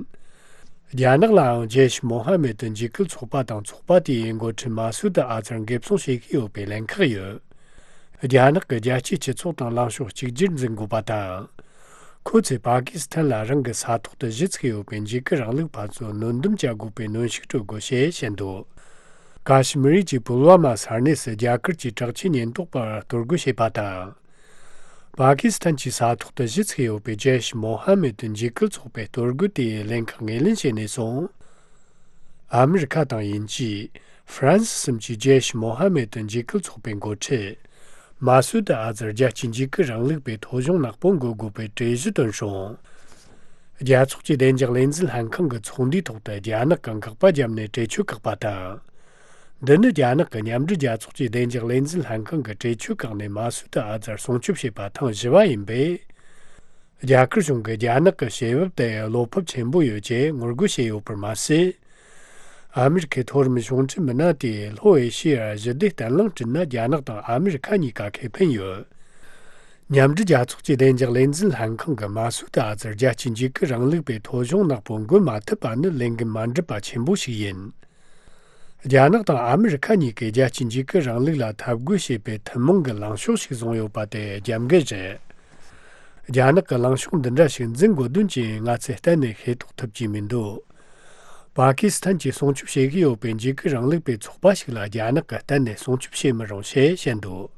རྒྱ་ནག་ལའང་ཇེ་ཤེས་མོ་ཧ་མེད་འཇིགས་སྐུལ་ཚོགས་པ་དང་ཚོགས་པ་དེའི་འགོ་ཁྲིད་མ་སུད་ཨ་ཛར་འགེབས་སྲུང་བྱེད་ཀྱི་ཡོད་པའི་ལན་ཁག་ཡོད། རྒྱ་ནག་གི་རྒྱལ་སྤྱིའི་སྤྱི་ཚོགས་དང་ལངས་ཕྱོགས་གཅིག་གྱུར་འཛིན་དགོས་པ་དང་། ཁོ་ཚོས་པ་ཀི་སི་ཐན་ལ་རང་གི་ས་ཐོག་ཏུ་གཞི་ཚུགས་ཡོད་པའི་འཇིགས་སྐུལ་རིང་ལུགས་པ་ཚོ་གནོན་སྡོམ་བྱ་དགོས་པའི་གནོན་ཤུགས་སྤྲོད་དགོས་ཞེས་བཤད་འདུག་ཀ་ཤི་མིར་གྱི་པུལ་ཝ་མ་ས་གནས་སུ་རྒྱ་གར་གྱི་དྲག་ཆས་ཉེན་རྟོག་པར་གཏོར་རྒོལ་བྱས་པ་དང་། པ་ཀི་སི་ཐན་གྱི་ས་ཐོག་ཏུ་གཞི་ཚུགས་ཡོད་པའི་ཇེ་ཤེས་མོ་ཧ་མེད་འཇིགས་སྐུལ་ཚོགས་པའི་གཏོར་རྒོལ་དེའི་ལན་ཁག་ངོས་ལེན་བྱས་ནས་བཟུང་། ཨ་མི་རི་ཁ་དང་དབྱིན་ཇི། ཧྥ་རན་སི་གསུམ་གྱིས་ཇེ་ཤེས་མོ་ཧ་མེད་འཇིགས་སྐུལ་ཚོགས་པའི་འགོ་ཁྲིད། མ་སུད་ཨ་ཛར་རྒྱལ་སྤྱིའི་འཇིགས་སྐུལ་རིང་ལུགས་པའི་ཐོ་གཞུང་ནག་པོ་འགོད་དགོས་པའི་གྲོས་གཞི་བཏོན་སོང་། རྒྱལ་ཚོགས་ཀྱི་བདེ་འཇགས་ལས་འཛིན་ལྷན་ཁང་གི་ཚོགས་འདུའི་ཐོག་ཏུ་རྒྱ་ནག་གིས་འགག་པ་བརྒྱབ་ནས་གྲོས་ཆོད་བཀག་པ་དང་། འདི་ནི་རྒྱ་ནག་གིས་མཉམ་འབྲེལ་རྒྱལ་ཚོགས་ཀྱི་བདེ་འཇགས་ལས་འཛིན་ལྷན་ཁང་གི་གྲོས་ཆོད་བཀག་ནས་མ་སུད་ཨ་ཛར་སྲུང་སྐྱོབ་བྱས་པ་ཐེངས་བཞི་བ་ཡིན་པས། རྒྱ་གར་གཞུང་གིས་རྒྱ་ནག་གི་བྱེད་བབ་དེ་བློ་ཕམ་ཆེན་པོ་ཡོད་ཅེས་ངོ་རྒོལ་བྱས་ཡོད་པར་མ་ཟད། ཨ་མི་རི་ཁའི་མཐོ་རིམ་གཞུང་འབྲེལ་མི་སྣ་དེས་ལྷོ་ཨེ་ཤི་ཡར་ཞི་བདེ་བརྟན་ལྷིང་བསྐྲུན་ན་རྒྱ་ནག་དང་ཨ་མི་རི་ཁ་གཉིས་ཀ་ཁེ་ཕན་ཡོད། མཉམ་འབྲེལ་རྒྱལ་ཚོགས་ཀྱི་བདེ་འཇགས་ལས་འཛིན་ལྷན་ཁང་གིས་མ་སུད་ཨ་ཛར་རྒྱལ་སྤྱིའི་འཇིགས་སྐུལ་རིང་ལུགས་པའི་ཐོ་གཞུང་ནག་པོ་འགོད་མ་ཐུབ་པ་ནི་ལས་འགན་མ་འགྲུབ་པ་ཆེན་པོ་ཞིག་ཡིན། རྒྱ་ནག་དང་ཨ་མི་རི་ཁ་གཉིས་ཀས་རྒྱལ་སྤྱིའི་འཇིགས་སྐུལ་རིང་ལུགས་ལ་འཐབ་རྒོལ་བྱེད་པའི་ཐུན་མོང་གི་ལངས་ཕྱོགས་ཤིག་བཟུང་ཡོད་པ་དེ་རྒྱབ་འགལ་རེད། རྒྱ་ནག་གི་ལངས་ཕྱོགས་འདི་འདྲ་ཞིག་འཛིན་དགོས་དོན་ཅི་ཡིན་ང་ཚོས་གཏན་ནས་ཤེས་རྟོགས་ཐུབ་ཀྱི་མི་འདུག་པ་ཀི་སི་ཐན་གྱིས་སྲུང་སྐྱོབ་བྱེད་ཀྱི་ཡོད་པའི་འཇིགས་སྐུལ་རིང་ལུགས་པའི་ཚོགས་པ་ཞིག་ལ་རྒྱ་ནག་གིས་གཏན་ནས་སྲུང་སྐྱོབ་བྱེད་མི་རུང་ཞེས་བཤད་འདུག་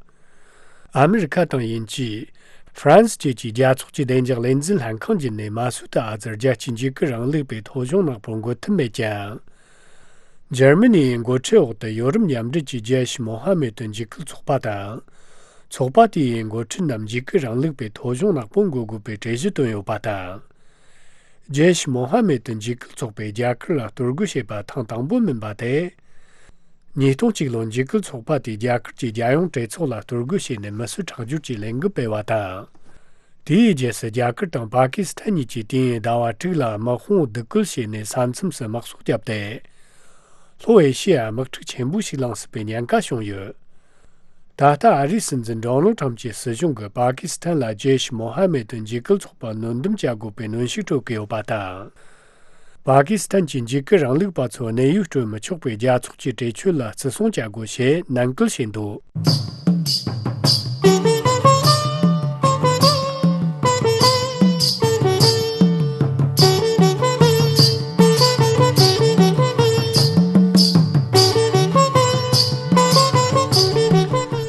ཨ་མི་རི་ཁ་དང་དབྱིན་ཇི། ཧྥ་རན་སི་བཅས་ཀྱིས་རྒྱལ་ཚོགས་ཀྱི་བདེ་འཇགས་ལས་འཛིན་ལྷན་ཁང་བརྒྱུད་ནས་མ་སུད་ཨ་ཛར་རྒྱལ་སྤྱིའི་འཇིགས་སྐུལ་རིང་ལུགས་པའི་ཐོ་གཞུང་ནག་པོ་འགོད་ཐུབ་མེད་ཀྱང་། འཇར་མ་ནིའི་འགོ་ཁྲིད་འོག་ཏུ་ཡོ་རོབ་མཉམ་འབྲེལ་གྱི་ཇེ་ཤི་མོ་ཧ་མེ་ཏུ་འཇིགས་སྐུལ་ཚོགས་པ་དང་། ཚོགས་པ་དེའི་འགོ་ཁྲིད་རྣམས་འཇིགས་སྐུལ་རིང་ལུགས་པའི་ཐོ་གཞུང་ནག་པོ་འགོད་དགོས་པའི་གྲོས་གཞི་བཏོན་ཡོད་པ་དང་། ཇེ་ཤི་མོ་ཧ་མེ་ཏུ་འཇིགས་སྐུལ་ཚོགས་པས་རྒྱ་གར་ལ་གཏོར་རྒོལ་བྱས་པ་ཐེངས་དང་པོ་མིན་པ་དེ། ཉིས་སྟོང་གཅིག་ལོར་འཇིགས་སྐུལ་ཚོགས་པ་དེས་རྒྱ་གར་གྱི་རྒྱལ་ཡོངས་གྲོས་ཚོགས་ལ་གཏོར་རྒོལ་བྱས་ནས་མི་གསོད་ཁྲག་སྦྱོར་གྱི་ལས་འགུལ་སྤེལ་བ་དང་། དེའི་རྗེས་སུ་རྒྱ་གར་དང་པ་ཀི་སི་ཐན་གཉིས་ཀྱིས་དུས་ཡུན་ཟླ་བ་དྲུག་ལ་དམག་དཔུང་སྡུག་སྐུལ་བྱས་ནས་ས་མཚམས་སུ་དམག་སོགས་བརྒྱབ་སྟེ། ལྷོ་ཨེ་ཤི་ཡར་དམག་འཁྲུག་ཆེན་པོ་ཞིག་ལངས་སྲིད་པའི་ཉེན་ཁ་བྱུང་ཡོད། ད་ལྟ་ཨ་རིའི་སྲིད་འཛིན་ཌོ་ནལ་ཁྲམ་གྱི་སྲིད་གཞུང་གིས་པ་ཀི་སི་ཐན་ལ་ཇེ་ཤི་མོ་ཧ་མེ་ཏུ་འཇིགས་སྐུལ་ཚོགས་པར་གནོན་སྡོམ་བྱ་དགོས་པའི་གནོན་ཤུགས་སྤྲོད་ཀྱི་ཡོད་པ་དང་། པ་ཀི་སི་ཐན་གྱི་འཇིགས་སྐུལ་རིང་ལུགས་པ་ཚོར་གནས་ཡུལ་སྤྲོད་མི་ཆོག་པའི་རྒྱལ་ཚོགས་ཀྱི་གྲོས་ཆོད་ལ་བརྩི་སྲུང་བྱ་དགོས་ཞེས་ནན་སྐུལ་བྱས་འདུག་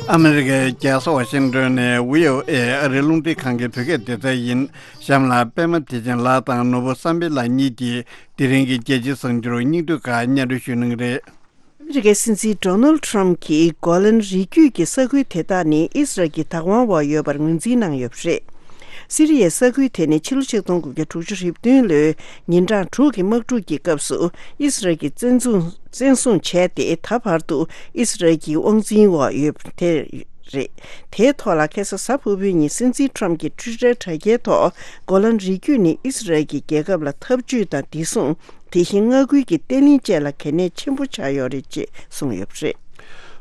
ཨ་མི་རི་ཀའི་རྒྱལ་ས་ཝ་ཤིང་ཏོན་ནས་བྷི་ཨོ་ཨེ་ཨ་རིའི་རླུང་འཕྲིན་ཁང་གི་བོད་སྐད་སྡེ་ཚན་ཡིན། གཤམ་ལ་པད་མ་བདེ་ཆེན་ལགས་དང་ནོར་བུ་བསམ་འཕེལ་ལགས་གཉིས་ཀྱིས་དེ་རིང་གི་རྒྱལ་སྤྱིའི་གསར་འགྱུར་སྙིང་བསྡུས་ཁག་སྙན་སྒྲོན་ཞུ་གནང་གི་རེད། ཨ་མི་རི་ཀའི་སྲིད་འཛིན་ཌོ་ནལ་ཁྲམ་གྱིས་གོ་ལན་རི་རྒྱུད་ཀྱི་ས་ཁུལ་དེ་དག་ནི་ཨི་སི་རལ་གྱི་བདག་དབང་འོག་ཡོད་པར་ངོས་འཛིན་གནང་ཡོད་པ་རེད། སི་རི་ཡའི་ས་ཁུལ་དེ་ནི་ཕྱི་ལོ་ཆིག་སྟོང་དགུ་བརྒྱ་དྲུག་ཅུ་རེ་བདུན་ལོའི་ཉིན་གྲངས་དྲུག་གི་དམག་འཁྲུག་གི་སྐབས་སུ་ཨི་སི་རལ་གྱིས་བཙན་བཟུང་བཙན་བཟུང་བྱས་ཏེ་ད་བར་དུ་ཨི་སི་རལ་གྱི་དབང་འཛིན་འོག་ཡོད་པ་དེ་རེད། དེའི་ཐོག་ལ་ཁ་སང་གཟའ་ཕུར་བུའི་ཉིན་སྲིད་འཛིན་ཁྲམ་གྱིས་ཊུའི་ཊར་དྲ་རྒྱའི་ཐོག་གོ་ལན་རི་རྒྱུད་ནི་ཨི་སི་རལ་གྱི་རྒྱལ་ཁབ་ལ་འཐབ་ཇུས་དང་བདེ་སྲུང་། དེ་བཞིན་མངའ་ཁུལ་གྱི་བརྟན་ལྷིང་བཅས་ལ་གལ་གནད་ཆེན་པོ་ཆགས་ཡོད་རེད་ཅེས་གསུངས་ཡོད་པ་རེད།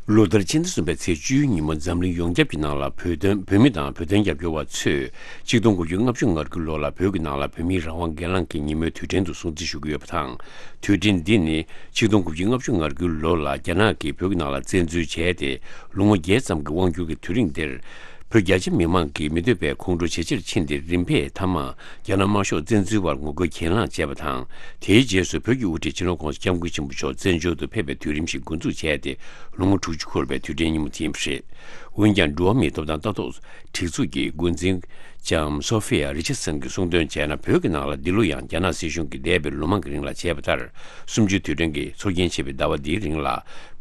ལོ་ལྟར་ཕྱི་ཟླ་གསུམ་པའི་ཚེས་བཅུའི་ཉིན་མོ་འཛམ་གླིང་ཡོངས་ཁྱབ་ཀྱི་ནང་ལ་བོད་དོན་བོད་མི་དང་བོད་དོན་རྒྱབ་སྐྱོར་བ་ཚོས་ཆིག་སྟོང་དགུ་བརྒྱ་ལྔ་བཅུ་ང་དགུའི་ལོ་ལ་བོད་ཀྱི་ནང་ལ་བོད་མིའི་རང་དབང་སྒེར་ལངས་ཀྱི་ཉིན་མོའི་དུས་དྲན་དུ་སྲུང་བརྩི་ཞུ་གི་ཡོད་པ་དང་། དུས་དྲན་འདི་ནི་ཆིག་སྟོང་དགུ་བརྒྱ་ལྔ་བཅུ་ང་དགུའི་ལོ་ལ་རྒྱ་ནག་གིས་བོད་ཀྱི་ནང་ལ་བཙན་འཛུལ་བྱས་ཏེ་ལོ་ངོ་བརྒྱད་ཙམ་གྱི་དབང་སྒྱུར་གྱི་དུས་རིང་འདིར། བོད་རྒྱ་ཆེ་མི་མང་གིས་མི་འདོད་པའི་ཁོང་ཁྲོ་ཇེ་ཆེར་ཕྱིན་ཏེ་རིམ་པས་མཐའ་མ་རྒྱ་ནག་དམར་ཤོག་བཙན་འཛུལ་བར་ངོ་རྒོལ་གྱེན་ལངས་བྱས་པ་དང་། དེའི་རྗེས་སུ་བོད་ཀྱི་དབུ་ཁྲིད་སྤྱི་ནོར་༸གོང་ས་༸སྐྱབས་མགོན་ཆེན་པོ་མཆོག་བཙན་བྱོལ་དུ་ཕེབས་པའི་དུས་རིམ་ཞིག་འགོ་འཛུགས་བྱས་ཏེ་ལོ་ངོ་དྲུག་ཅུ་འཁོར་བའི་དུས་དྲན་ཉིན་མོ་དེ་ཡིན་པ་རེད། འོན་ཀྱང་འགྲོ་བ་མིའི་ཐོབ་ཐང་ལྟ་རྟོག་སྒྲིག་འཛུགས་ཀྱི་འགོ་འཛིན་ལྕམ་སོ་ཧྥི་ཡ་རི་ཆར་སན་གྱིས་གསུངས་དོན་བྱས་ན། བོད་ཀྱི་ནང་ལ་འདི་ལོ་ཡང་རྒྱ་ནག་སྲིད་གཞུང་གིས་འདས་པའི་ལོ་མང་གི་རིང་ལ་བྱས་པ་ལྟར། གསུམ་བཅུའི་དུས་དྲན་གྱི་ཚོགས་རྒྱན་ཆེ་བའི་ཟླ་བ་འདིའི་རིང་ལ།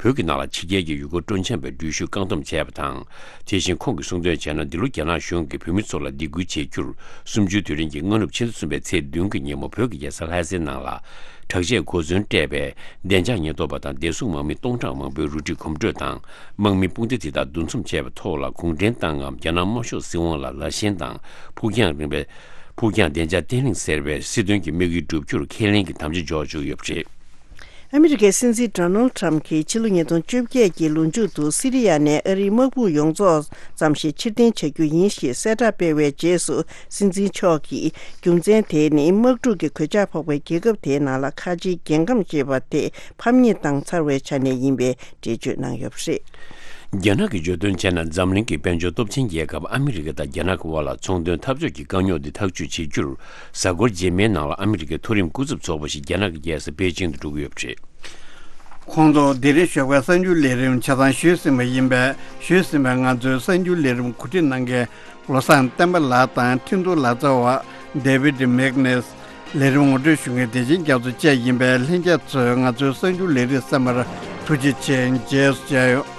བོད་ཀྱི་ནང་ལ་ཕྱི་རྒྱལ་གྱི་ཡུལ་སྐོར་སྤྲོ་འཆམ་པའི་འགྲུལ་བཞུད་བཀག་སྡོམ་བྱས་པ་དང་། དེ་བཞིན་ཁོང་གིས་གསུངས་དོན་བྱས་ན། འདི་ལོ་རྒྱ་ནག་གཞུང་གིས་བོད་མི་ཚོ་ལ་སྡིགས་སྐུལ་བྱེད་རྒྱུར། གསུམ་བཅུའི་དུས་དྲན་གྱི་སྔ་ནུབ་ཕྱི་ཟླ་གསུམ་པའི་ཚེས་བདུན་གྱི་ཉིན་མོ་བོད་ཀྱི་རྒྱལ་ས་ལྷ་སའི་ནང་ལ། དྲག་ཆས་གོ་མཚོན་སྤྲས་པའི་བདེ་འཇགས་ཉེན་རྟོག་པ་དང་བདེ་སྲུང་དམག་མི་སྟོང་ཕྲག་མང་པོའི་རུ་སྒྲིག་གོམ་བགྲོད་དང་། དམག་མི་དཔུང་སྡེ་དེ་དག་འདུ་འཛོམས་བྱས་པའི་ཐོག་ལ། གུང་ཁྲན་ཏང་ངམ་རྒྱ་ནག་དམར་ཤོག་སྲིད་དབང་ལ་ལ་ཞེན་དང་། ཕུགས་རྒྱང་རིང་བའི། ཕུགས་རྒྱང་བདེ་འཇགས་བརྟན་ལྷིང་ཟེར་བའི་སྲིད་དོན་གྱི་དམིགས་ཡུལ་བསྒྲུབ་རྒྱུར་ཁས་ལེན་གྱི་དམ་བཅའ་འཇོག་བཅུག་ཡོད་པ་རེད། ཨ་མི་རི་ཀའི་སྲིད་འཛིན་ཌོ་ནལ་ཁྲམ་གྱིས་ཕྱི་ལོ་ཉིས་སྟོང་བཅོ་བརྒྱད་ཀྱི་ལོ་མཇུག་ཏུ་སི་རི་ཡ་ནས་ཨ་རིའི་དམག་དཔུང་ཡོངས་རྫོགས་ཙམ་ཞིག་ཕྱིར་འཐེན་བྱ་རྒྱུ་ཡིན་ཞེས་གསལ་བསྒྲགས་སྤེལ་བའི་རྗེས་སུ། སྲིད་འཛིན་མཆོག་གིས་རྒྱུ་མཚན་དེ་ནི་དམག་འཁྲུག་གི་གོད་ཆག་ཕོག་པའི་རྒྱལ་ཁབ་དེའི་ནང་ལ་ཁ་ཆེའི་རྒྱལ་ཁམས་ཞེས་པ་དེ་ཕམ་ཉེས་བཏང་ཚར་བའི་ཆ་ནས་ཡིན་པའི་འགྲེལ་བརྗོད་གནང་ཡོད་པ་རེད། རྒྱ་ནག་གིས་བརྗོད་དོན་བྱས་ན། འཛམ་གླིང་གི་དཔལ་འབྱོར་སྟོབས་ཆེན་རྒྱལ་ཁབ་ཨ་མི་རི་ཀ་དང་རྒྱ་ནག་གི་དབར་ལ་ཚོང་དོན་འཐབ་ཕྱོགས་ཀྱི་དཀའ་རྙོག་འདི་ཐག་གཅོད་བྱེད་རྒྱུར། གཟའ་འཁོར་རྗེས་མའི་ནང་ལ་ཨ་མི་རི་ཀའི་མཐོ་རིམ་སྐུ་ཚབ་ཚོགས་པ་ཞིག་རྒྱ་ནག་གི་རྒྱལ་ས་པེ་ཅིང་དུ་འགྲོ་གི་ཡོད་པ་རེད། ཁོང་ཚོ་དེ་རིང་ཞོགས་པའི་གསར་འགྱུར་ལས་རིམ་ཆ་ཚང་ཞུས་ཟིན་པ་ཡིན་པས། ཞུས་ཟིན་པའི་ང་ཚོའི་གསར་འགྱུར་ལས་རིམ་གོ་སྒྲིག་གནང་མཁན། བློ་བཟང་བསྟན་པ་ལགས་དང་ཁྲིན་ཏུ་ལག་རྩལ་བ་ཌེ་བིད་མེག་ནེས། ལས་རིམ་ངོ་སྤྲོད་ཞུ་མཁན་བདེ་ཆེན་རྒྱ་མཚོ་བཅས་ཡིན་པས། ལྷན་རྒྱས་ཚོས་ང་ཚོའི་གསར་འགྱུར་ལས་རིམ་གསན་པར་ཐུགས་རྗེ་ཆེ། རྗེས་སུ་མཇལ་ཡོང་།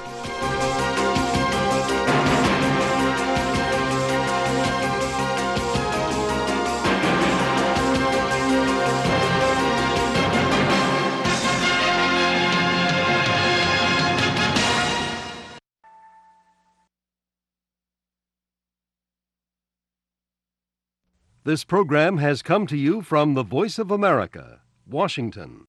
This program has come to you from the Voice of America, Washington.